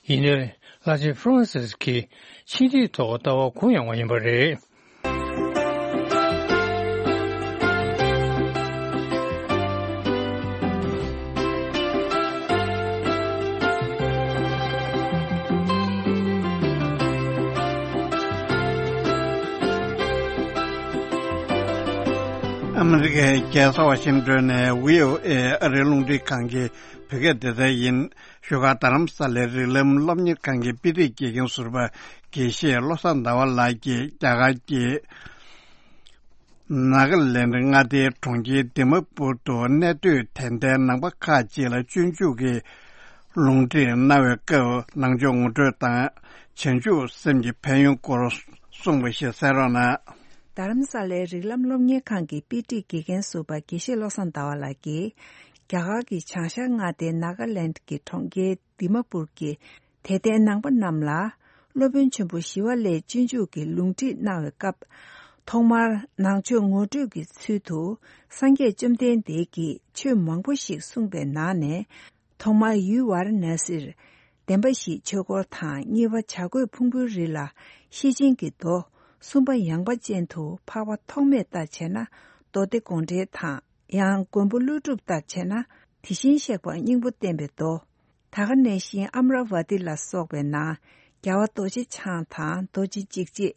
ཡིན་ནའི་བླ་ཆེན་ཧྥ་རན་སིས་ཀྱིས་ཕྱིན་ཐེངས་ཐོག་ལྟ་བ་གུ་ཡངས་པ་ཡིན་པ་རེད། ཨ་མི་རི་ཀའི་རྒྱལ་ས་ཝ་ཤིང་ཏོན་ནས་བྷི་ཨོ་ཨེ་ཨ་རིའི་རླུང་འཕྲིན་ཁང་གི་བོད་སྐད་སྡེ་ཚན་ཡིན། བཞུགས་སྒར་རྡ་རམ་ས་ལའི་རིགས་ལམ་སློབ་གཉེར་ཁང་གི་དཔེ་ཁྲིད་དགེ་རྒན་ཟུར་པ་དགེ་བཤེས་བློ་བཟང་ཟླ་བ་ལགས་ཀྱིས་རྒྱ་གར་གྱི་ནཱ་ག་ལེནྡ་མངའ་སྡེའི་གྲོང་ཁྱེར་དི་མ་པུར་དུ་གནས་སྡོད་དད་ལྡན་ནང་པ་ཁག་ཅིག་ལ་སྤྱོད་འཇུག་གི་ལུང་ཁྲིད་གནང་བའི་སྐབས། ནང་ཆོས་ངོ་སྤྲོད་དང་བྱང་ཆུབ་སེམས་ཀྱི་ཕན་ཡོན་སྐོར་གསུངས་པ་ཞིག་གསན་རོགས་གནང་། རྡ་རམ་ས་ལའི་རིགས་ལམ་སློབ་གཉེར་ཁང་གི་དཔེ་ཁྲིད་དགེ་རྒན་ཟུར་པ་དགེ་བཤེས་བློ་བཟང་ཟླ་བ་ལགས་ཀྱིས། རྒྱ་གར་གྱི་བྱང་ཤར་མངའ་སྡེའི་ནཱ་ག་ལེནྡ་གྱི་གྲོང་ཁྱེར་དི་མ་པུར་གྱི་དད་ལྡན་ནང་པ་རྣམས་ལ། སློབ་དཔོན་ཆེན་པོ་ཞི་བ་ལྷས་སྤྱོད་འཇུག་གི་ལུང་ཁྲིད་གནང་བའི་སྐབས། ཐོག་མར་ནང་ཆོས་ངོ་སྤྲོད་ཀྱི་ཚུལ་དུ། སངས་རྒྱས་བཅོམ་ལྡན་འདས་ཀྱིས་ཆོས་མང་པོ་ཞིག་གསུངས་པའི་ནང་ནས། ཐོག་མར་ཡུལ་ཝཱ་ར་ཎ་སིར། བདེན་པ་བཞིའི་ཆོས་འཁོར་དང་། གཉིས་པ་བྱ་རྒོད་ཕུང་པོའི་རི་ལ་ཤེར་ཕྱིན་གྱི་མདོ། གསུམ་པ་ཡངས་པ་ཅན་དུ་འཕགས་པ་ཐོགས་མེད་ལྟར་བྱས་ན་མདོ་སྡེ་དགོངས་འགྲེལ་དང་། ཡང་མགོན་པོ་ཀླུ་སྒྲུབ་ལྟར་བྱས་ན་དེ་བཞིན་གཤེགས་པ་སྙིང་པོ་བསྟན་པའི་མདོ། ད་ག་ནང་བཞིན་ཨ་མ་ར་ཝ་ཏི་ལ་སོགས་པའི་ནང་རྒྱལ་བ་རྡོ་རྗེ་འཆང་དང་རྡོ་རྗེ་འཇིགས་བྱེད།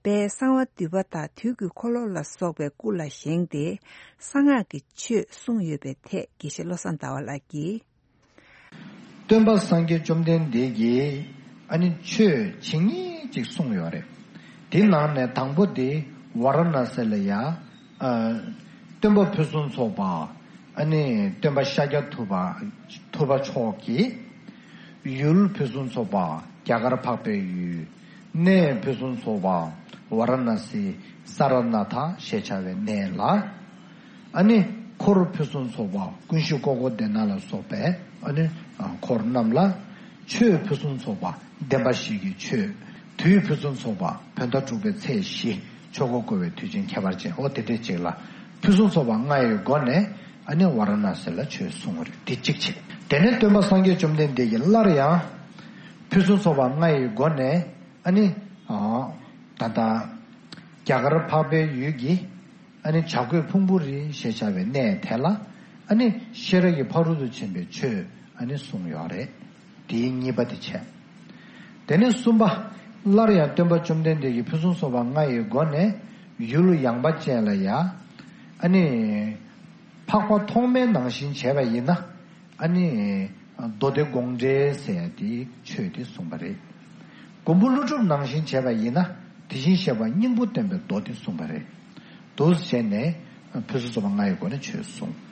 དཔལ་གསང་བ་འདུས་པ་དང་དུས་ཀྱི་འཁོར་ལོ་ལ་སོགས་པའི་སྐུ་ལ་བཞེངས་ཏེ་གསང་སྔགས་ཀྱི་ཆོས་གསུངས་ཡོད་པའི་ཐད་དགེ་བཤེས་བློ་བཟང་ཟླ་བ་ལགས་ཀྱིས། སྟོན་པ་སངས་རྒྱས་བཅོམ་ལྡན་འདས་ཀྱིས་ཨ་ནི་ཆོས་ཇི་སྙེད་ཅིག་གསུངས་ཡོད་རེད། དེ་ནང་ནས་དང་པོ་དེ་ཝཱ་ར་ཎ་སི་ལ་ཡ། ཨ། སྟོན་པ་ཕུན་སུམ་ཚོགས་པ། ཨ་ནི་སྟོན་པ་ཤཱཀྱ་ཐུབ་པ། ཐུབ་པ་མཆོག་གི་ཡུལ་ཕུན་སུམ་ཚོགས་པ་རྒྱ་གར་འཕགས་པའི་ཡུལ། གནས་ཕུན་སུམ་ཚོགས་པ་ཝཱ་ར་ཎ་སི་ས་ར་ནཱ་ཐ་ཞེས་བྱ་བའི་གནས་ལ། ཨ་ནི་འཁོར་ཕུན་སུམ་ཚོགས་པ་ཀུན་གཞི་ཀོ་ཀོ་དེ་ན་ལ་སོགས་པའི་ཨ་ནི་འཁོར་རྣམས་ལ་ཆོས་ཕུན་སུམ་ཚོགས་པ་བདེན་པ་བཞི་གི་ཆོས། དུས་ཕུན་སུམ་ཚོགས་པ་བོད་ཟླ་དྲུག་པའི་ཚེས་བཞི། ཆོས་འཁོར་བསྐོར་བའི་དུས་ཆེན་ཁྱད་པར་ཅན། འོ་དེ་འདྲས་ཅིག་ལ་ཕུན་སུམ་ཚོགས་པ་ལྔ་ཡི་སྒོ་ནས་ཨ་ནི་ཝཱ་ར་ཎ་སི་ལ་ཆོས་གསུངས་པ་རེད། དེ་གཅིག་བྱས། དེ་ནས་སྟོན་པ་སངས་རྒྱས་བཅོམ་ལྡན་འདས་ཀྱིས་སླར་ཡང་ཕུན་སུམ་ཚོགས་པ་ལྔ་ཡི་སྒོ་ནས་ཨ་ནི་ད་ལྟ་རྒྱ་གར་འཕགས་པའི་ཡུལ་གྱི་ཨ་ནི་བྱ་རྒོད་ཕུང་པོའི་རི་ཞེས་བྱ་བའི་གནས་དེ་ལ་ཨ་ནི་ཤེས་རབ་ཀྱི་ཕ་རོལ་ཏུ་ཕྱིན་པའི་ཆོས་ཨ་ནི་གསུངས་ཡོད་རེད། དེའི་གཉིས་པ་དེ་བྱས། དེ་ནས་གསུམ་པ། སླར་ཡང་སྟོན་པ་བཅོམ་ལྡན་འདས་ཀྱིས་ཕུན་སུམ་ཚོགས་པ་ལྔ་ཡི་སྒོ་ནས་ཡུལ་ཡངས་པ་ཅན་ལ་ཡ། ཨ་ནི། འཕགས་པ་ཐོགས་མེད་ནང་བཞིན་བྱས་པ་ཡིན་ན། ཨ་ནི། མདོ་སྡེ་དགོངས་འགྲེལ་ཟེར་ཡ་དེའི་ཆོས་དེ་གསུངས་པ་རེད། མགོན་པོ་ཀླུ་སྒྲུབ་ནང་བཞིན་བྱས་པ་ཡིན་ན། དེ་བཞིན་གཤེགས་པ་སྙིང་པོ་བསྟན་པའི་མདོ་དེ་གསུངས་པ་རེད། འདུག་བྱས་ནས་ཕུན་སུམ་ཚོགས་པ་ལྔ་ཡི་སྒོ་ནས་ཆོས་གསུངས།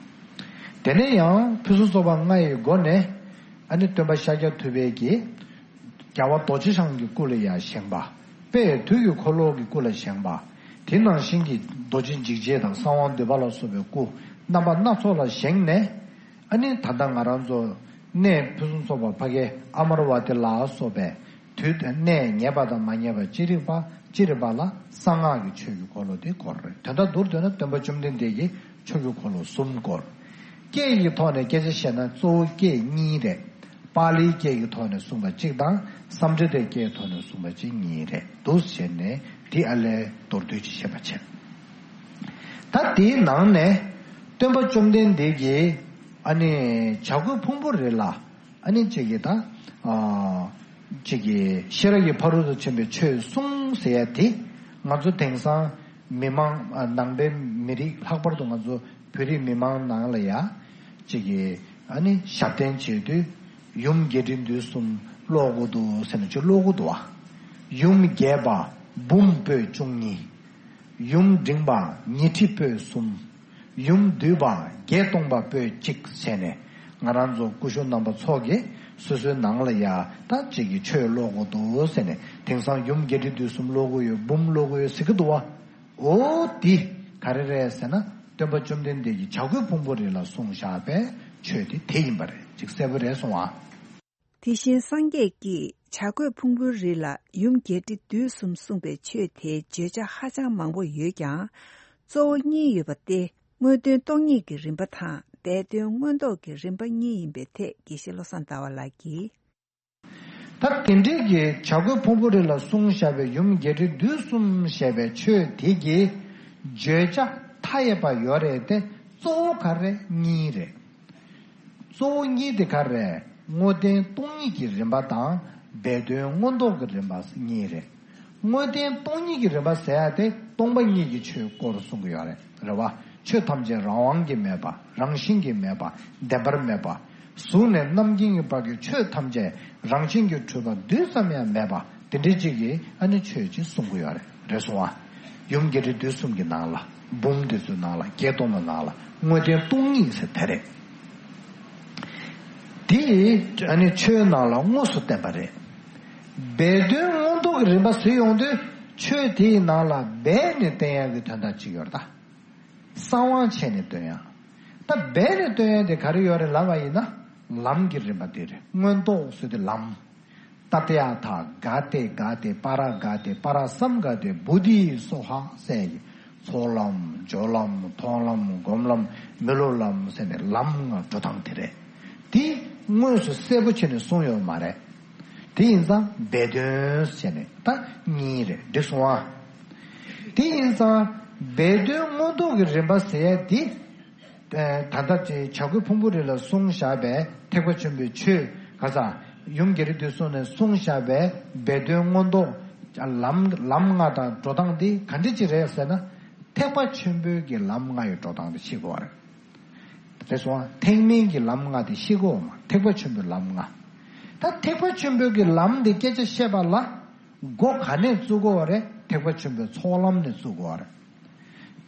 དེ་ནས་ཡང་ཕུན་སུམ་ཚོགས་པ་ལྔ་ཡི་སྒོ་ནས་ཨ་ནི་སྟོན་པ་ཤཱཀྱ་ཐུབ་པའི་གི་རྒྱལ་བ་རྡོ་རྗེ་འཆང་གི་སྐུ་ལ་ཡང་བཞེངས་པ། དཔལ་དུས་ཀྱི་འཁོར་ལོ་གི་སྐུ་ལ་བཞེངས་པ། དེ་ནང་བཞིན་གྱི་རྡོ་རྗེ་འཇིགས་བྱེད་དང་གསང་བ་འདུས་པ་ལ་སོགས་པའི་སྐུ་རྣམ་པ་སྣ་ཚོགས་ལ་བཞེངས་ནས། ཨ་ནི་ད་ལྟ་ང་རང་ཚོ་གནས་ཕུན་སུམ་ཚོགས་པ་ཕ་གའི་ཨ་མ་ར་ཝ་ཏི་ལ་སོགས་པའི་དུས་དང་གནས་ངེས་པ་དང་མ་ངེས་པ་ཅི་རིགས་པ་ཅི་རིགས་པ་ལ་གསང་སྔགས་ཀྱི་ཆོས་ཀྱི་འཁོར་ལོ་དེ་བསྐོར་རེད། དོན་དག་སྡུར་འདོད་ན་སྟོན་པ་བཅོམ་ལྡན་འདས་ཀྱིས་ཆོས་ཀྱི་འཁོར་ལོ་གསུམ་བསྐོར། སྐད་ཀྱི་ཐོག་ནས་སྐད་ཆ་བཤད་ན་གཙོ་བོ་སྐད་གཉིས་རེད། པཱ་ལིའི་སྐད་ཀྱི་ཐོག་ནས་གསུངས་པ་གཅིག་དང་སཾ་སྐྲྀ་ཏའི་སྐད་ཐོག་ནས་གསུངས་པ་གཅིག་གཉིས་རེད་འདུག་བྱས་ནས་འདི་ཨ་ལས་མདོར་བསྡུས་ཀྱི་བཤད་པ་བྱས། ད་དེའི་ནང་ནས་སྟོན་པ་བཅོམ་ལྡན་འདས་ཀྱིས་ཨ་ནི་བྱ་རྒོད་ཕུང་པོའི་རི་ལ་ཨ་ནི་གཅིག་གིས་ད་ཨ་གཅིག་གིས་ཤེས་རབ་ཀྱི་ཕ་རོལ་ཏུ་ཕྱིན་པའི་ཆོས་གསུངས་ཟེར་ཡ་དེ་ང་ཚོ་དེང་སང་མི་མང་ཨ་ནང་པའི་མི་རིགས་ལྷག་པར་དུ་ང་ཚོ་བོད་རིགས་མི་མང་ནང་ལ་ཡ་གཅིག་གིས་ཨ་ནི་ཞབས་བརྟན་བྱེད་དུས་ཡུམ་རྒྱས་འབྲིང་བསྡུས་གསུམ་ཀློག་དགོས་འདུག་ཟེར་ནས་ཅིག་ཀློག་གི་འདུག་བ། ཡུམ་རྒྱས་པ་འབུམ་པོད་བཅུ་གཉིས། ཡུམ་འབྲིང་པ་ཉི་ཁྲི་པོད་གསུམ། ཡུམ་བསྡུས་པ་བརྒྱད་སྟོང་པ་པོད་གཅིག་བྱས་ནས་ང་རང་ཚོ་སྐུ་ཞབས་རྣམ་པ་ཚོ་གིས་སོ་སོའི་ནང་ལ་ཡ་ད་གཅིག་གིས་ཆོས་ཀློག་དགོས་འདུག་ཟེར་ནས་དེང་སང་ཡུམ་རྒྱས་འབྲིང་བསྡུས་གསུམ་ཀློག་གི་ཡོད་འབུམ་ཀློག་གི་ཡོད་ཟེར་གི་འདུག་བ། འོ་འདི་ག་རེ་རེད་ཟེར་ན་སྟོན་པ་བཅོམ་ལྡན་འདས་ཀྱིས་བྱ་རྒོད་ཕུང་པོའི་རི་ལ་གསུངས་བཞག་པའི་ཆོས་དེ་དེ་ཡིན་པ་རེད། ཅིག་གསལ་པོ་རེད་སོང་ཨ། དེ་བཞིན་སངས་རྒྱས་ཀྱིས་བྱ་རྒོད་ཕུང་པོའི་རི་ལ་ཡུམ་རྒྱས་འབྲིང་བསྡུས་གསུམ་གསུངས་པའི་ཆོས་དེའི་བརྗོད་བྱ་ཧ་ཅང་མང་པོ་ཡོད་ཀྱང་། གཙོ་བོ་གཉིས་ཡོད་པ་སྟེ། དངོས་བསྟན་སྟོང་ཉིད་ཀྱི་རིམ་པ་དང་སྦས་དོན་མངོན་རྟོགས་ཀྱི་རིམ་པ་གཉིས་ཡིན་པའི་ཐད་དགེ་བཤེས་བློ་བཟང་ཟླ་བ་ལགས་ཀྱིས། ད་དེ་འདྲའི་གི་བྱ་རྒོད་ཕུང་པོའི་རི་ལ་གསུངས་བཞག་པའི་ཡུམ་རྒྱས་འབྲིང་བསྡུས་གསུམ་ཞེས་པའི་ཆོས་དེ་གི་བརྗོད་བྱ་མཐའ་ཡས་པ་ཡོད་རེད་དེ་གཙོ་བོ་ག་རེ་གཉིས་རེད། གཙོ་བོ་གཉིས་དེ་ག་རེ། དངོས་བསྟན་སྟོང་ཉིད་ཀྱི་རིམ་པ་དང་སྦས་དོན་མངོན་རྟོགས་ཀྱི་རིམ་པ་གཉིས་རེད། དངོས་བསྟན་སྟོང་ཉིད་ཀྱི་རིམ་པ་ཟེར་ཡ་དེ་སྟོང་པ་ཉིད་ཀྱི་ཆོས་སྐོར་གསུང་གི་ཡོད་རེད། རེད་བ། ཆོས་ཐམས་ཅད་རང་དབང་གིས་མེད་པ། རང་བཞིན་གྱིས་མེད་པ། བདེན་པར་མེད་པ། གཟུགས་ནས་རྣམ་མཁྱེན་གྱི་བར་གྱི་ཆོས་ཐམས་ཅད་རང་བཞིན་གྱིས་གྲུབ་པ་རྡུལ་ཙམ་ཡང་མེད་པ། དེ་འདྲའི་གཅིག་གིས་ཨ་ནི་ཆོས་ཅིག་གསུང་གི་ཡོད་རེད། རེད་སོང་ཨ། ཡུམ་རྒྱས་འབྲིང་བསྡུས་གསུམ་གྱི་ནང་ལ། འབུམ་དེ་ཚོའི་ནང་ལ། བརྒྱད་སྟོང་པའི་ནང་ལ་དངོས་བསྟན་སྟོང་ཉིད་ཟེར་དེ་རེད། དེ་ཨ་ནི་ཆོས་ནང་ལ་དངོས་སུ་བསྟན་པ་རེད། སྦས་དོན་མངོན་རྟོགས་ཀྱི་རིམ་པ་ཟེར་ཡོང་དུས་ཆོས་དེའི་ནང་ལ་སྦས་ནས་བསྟན་ཡག་གི་དོན་དག་ཅིག་ཡོད་རེད་ད། གསང་དབང་བྱས་ནས་སྟོན་ཡག་ད་སྦས་ནས་སྟོན་ཡག་དེ་ག་རེ་ཡོད་རེད་ལབ་པ་ཡིན་ན། ལམ་གྱི་རིམ་པ་དེ་རེད། མངོན་རྟོགས་ཟེར་དུས་ལམ། ཏདྱ་ཐཱ་ག་ཏེ་ག་ཏེ་པཱ་ར་ག་ཏེ་པཱ་ར་སཾ་ག་ཏེ་བོ་དྷི་སྭཱ་ཧཱ་ཟེར་གྱི། ཚོགས་ལམ། སྦྱོར་ལམ། མཐོང་ལམ། སྒོམ་ལམ། མི་སློབ་ལམ་ཟེར་ནས་ལམ་ལྔ་འགྲོ་སྟངས་དེ་རེད། དེ་དངོས་སུ་གསལ་པོ་བྱས་ནས་གསུངས་ཡོད་མ་རེད། དེ་ཡིན་ཙང་སྦས་དོན་ཟེར་ནས་ད་གཉིས་རེད། འགྲིག་སོང་ཨ། དེ་ཡིན་ཙང་སྦས་དོན་མངོན་རྟོགས་ཀྱི་རིམ་པ་ཟེར་ཡ་དེ། ད་ལྟ་བྱ་རྒོད་ཕུང་པོ་རི་ལ་གསུངས་བཞག་པའི་ཐེག་པ་ཆེན་པོའི་ཆོས་ག་ས་ཡུམ་རྒྱས་འབྲིང་བསྡུས་གསུམ་ནས་གསུངས་བཞག་པའི་སྦས་དོན་མངོན་རྟོགས་ལམ་ལམ་ལྔ་དང་འགྲོ་སྟངས་དེ་ག་འདྲ་ཅིག་རེད་ཟེར་ན། ཐེག་པ་ཆེན་པོའི་གི་ལམ་ལྔ་ཡི་འགྲོ་སྟངས་དེ་ཤེས་དགོས་པ་རེད། རེད་སོང་ཨ། ཐེག་དམན་གྱི་ལམ་ལྔ་དེ་ཤེས་དགོས་མ། ཐེག་པ་ཆེན་པོའི་ལམ་ལྔ། ད་ཐེག་པ་ཆེན་པོའི་གི་ལམ་དེ་སྐད་ཆ་བཤད་པ་ལ་འགོ་ག་ནས་བཙུགས་དགོས་པ་རེད། ཐེག་པ་ཆེན་པོའི་ཚོགས་ལམ་ནས་བཙུགས་དགོས་པ་རེད།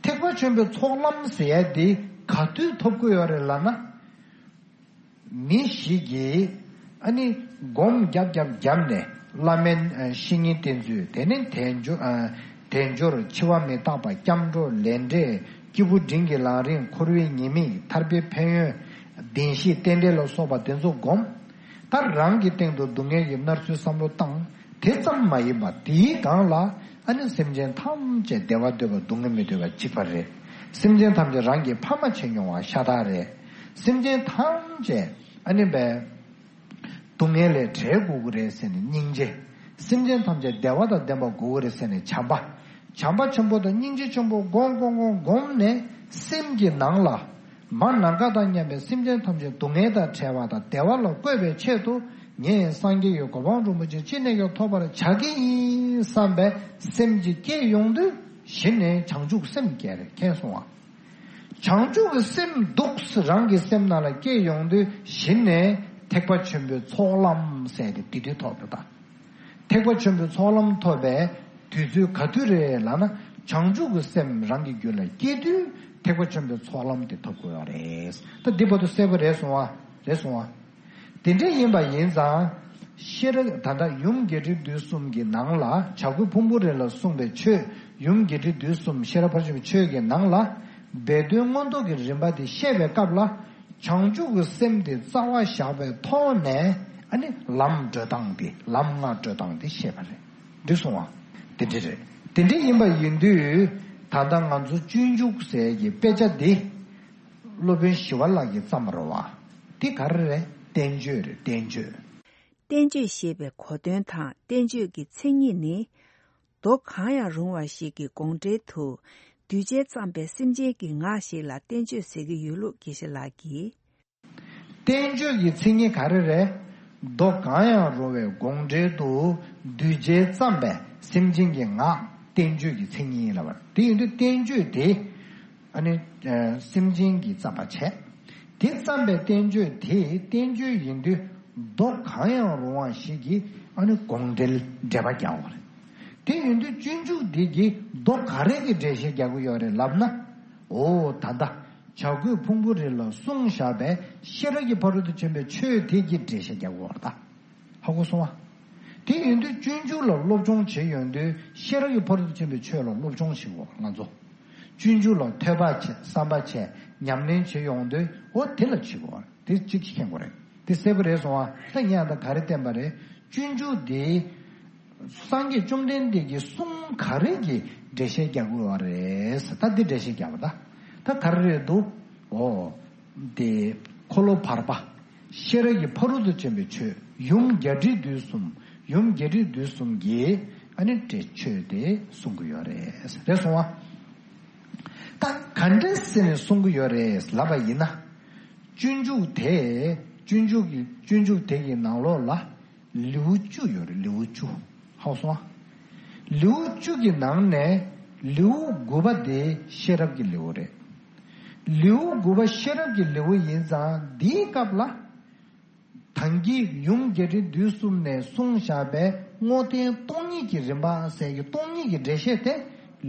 ཐེག་པ་ཆེན་པོའི་ཚོགས་ལམ་ཟེར་ཡ་དེ་ག་དུས་ཐོབ་ཀྱི་ཡོད་རེད་ལབ་ན། མི་ཞིག་གིས་ཨ་ནི་སྒོམ་རྒྱབ་རྒྱབ་བརྒྱབ་ནས་བླ་མའི་ཨ་བཤེས་གཉེན་བསྟེན་ཚུལ། དེ་ནས་དལ་འབྱོར་ཨ་དལ་འབྱོར་འཆི་བ་མི་རྟག་པ། སྐྱབས་འགྲོ་ལས་འབྲས། སྐྱེས་བུ་འབྲིང་གི་ལམ་རིམ། འཁོར་བའི་ཉེས་དམིགས། ཐར་པའི་ཕན་ཡོན། བདེན་བཞི་རྟེན་འབྲེལ་ལ་སོགས་པ་དེ་ཚོ་སྒོམ། ད་རང་གི་སྟེང་དུ་སྡུག་བསྔལ་གྱི་མནར་ཚུལ་བསམ་བློ་བཏང་། དེ་ཙམ་མ་ཡིན་པ་དེའི་སྒང་ལ་ཨ་ནི་སེམས་ཅན་ཐམས་ཅད་བདེ་བ་འདོད་པ་སྡུག་བསྔལ་མི་འདོད་པ་གཅིག་པ་རེད། སེམས་ཅན་ཐམས་ཅད་རང་གི་ཕ་མ་བྱས་མྱོང་བ་ཤ་སྟག་རེད། སེམས་ཅན་ཐམས་ཅད་ཨ་ནི་བས་སྡུག་བསྔལ་ལས་བྲལ་དགོས་ཀྱི་རེད་ཟེར་ནས་སྙིང་རྗེ། སེམས་ཅན་ཐམས་ཅད་བདེ་བ་དང་ལྡན་པ་དགོས་ཀྱི་རེད་ཟེར་ནས་བྱམས་པ། བྱམས་པ་ཆེན་པོ་དང་སྙིང་རྗེ་ཆེན་པོ་སྒོམ་སྒོམ་སྒོམ་སྒོམ་ནས་སེམས་ཀྱི་ནང་ལ། མ་ནམ་མཁའ་དང་མཉམ་པའི་སེམས་ཅན་ཐམས་ཅད་སྡུག་བསྔལ་དང་བྲལ་བ་དང་བདེ་བ་ལ་བཀོད་པའི་ཆེད་དུ། ངས་སངས་རྒྱས་ཀྱི་གོ་འཕང་རིན་པོ་ཆེ་ཅི་ནས་ཀྱང་ཐོབ་པར་བྱ་གི་ཡིན་བསམ་པའི་སེམས་ཀྱི་སྐྱེ་ཡོང་དུས་གཞི་ནས་བྱང་ཆུབ་སེམས་སྐྱེ་རེད། མཁྱེན་སོང་ཨ། བྱང་ཆུབ་ཀྱི་སེམས་འདུག་རང་གི་སེམས་ནང་ལ་སྐྱེ་ཡོང་དུས་གཞི་ནས་ཐེག་པ་ཆེན་པོའི་ཚོགས་ལམ་ཟེར་ཏེ་དེ་དུས་ཐོབ་འགྲོ་ད། ཐེག་པ་ཆེན་པོའི་ཚོགས་ལམ་ཐོབ་པའི་དུས་ཚོད་ག་དུས་རེད་ལབ་ན། བྱང་ཆུབ་ཀྱི་སེམས་རང་གི་རྒྱུད་ལ་སྐྱེ་དུས་ཐེག་པ་ཆེན་པོའི་ཚོགས་ལམ་དེ་ཐོབ་དགོས་པ་རེད། ད་འདི་བར་དུ་གསལ་པོ་རེད་སོང་བ། རེད་སོང་བ། དེ་འདྲ་ཡིན་པ་ཡིན་ཙང་། ཤེས་རབ་ད་ལྟ་ཡུམ་རྒྱས་འབྲིང་བསྡུས་གསུམ་གྱི་ནང་ལ། བྱ་རྒོད་ཕུང་པོ་རི་ལ་གསུངས་པའི་ཆོས། ཡུམ་རྒྱས་འབྲིང་བསྡུས་གསུམ་ཤེས་རབ་ཕར་ཕྱིན་པའི་ཆོས་ཀྱི་ནང་ལ། སྦས་དོན་མངོན་རྟོགས་ཀྱི་རིམ་པ་དེ་བཤད་པའི་སྐབས་ལ། བྱང་ཆུབ་ཀྱི་སེམས་དེ་རྩ་བ་བཞག་པའི་ཐོག་ནས་ཨ་ནི་ལམ་བགྲོད་སྟངས་དེ། ལམ་ལྔ་བགྲོད་སྟངས་དེ་བཤད་པ་རེད། འགྲིག་སོང་བ། དེ་འདྲ་རེད། དེ་འདྲ་ཡིན་པ་ཡིན་དུས། ད་ལྟ་ང་ཚོ་སྤྱོད་འཇུག་ཟེར་གྱི་དཔེ་ཆ་འདི་སློབ་དཔོན་ཞི་བ་ལྷ་གིས་བརྩམས་པ་རེད་བ། འདི་ག་རེ་རེད། བསྟན་བཅོས་རེད། བསྟན་བཅོས། བསྟན་བཅོས་ཞེས་པའི་གོ་དོན་དང་བསྟན་བཅོས་ཀྱི་མཚན་ཉིད་ནི། མདོ་གང་ཡང་རུང་བ་ཞིག་གི་དགོངས་འགྲེལ་དུ། གདུལ་བྱས་བརྩམས་པའི་སེམས་ཅན་གྱི་ངག་ཞིག་ལ་བསྟན་བཅོས་ཟེར་གྱི་ཡོད་ལུགས་དགེ་བཤེས་ལགས་ཀྱིས། བསྟན་བཅོས་ཀྱི་མཚན་ཉིད་ག་རེ་རེད། མདོ་གང་ཡང་རུང་བའི་དགོངས་འགྲེལ་དུ། གདུལ་བྱས་བརྩམས་པའི་སེམས་ཅན་གྱི་ངག་བསྟན་བཅོས་ཀྱི་མཚན་ཉིད་ལབ་པ་རེད། དེ་ཡིན་དུས་བསྟན་བཅོས་དེ། ཨ་ནི། ཨ། སེམས་ཅན་གྱིས་བརྩམས་པ་བྱས། དེ་བརྩམས་པའི་བསྟན་བཅོས་དེ་བསྟན་བཅོས་ཡིན་དུས། མདོ་གང་ཡང་རུང་བ་ཞིག་གིས་ཨ་ནི་དགོངས་འགྲེལ་འགྲེལ་པ་རྒྱག་པ་རེད། དེ་ཡིན་དུས་སྤྱོད་འཇུག་འདི་གིས་མདོ་ག་རེ་གི་འགྲེལ་བཤད་རྒྱག་གི་ཡོད་རེད་ལབ་ན། འོ་ད་ལྟ་བྱ་རྒོད་ཕུང་པོ་རི་ལ་གསུངས་བཞག་པའི་ཤེས་རབ་ཀྱི་ཕ་རོལ་ཏུ་ཕྱིན་པའི་ཆོས་དེ་གི་འགྲེལ་བཤད་རྒྱག་གི་ཡོད་རེད་ད། ཧ་གོ་སོང་བ། དེ་ཡིན་དུས་སྤྱོད་འཇུག་ལ་སློབ་སྦྱོང་བྱེད་ཡོང་དུས་ཤེས་རབ་ཀྱི་ཕ་རོལ་ཏུ་ཕྱིན་པའི་ཆོས་ལ་སློབ་སྦྱོང་བྱེད་དགོས་ང་ཚོ། སྤྱོད་འཇུག་ལ་ཐོས་པ་བྱེད། བསམ་པ་བྱེད། ཉམས་ལེན་བྱེད་ཡོང་དུས་འོ་དེ་ལ་བྱེད་དགོས། དེ་གཅིག་གིས་མཁྱེན་དགོས་རེད། དེ་གསལ་པོ་རེད་སོང་བ། ད་ངས་ད་ག་རེ་བསྟན་པ་རེད། སྤྱོད་འཇུག་དེ་སངས་རྒྱས་བཅོམ་ལྡན་འདས་ཀྱིས་གསུང་ག་རེ་གི་འགྲེལ་བཤད་རྒྱག་དགོས་པ་རེད། ད་འདི་འགྲེལ་བཤད་རྒྱག་པ་ད། ད་ག་རེ་རེད་འདུག་འོ། དེ་འཁོར་ལོ་བར་པ། ཤེས་རབ་ཀྱི་ཕ་རོལ་ཏུ་ཕྱིན་པའི་ཆོས་ཡུམ་རྒྱས་འབྲིང་བསྡུས་གསུམ། ཡུམ་རྒྱས་འབྲིང་བསྡུས་གསུམ་གྱིས་ཨ་ནི་འགྲེལ་ཆོས་དེ་གསུང་གི་ཡོད་རེད། རེད་སོང་བ། ད་ག་འདྲ་ཟེར་ནས་གསུང་གི་ཡོད་རེད་ལབ་པ་ཡིན་ན། སྤྱོད་འཇུག་དེ། སྤྱོད་འཇུག་གི་སྤྱོད་འཇུག་དེ་གི་ནང་ལོགས་ལ་ལེའུ་བཅུ་ཡོད་རེད། ལེའུ་བཅུ། ཧ་གོ་སོང་བ། ལེའུ་བཅུ་གི་ནང་ནས་ལེའུ་དགུ་པ་དེ་ཤེས་རབ་ཀྱི་ལེའུ་རེད། ལེའུ་དགུ་པ་ཤེས་རབ་ཀྱི་ལེའུ་ཡིན་ཙང་འདིའི་སྐབས་ལ། ད་གིན་ཡུམ་རྒྱས་འབྲིང་བསྡུས་གསུམ་ནས་གསུངས་བཞག་པའི་དངོས་བསྟན་སྟོང་ཉིད་ཀྱི་རིམ་པ་ཟེར་གྱི་སྟོང་ཉིད་ཀྱི་འགྲེལ་བཤད་དེ་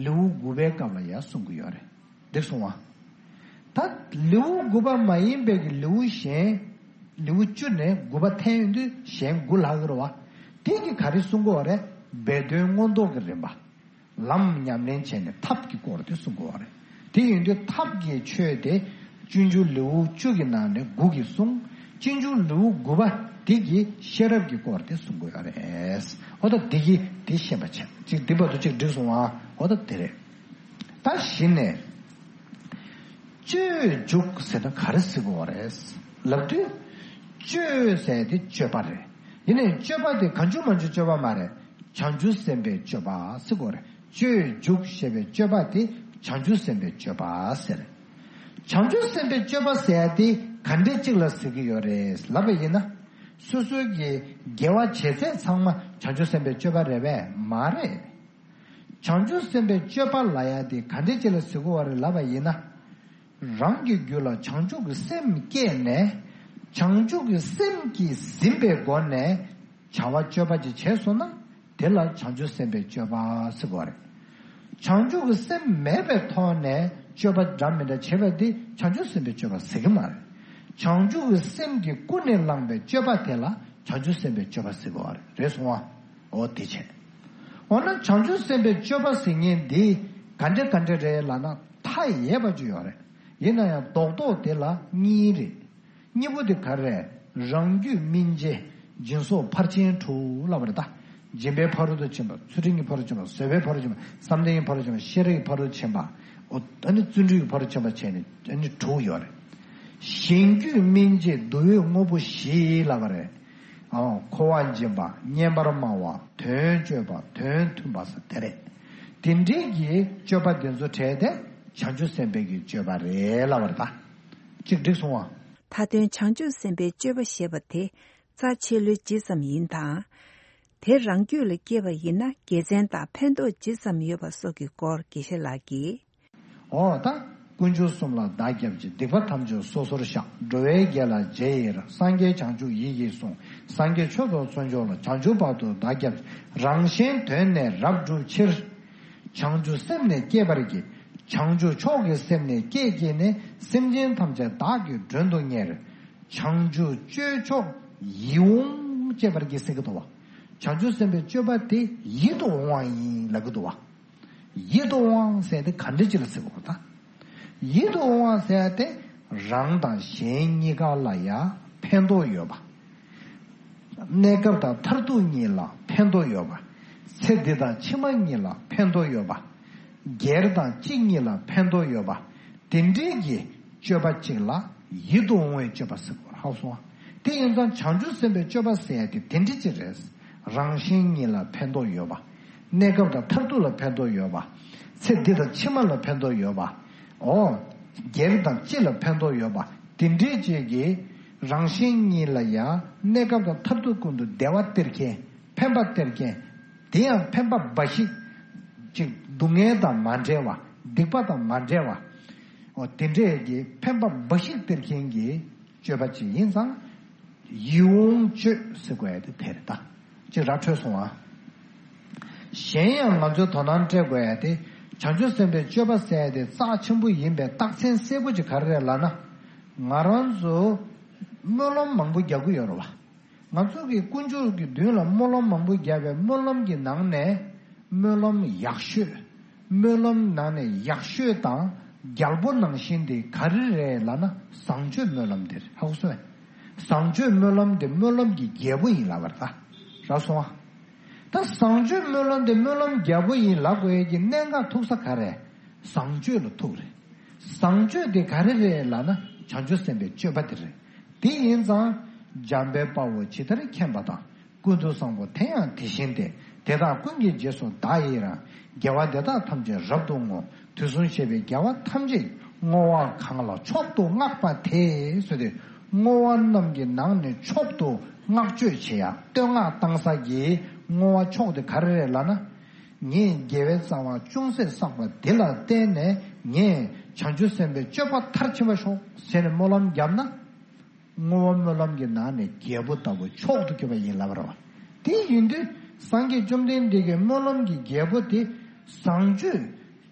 ལེའུ་དགུ་པའི་སྐབས་ལ་ཡང་གསུང་གི་ཡོད་རེད། འགྲིག་སོང་བ། ད་ལེའུ་དགུ་པ་མ་ཡིན་པའི་གི་ལེའུ་གཞན། ལེའུ་བཅུ་ནས་དགུ་པ་འཐེན་ཡོང་དུས་གཞན་དགུ་ལྷག་གི་རེད་བ། དེ་གི་ག་རེ་གསུང་གི་ཡོད་རེད། སྦས་དོན་མངོན་རྟོགས་ཀྱི་རིམ་པ། ལམ་ཉམས་ལེན་བྱས་ནས་ཐབས་ཀྱི་སྐོར་དེ་གསུང་དགོས་པ་རེད། དེ་ཡིན་དུས་ཐབས་ཀྱི་ཆོས་དེ་སྤྱོད་འཇུག་ལེའུ་བཅུ་གི་ནང་ནས་དགུ་གིས་གསུངས། སྤྱོད་འཇུག་ལེའུ་དགུ་པ་དེ་གིས་ཤེས་རབ་ཀྱི་སྐོར་དེ་གསུང་དགོས་པ་རེད། འོ་ད་དེ་གིས་དེ་ཤེས་པ་བྱས། གཅིག་འདི་བར་དུ་གཅིག་འགྲིག་སོང་ཨ། འོ་ད་དེ་རེད། ད་གཞི་ནས། སྤྱོད་འཇུག་ཟེར་ན་ག་རེ་ཟེར་དགོས་པ་རེད་ལབ་དུས། སྤྱོད་ཟེར་དེ་སྤྱོད་པ་རེད། དེ་ནས་སྤྱོད་པ་དེ་གང་བྱུང་མང་བྱུང་སྤྱོད་པ་མ་རེད། བྱང་ཆུབ་སེམས་དཔའི་སྤྱོད་པ་ཟེར་གོ་རེད། སྤྱོད་འཇུག་ཞེས་པའི་སྤྱོད་པ་དེ་བྱང་ཆུབ་སེམས་དཔའི་སྤྱོད་པ་ཟེར། བྱང་ཆུབ་སེམས་དཔའི་སྤྱོད་པ་ཟེར་ཡ་དེ་ག་འདྲས་གཅིག་ལ་ཟེར་གྱི་ཡོད་རེད་ལབ་པ་ཡིན་ན། སོ་སོའི་གི་དགེ་བ་བྱེད་ཚད་ཚང་མ་བྱང་ཆུབ་སེམས་དཔའི་སྤྱོད་པ་རེད་པས་མ་རེད། བྱང་ཆུབ་སེམས་དཔའི་སྤྱོད་པ་ལབ་ཡ་དེ་ག་འདྲས་ཅིག་ལ་ཟེར་གྱི་ཡོད་རེད་ལབ་པ་ཡིན་ན། རང་གི་རྒྱུད་ལ་བྱང་ཆུབ་ཀྱི་སེམས་སྐྱེས་ནས། བྱང་ཆུབ་ཀྱི་སེམས་ཀྱིས་ཟིན་པའི་སྒོ་ནས་བྱ་བ་སྤྱོད་པ་ཅིག་བྱས་སོང་ན། དེ་ལ་བྱང་ཆུབ་སེམས་དཔའི་སྤྱོད་པ་ཟེར་གྱི་ཡོད་རེད། བྱང་ཆུབ་ཀྱི་སེམས་མེད་པའི་ཐོག་ནས་སྤྱོད་པ་འདྲ་མི་འདྲ་བྱེད་པ་དེ་བྱང་ཆུབ་སེམས་དཔའི་སྤྱོད་པ་ཟེར་གྱི་མ་རེད། བྱང་ཆུབ་ཀྱི་སེམས་ཀྱིས་ཀུན་ནས་བསླངས་པའི་སྤྱོད་པ་དེ་ལ་བྱང་ཆུབ་སེམས་དཔའི་སྤྱོད་པ་ཟེར་གྱི་ཡོད་རེད། རེད་སོང་ཨ། འོ་དེ་བྱས། འོ་ན་བྱང་ཆུབ་སེམས་དཔའི་སྤྱོད་པ་ཟེར་མཁན་འདི་ག་འདྲ་ག་འདྲ་རེད་ལབ་ན། མཐའ་ཡས་པ་ཅིག་ཡོད་རེད། ཡིན་ན་ཡང་རྡོག་རྡོག་དེ་ལ་གཉིས་རེད། གཉིས་པོ་དེ་ག་རེ་རེད། རང་རྒྱུད་སྨིན་བྱེད་སྦྱིན་སོགས་ཕར་ཕྱིན་དྲུག་ལབ་པ་རེད་ད། སྦྱིན་པའི་ཕ་རོལ་ཏུ་ཕྱིན་པ། ཚུལ་ཁྲིམས་ཀྱི་ཕ་རོལ་ཏུ་ཕྱིན་པ། བཟོད་པའི་ཕ་རོལ་ཏུ་ཕྱིན་པ། བསམ་གཏན་གྱི་ཕ་རོལ་ཏུ་ཕྱིན་པ། ཤེས་རབ་ཀྱི་ཕ་རོལ་ཏུ་ཕྱིན་པ། འོ་ཨ་ནི་བརྩོན་འགྲུས་ཀྱི་ཕ་རོལ་ཏུ་ཕྱིན་པ་བྱས་ནས་ཨ་ནི་དྲུག་ཡོད་རེད། གཞན་རྒྱུད་སྨིན་བྱེད་བསྡུ་བའི་དངོས་པོ་བཞི་ལབ་པ་རེད། ཨོ། འཁོར་བ་འབྱིན་པ། སྙན་པར་སྨྲ་བ། དོན་སྤྱོད་པ། དོན་མཐུན་པ་ཟེར་དེ་རེད། དེ་འདྲའི་གི་སྤྱོད་པ་དེ་ཚོ་བྲལ་ཏེ་བྱང་ཆུབ་སེམས་དཔའི་གི་སྤྱོད་པ་རེད་ལབ་པ་རེད་ད། གཅིག་འགྲིག་སོང་ཨ། མཐའ་དོན་བྱང་ཆུབ་སེམས་དཔའི་སྤྱོད་པ་ཞེས་པ་དེ་རྩ་ཆེ་ལོས་ཇི་ཙམ་ཡིན་དང་། དེ་རང་རྒྱུད་ལ་སྐྱེས་པ་ཡིན་ན་དགེ་མཚན་དང་ཕན་ཐོགས་ཇི་ཙམ་ཡོད་པ་སོགས་ཀྱི་སྐོར་དགེ་བཤེས་ལགས་ཀྱིས། འོ་ད། དཀོན་མཆོག་གསུམ་ལ་བདག་སྐྱབས་མཆི། སྡིག་པ་ཐམས་ཅད་སོ་སོར་བཤགས། འགྲོ་བའི་དགེ་ལ་རྗེས་ཡི་རང་། སངས་རྒྱས་བྱང་ཆུབ་ཡིད་ཀྱིས་བཟུང་། སངས་རྒྱས་ཆོས་ཐོབ་གསོལ་མཆོག་ལ། བྱང་ཆུབ་བར་དུ་བདག་སྐྱབས་མཆི། རང་གཞན་དོན་ནི་རབ་བསྒྲུབ་ཕྱིར། བྱང་ཆུབ་སེམས་ནི་བསྐྱེད་པར་བགྱི། བྱང་ཆུབ་མཆོག་གི་སེམས་ནི་བསྐྱེད་བགྱིས་ནས། སེམས་ཅན་ཐམས་ཅད་བདག་གིས་མགྲོན་དུ་གཉེར། བྱང་ཆུབ་སྤྱོད་མཆོག་ཡིད་འོང་སྤྱད་པར་བགྱི་ཟེར་གྱི་འདུག་བ། བྱང་ཆུབ་སེམས་དཔའི་སྤྱོད་པ་དེ་ཡིད་དུ་འོང་བ་ཡིན་ལབ་ཀྱི་འདུག་བ། ཡིད་དུ་འོང་བ་ཟེར་དེ་ག་འདྲ་ཅིག་ལ་ཟེར་དགོས་ད། ཡིད་དུ་འོང་བ་ཟེར་དེ་རང་དང་གཞན་གཉིས་ཀ་ལ་ཡང་ཕན་ཐོགས་ཡོད་པ། གནས་སྐབས་དང་མཐར་ཐུག་གཉིས་ལ་ཕན་ཐོགས་ཡོད་པ། ཚེ་འདི་དང་ཕྱི་མ་གཉིས་ལ་ཕན་ཐོགས་ཡོད་པ། སྒེར་དང་སྤྱི་གཉིས་ལ་ཕན་ཐོགས་ཡོད་པ། དེ་འདྲའི་གི་སྤྱོད་པ་གཅིག་ལ་ཡིད་དུ་འོང་བའི་སྤྱོད་པ་ཟེར་དགོས་ཧ་གོ་སོང་ང་། དེ་ཡིན་ཙང་བྱང་ཆུབ་སེམས་དཔའི་སྤྱོད་པ་ཟེར་ཡ་དེ་དེ་འདྲ་ཅིག་རེད། རང་གཞན་གཉིས་ལ་ཕན་ཐོགས་ཡོད་པ། གནས་སྐབས་དང་མཐར་ཐུག་ལ་ཕན་ཐོགས་ཡོད་པ། ཚེ་འདི་དང་ཕྱི་མ་ལ་ཕན་ཐོགས་ཡོད་པ། འོ། སྒེར་དང་སྤྱི་ལ་ཕན་ཐོགས་ཡོད་པ། དེ་འདྲའི་ཅིག་གིས་རང་གཞན་གཉིས་ལ་ཡང་གནས་སྐབས་དང་མཐར་ཐུག་ཀུན་ཏུ་བདེ་བ་སྟེར་མཁན། ཕན་པ་སྟེར་མཁན། དེ་ཡང་ཕན་པ་འབའ་ཞིག་ཅིག་སྡུག་བསྔལ་དང་མ་བྲལ་བ། སྡིག་པ་དང་མ་བྲལ་བ། འོ་དེ་འདྲས་ཀྱི་ཕན་པ་འབའ་ཞིག་སྟེར་མཁན་གྱི་སྤྱོད་པ་ཅིག་ཡིན་ཙང་། ཡིད་འོང་སྤྱོད་ཟེར་དགོས་ཡ་དེ་དེ་རེད་ད། ཅིག་ར་འཕྲོད་སོང་ཨ། གཞན་ཡང་ང་ཚོས་དོ་སྣང་སྤྲད་དགོས་ཡ་དེ། བྱང་ཆུབ་སེམས་དཔའི་སྤྱོད་པ་ཟེར་ཡ་དེ་རྩ་ཆེན་པོ་ཡིན་པའི་རྟགས་མཚན་གསལ་པོ་ཅིག་ག་རེ་རེད་ལབ་ན། ང་རང་ཚོ་སྨོན་ལམ་མང་པོ་རྒྱག་གི་ཡོད་རེད་བ། ང་ཚོ་གི་དཀོན་མཆོག་གི་མདུན་ལ་སྨོན་ལམ་མང་པོ་བརྒྱབ་པའི་སྨོན་ལམ་གྱི་ནང་ནས་སྨོན་ལམ་ཡག་ཤོས། སྨོན་ལམ་ནང་ནས་ཡག་ཤོས་དང་རྒྱལ་པོ་ནང་བཞིན་དེ་ག་རེ་རེད་ལབ་ན་བཟང་སྤྱོད་སྨོན་ལམ་དེ་རེད། ཧ་གོ་སོང་ངས། བཟང་སྤྱོད་སྨོན་ལམ་དེ་སྨོན་ལམ་གྱི་རྒྱལ་པོ་ཡིན་ལབ་པ་རེད་ད། རག་སོང་ང་། ད་བཟང་སྤྱོད་སྨོན་ལམ་དེ་སྨོན་ལམ་རྒྱལ་པོ་ཡིན་ལབ་དགོས་ཡས་ཀྱི་གནད་འགག་ཐུག་ས་ག་རེ། བཟང་སྤྱོད་ལ་ཐུག་རེད། བཟང་སྤྱོད་དེ་ག་རེ་རེད་ལབ་ན་བྱང་ཆུབ་སེམས་དཔའི་སྤྱོད་པ་དེ་རེད། དེ་ཡིན་ཙང་། འཇམ་དཔལ་དཔའ་བོས་ཇི་ལྟར་མཁྱེན་པ་དང་། ཀུན་ཏུ་བཟང་པོ་དེ་ཡང་དེ་བཞིན་ཏེ། དེ་དག་ཀུན་གྱི་རྗེས་སུ་བདག་ཡི་རང་། དགེ་བ་འདི་དག་ཐམས་ཅད་རབ་ཏུ་བསྔོ། དུས་གསུམ་གཤེགས་པའི་རྒྱལ་བ་ཐམས་ཅད་ཀྱིས། བསྔོ་བ་གང་ལ་མཆོག་ཏུ་བསྔགས་པ་དེས་ཟེར་ཏེ། བསྔོ་བ་རྣམས་ཀྱི་ནང་ནས་མཆོག་ཏུ་བསྔགས་བརྗོད་བྱེད་ཡ་བསྟོད་བསྔགས་བཏང་ས་ཀྱི་བསྔོ་བ་མཆོག་དེ་ག་རེ་རེད་ལབ་ན། ངས་དགེ་བའི་རྩ་བ་ཅུང་ཟད་བསགས་པ་འདི་ལ་བརྟེན་ནས་ངས་བྱང་ཆུབ་སེམས་དཔའི་སྤྱོད་པ་མཐར་ཕྱིན་པ་ཤོག་ཟེར་ནས་སྨོན་ལམ་བརྒྱབ་ན། བསྔོ་བ་སྨོན་ལམ་གྱི་ནང་ནས་རྒྱལ་པོ་ལྟ་བུ་མཆོག་ཏུ་གྱུར་པ་ཡིན་ལབ་པ་རེད་བ། དེ་ཡིན་དུས་སངས་རྒྱས་བཅོམ་ལྡན་འདས་ཀྱི་སྨོན་ལམ་གྱི་རྒྱལ་པོ་དེ་བཟང་སྤྱོད།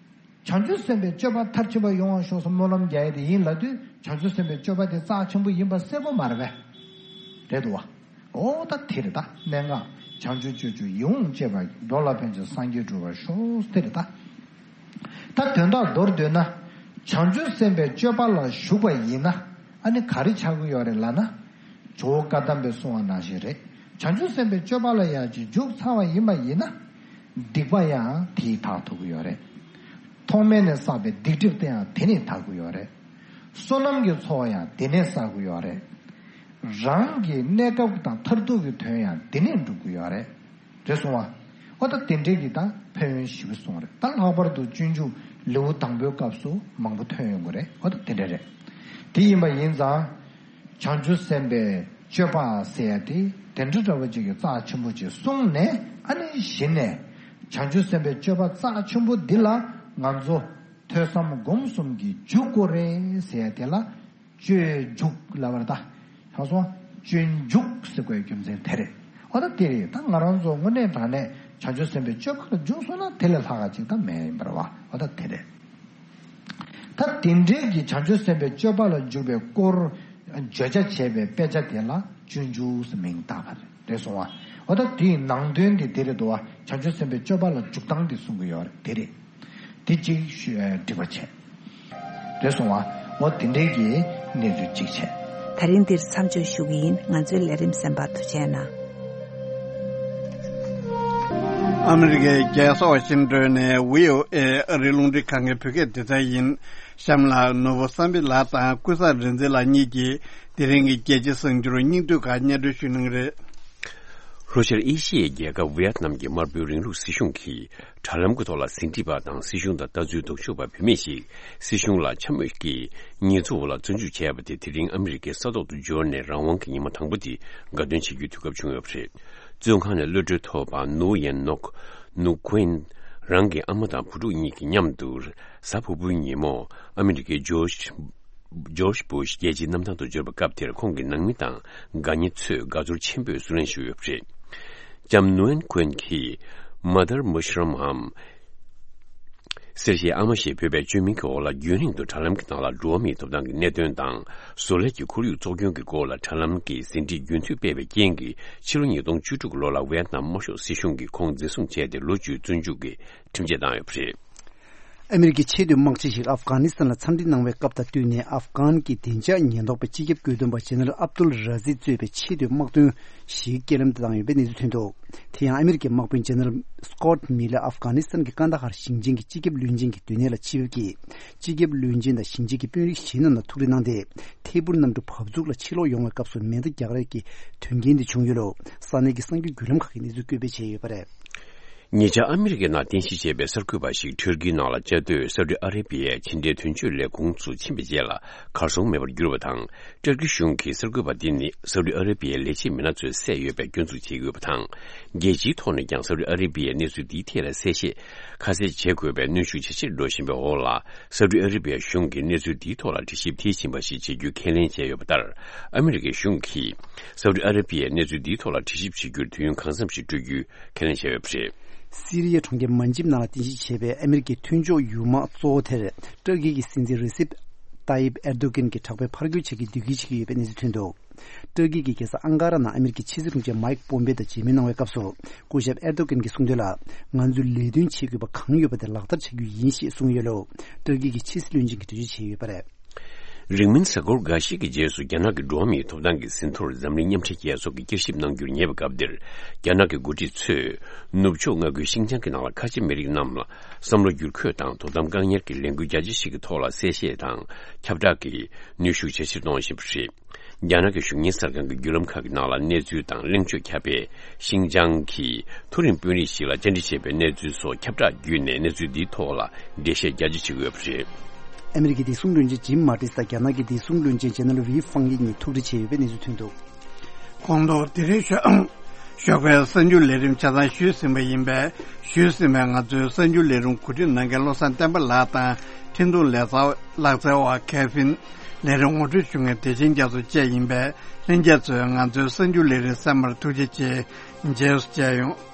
བྱང་ཆུབ་སེམས་དཔའི་སྤྱོད་པ་མཐར་ཕྱིན་པ་ཡོང་བ་ཤོག་ཟེར་སྨོན་ལམ་རྒྱག་ཡས་དེ་ཡིན་ལབ་དུས་བྱང་ཆུབ་སེམས་དཔའི་སྤྱོད་པ་དེ་རྩ་ཆེན་པོ་ཡིན་པ་གསལ་པོ་མ་རེད་པས། རེད་འདུག་བ། ཨོ་ད་དེ་རེད་ད་གནད་འགག་བྱང་ཆུབ་སྤྱོད་མཆོག་ཡིད་འོང་སྤྱད་པ་འགྲོ་ལ་ཕན་ཕྱིར་སངས་རྒྱས་འགྲུབ་པར་ཤོག་དེ་རེད་ད། ད་དོན་དག་མདོར་བསྡུས་ན། བྱང་ཆུབ་སེམས་དཔའི་སྤྱོད་པ་ལ་ཞུགས་པ་ཡིན་ན། ཨ་ནི་ག་རེ་ཆགས་ཀྱི་ཡོད་རེད་ལབ་ན། ཇོ་བོ་བཀའ་གདམས་པས་གསུངས་པ་ནང་བཞིན་རེད། བྱང་ཆུབ་སེམས་དཔའི་སྤྱོད་པ་ལ་ཡང་ཅིག་འཇུག་ཚར་བ་ཡིན་པ་ཡིན་ན། སྡིག་པ་ཡང་དེས་དག་ཐུབ་ཀྱི་ཡོད་རེད། ཐོག་མེད་ནས་བསགས་པའི་སྡིག་སྒྲིབ་དེ་ཡང་དེ་ནས་དག་གི་ཡོད་རེད། བསོད་ནམས་ཀྱི་ཚོགས་ཡང་དེ་ནས་བསགས་ཀྱི་ཡོད་རེད། རང་གི་གནས་སྐབས་དང་མཐར་ཐུག་གི་དོན་ཡང་འདི་ནས་འགྲུབ་ཀྱི་ཡོད་རེད། རེད་སོང་བ། འོ་ད་དེ་འདྲའི་གི་ད་ཕན་ཡོན་ཞེ་པོ་སོང་རེད། ད་ལྷག་པར་དུ་སྤྱོད་འཇུག་ལེའུ་དང་པོའི་སྐབས་སུ་མང་པོ་ཐོན་ཡོང་གི་རེད། འོ་ད་དེ་འདྲ་རེད། དེ་ཡིན་པ་ཡིན་ཙང་། བྱང་ཆུབ་སེམས་དཔའི་སྤྱོད་པ་ཟེར་ཡ་དེ་དེ་འདྲ་འདྲ་བོ་ཅིག་གི་རྩ་ཆེན་པོ་ཅིག་གསུངས་ནས། ཨ་ནི་གཞི་ནས་བྱང་ཆུབ་སེམས་དཔའི་སྤྱོད་པ་རྩ་ཆེན་པོ་འདི་ལ་ང་ཚོ་ཐོས་བསམ་སྒོམ་གསུམ་གྱི་འཇུག་སྒོ་རེད་ཟེར་ཡ་དེ་ལ། སྤྱོད་འཇུག་ལབ་པ་རེད་ད། ཧ་སོང་། སྤྱོད་འཇུག་ཟེར་དགོས་རྒྱུ་མཚན་དེ་རེད། འོ་ད་དེ་རེད། ད་ང་རང་ཚོ་དངོས་གནས་དྲང་གནས་བྱང་ཆུབ་སེམས་དཔའི་སྤྱོད་པ་ལ་འཇུག་སོང་ན་དེ་ལས་ལྷག་ག་ཅིག་ད་མེད་ཡིན་པ་རེད་བ། འོ་ད་དེ་རེད། ད་དེ་འདྲའི་གི་བྱང་ཆུབ་སེམས་དཔའི་སྤྱོད་པ་ལ་འཇུག་པའི་སྐོར་བརྗོད་བྱ་བྱས་པའི་དཔེ་ཆ་དེ་ལ་སྤྱོད་འཇུག་ཟེར་མིང་བཏགས་པ་རེད། རེད་སོང་བ། འོ་ད་དེའི་ནང་དོན་དེ་དེ་རེད་འདུག་བ། བྱང་ཆུབ་སེམས་དཔའི་སྤྱོད་པ་ལ་འཇུག་སྟངས་དེ་གསུང་གི་ཡོད་རེད། དེ་རེད། དེ་གཅིག་ཞུ་ཨ་འགྲིག་པ་བྱས། རེད་སོང་བ། འོ་དེ་འདྲའི་གི་གནས་ཚུལ་གཅིག་བྱས། ད་རིང་འདིར་མཚམས་འཇོག་ཞུ་གི་ཡིན། ང་ཚོའི་ལས་རིམ་གསན་པར་ཐུགས་རྗེ་གནང་། ཨ་མི་རི་ཀའི་རྒྱལ་ས་ཝ་ཤིང་ཏོན་ནས་བྷི་ཨོ་ཨེ་ཨ་རིའི་རླུང་འཕྲིན་ཁང་གི་བོད་སྐད་སྡེ་ཚན་ཡིན། གཤམ་ལ་ནོར་བུ་བསམ་འཕེལ་ལགས་དང་ཀུན་བཟང་རིག་འཛིན་ལགས་གཉིས་ཀྱིས་དེ་རིང་གི་རྒྱལ་སྤྱིའི་གསར་འགྱུར་སྙིང་བསྡུས་ཁག་སྙན་སྒྲོན་ཞུ་གནང་གི་རེད། ལྷོ་ཤར་ཨེ་ཤི་ཡའི་རྒྱལ་ཁབ་ཝི་ཡེད་ནམ་གྱི་དམར་པོའི་རིང་ལུགས་སྲིད་གཞུང་གིས་དྲ་ལམ་གྱི་ཐོག་ལ་ཟིན་བྲིས་པ་དང་སྲིད་གཞུང་དང་ལྟ་ཚུལ་ལྡོག་ཕྱོགས་པ་བུད་མེད་ཞིག་སྲིད་གཞུང་ལ་འཕྱ་སྨོད་ཀྱི་ཉེས་འཛུགས་འོག་ལ་བཙོན་འཇུག་བྱས་པ་དེ་དེ་རིང་ཨ་མི་རི་ཀའི་ས་ཐོག་ཏུ་འབྱོར་ནས་རང་དབང་གི་ཉི་མ་དང་པོ་དེ་དགའ་སྟོན་བྱེད་རྒྱུའི་དུས་སྐབས་བྱུང་ཡོད་པ་རེད། བཙོན་ཁང་ནས་གློད་གྲོལ་ཐོབ་པ་ནུའུ་ཡན་ནོག་ནུའུ་ཀུན་རང་གི་ཨ་མ་དང་བུ་ཕྲུག་གཉིས་ཀྱི་མཉམ་དུ་གཟའ་ཕུར་བུའི་ཉིན་མོ་ཨ་མི་རི་ཀའི་ཇོརྗ་ཇོརྗ་བྷུ་ཤ་རྒྱལ་སྤྱིའི་གནམ་ཐང་དུ་འབྱོར་བའི་སྐབས་དེར་ཁོང་གི་ནང་མི་དང་དགའ་ཉེ་ཚོས་དགའ་ཚོར་ཆེན་པོས་བསུ་ལེན་ཞུས་ཡོད་པ་རེད། ལྕམ་ནུའུ་ཡན་ཀུན་གྱིས་མ་དར་མུ་ཤ་རམ་འམ། གསེར་ཞལ་ཨ་མ་ཞེས་འབོད་པའི་བཅོས་མིང་གི་འོག་ལ་རྒྱུན་རིང་དུ་དྲ་ལམ་གྱི་ནང་ལ་འགྲོ་བ་མིའི་ཐོབ་ཐང་གི་གནད་དོན་དང་བཟོ་ལས་ཀྱི་ཁོར་ཡུག་བཙོག་སྐྱོན་གྱི་སྐོར་ལ་དྲ་ལམ་གྱི་ཟིན་བྲིས་རྒྱུན་མཐུད་སྤེལ་བའི་རྐྱེན་གྱིས་ཕྱི་ལོ་ཉིས་སྟོང་བཅུ་དྲུག་ལོ་ལ་ཝེ་ཡེད་ནམ་དམར་ཤོག་སྲིད་གཞུང་གིས་ཁོང་འཛིན་བཟུང་བྱས་ཏེ་ལོ་བཅུའི་བཙོན་འཇུག་གི་ཁྲིམས་ཆད་བཏང་ཡོད་པ་རེད། ཨ་མི་རི་ཀའི་ཆེས་མཐོའི་དམག་སྤྱི་ཞིག་ཨབ་གྷ་ནི་སི་ཐན་ལ་འཚམས་འདྲི་གནང་བའི་སྐབས་དང་བསྟུན་ནས་ཨབ་གྷན་གྱི་བདེ་འཇགས་ཉེན་རྟོག་པའི་སྤྱི་ཁྱབ་བཀོད་འདོམས་པ་ཇེ་ནེ་རལ་ཨབ་ཏུལ་ར་ཟི་གཙོས་པའི་ཆེས་མཐོའི་དམག་དོན་ཞིག་རྐྱེན་ལམ་དུ་བཏང་ཡོད་པའི་གནས་ཚུལ་ཐོན་འདུག་དེ་ཡང་ཨ་མི་རི་ཀའི་དམག་དཔོན་ཇེ་ནེ་རལ་སི་ཀོ་ཊི་མི་ལེ་ཨབ་གྷ་ནི་སི་ཐན་གྱི་ཀན་ད་ཧར་ཞིང་ཆེན་གྱི་སྤྱི་ཁྱབ་བློན་ཆེན་གྱི་སྡོད་གནས་ལ་ཆིབས་ཀྱིས་སྤྱི་ཁྱབ་བློན་ཆེན་དང་ཞིང་ཆེན་གྱི་དཔོན་རིགས་གཞན་རྣམས་ལ་ཐུགས་རེ་གནང་སྟེ། ཐད་འཕུར་གནམ་གྲུ་བབས་ཚུགས་ལ་ཕྱིར་ལོག་ཡོང་བའི་སྐབས་སུ་མེ་མདའ་རྒྱག་རེས་ཀྱི་དོན་རྐྱེན་འདི་བྱུང་ཡོད་ལུགས་ས་གནས་ཀྱི་གསར་འགྱུར་བརྒྱུད་ལམ་ཁག་གིས་གནས་ཚུལ་བཀོད་སྤེལ་བྱས་ཡོད་པ་རེད། ཉེ་ཆར་ཨ་མི་རི་ཀའི་ནང་རྟེན་གཞི་བྱས་པའི་གསར་འགོད་པ་ཞིག་ཊར་ཀིའི་ནང་ལ་བཅའ་སྡོད་སའུ་ཏི་ཨ་རེ་བྷི་ཡའི་ཕྱི་འབྲེལ་དོན་གཅོད་ལས་ཁུངས་སུ་ཕྱིན་པའི་རྗེས་ལ་གར་སོང་མེད་པར་གྱུར་བ་དང་། ཊར་ཀི་གཞུང་གིས་གསར་འགོད་པ་འདི་ནི་སའུ་ཏི་ཨ་རེ་བྷི་ཡའི་ལས་བྱེད་མི་སྣ་ཚོས་བསད་ཡོད་པའི་སྐྱོན་འཛུགས་བྱེད་ཀྱི་ཡོད་པ་དང་། རྒྱལ་སྤྱིའི་ཐོག་ནས་ཀྱང་སའུ་ཏི་ཨ་རེ་བྷི་ཡས་གནས་ཚུལ་འདིའི་ཐད་ལ་གསལ་བཤད་ཁ་གསལ་བྱེད་དགོས་པའི་གནོན་ཤུགས་ཇེ་ཆེར་འགྲོ་བཞིན་པའི་འོག་ལ། སའུ་ཏི་ཨ་རེ་བྷི་ཡ་གཞུང་གིས་གནས་ཚུལ་འདིའི་ཐོག་ལ་དྲི་ཞིབ་དེའི་བཞིན་པ་ཞིག་བྱེད་རྒྱུའི་ཁས་ལེན་བྱས་ཡོད་པ་ལྟར། ཨ་མི་རི་ཀའི་གཞུང་གིས་སའུ་ཏི་ཨ་རེ་བྷི་ཡས་གནས་ཚུལ་འདིའི་ཐོག་ལ་དྲི་ཞིབ་བྱེད་རྒྱུར་དུས་ཡུན་གང་འཚམ་ཞིག་སྤྲོད་རྒྱུའི་ཁས་ལེན་བྱས་ཡོད་པ་རེད། སི་རི་ཡའི་གྲོང་ཁྱེར་མན་ཇིབ་ནང་ལ་རྟེན་གཞི་བྱས་པའི་ཨ་མི་རི་ཀའི་མཐུན་ཕྱོགས་ཡུལ་དམག་གཙོ་བོ་དེར་ཏུར་ཀི་གི་སྲིད་འཛིན་རེ་སེབ་ཏཱ་ཡིབ་ཨེར་དོ་གྷན་གྱིས་དྲག་པོའི་ཕར་རྒོལ་བྱེད་ཀྱི་འདོད་སྐུལ་བྱེད་ཀྱི་ཡོད་པའི་གནས་ཚུལ་ཐོན་འདུག་ཏུར་ཀི་གི་རྒྱལ་ས་ཨང་ཀ་ར་ནང་ཨ་མི་རི་ཀའི་ཕྱི་སྲིད་དྲུང་ཆེ་མཱིག་པོམ་པེ་དང་མཇལ་མོལ་གནང་བའི་སྐབས་སུ། སྐུ་ཞབས་ཨེར་དོ་གྷན་གྱིས་གསུངས་དོན་ལ། ང་ཚོས་ལས་དོན་བྱེད་དགོས་པ་གང་ཡོད་པ་དེ་ལག་བསྟར་བྱ་རྒྱུ་ཡིན་ཞེས་གསུངས་ཡོད་ལུགས། ཏུར་ཀི་གི་ཕྱི་སྲིད་བློན་ཆེན་གྱིས་འགྲེལ་བརྗོད་བྱས་ཡོད་པ་རེད། རིང་མིན་གཟའ་འཁོར་འགའ་ཤས་ཀྱི་རྗེས་སུ་རྒྱ་ནག་གི་འགྲོ་བ་མིའི་ཐོབ་ཐང་གི་ཟིན་ཐོར་འཛམ་གླིང་མཉམ་འབྲེལ་རྒྱལ་ཚོགས་ཀྱིས་བསྐྱར་ཞིབ་གནང་རྒྱུར་ཉེ་བའི་སྐབས་འདིར། རྒྱ་ནག་གི་འགོ་ཁྲིད་ཚོས་ནུབ་ཕྱོགས་མངའ་ཁུལ་ཤིང་ཅང་གི་ནང་ལ་ཁ་ཆེ་མི་རིགས་རྣམས་ལ་བསམ་བློ་བསྒྱུར་བཀོད་དང་དོ་དམ་བཀག་ཉར་གྱི་ལས་འགུལ་རྒྱ་ཆེ་ཞིག་གི་ཐོག་ལ་གསལ་བཤད་དང་ཁྱབ་བསྒྲགས་ཀྱི་ནུས་ཤུགས་ཇེ་ཆེར་གཏོང་བཞིན་པ་རེད། རྒྱ་ནག་གི་གཞུང་གཉེར་གསར་ཁང་གི་བརྒྱུད་ལམ་ཁག་གི་ནང་ལ་གནས་ཚུལ་དང་གླེང་བརྗོད་ཁྱབ་པས། ཤིང་ཅང་གི་མཐོ་རིམ་དཔོན་རིགས་ཤིག་ལ་བཅར་འདྲི་བྱས་པའི་གནས་ཚུལ་སོགས་ཁྱབ་བསྒྲགས་བརྒྱུད་ནས་གནས་ཚུལ་འདིའི་ཐོག་ལ་འགྲེལ་བཤད་རྒྱ་ཆེ་བྱེད་ཀྱི་ཡོད་པ་རེད། ཨ་མི་རི་ཀའི་བདེ་སྲུང་བློན་ཆེན་ཇིམ་མ་ཏིས་དང་རྒྱ་ནག་གི་བདེ་སྲུང་བློན་ཆེན་ཇེ་ནེ་རལ་ཝི་ཧྥང་ཡི་གཉིས་ཐུག་འཕྲད་བྱས་ཡོད་པའི་གནས་ཚུལ་ཐོན་འདུག་ཁོང་ཚོ་དེ་རིང་ཞོགས་ཞོགས་པའི་གསར་འགྱུར་ལས་རིམ་ཆ་ཚང་ཞུས་ཟིན་པ་ཡིན་པས། ཞུས་ཟིན་པའི་ང་ཚོའི་གསར་འགྱུར་ལས་རིམ་གོ་སྒྲིག་གནང་མཁན་བློ་བཟང་བསྟན་པ་ལགས་དང་། འཕྲིན་གཏོང་ལག་རྩལ་བ་ཁེ་ཕིན། ལས་རིམ་ངོ་སྤྲོད་ཞུ་མཁན་བདེ་ཆེན་རྒྱ་མཚོ་བཅས་ཡིན་པས། ལྷན་རྒྱས་ཚོས་ང་ཚོའི་གསར་འགྱུར་ལས་རིམ་གསན་པར་ཐུགས་རྗེ་ཆེ། རྗེས་སུ་མཇལ་ཡོང་།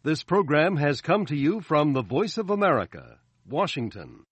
This program has come to you from the Voice of America, Washington.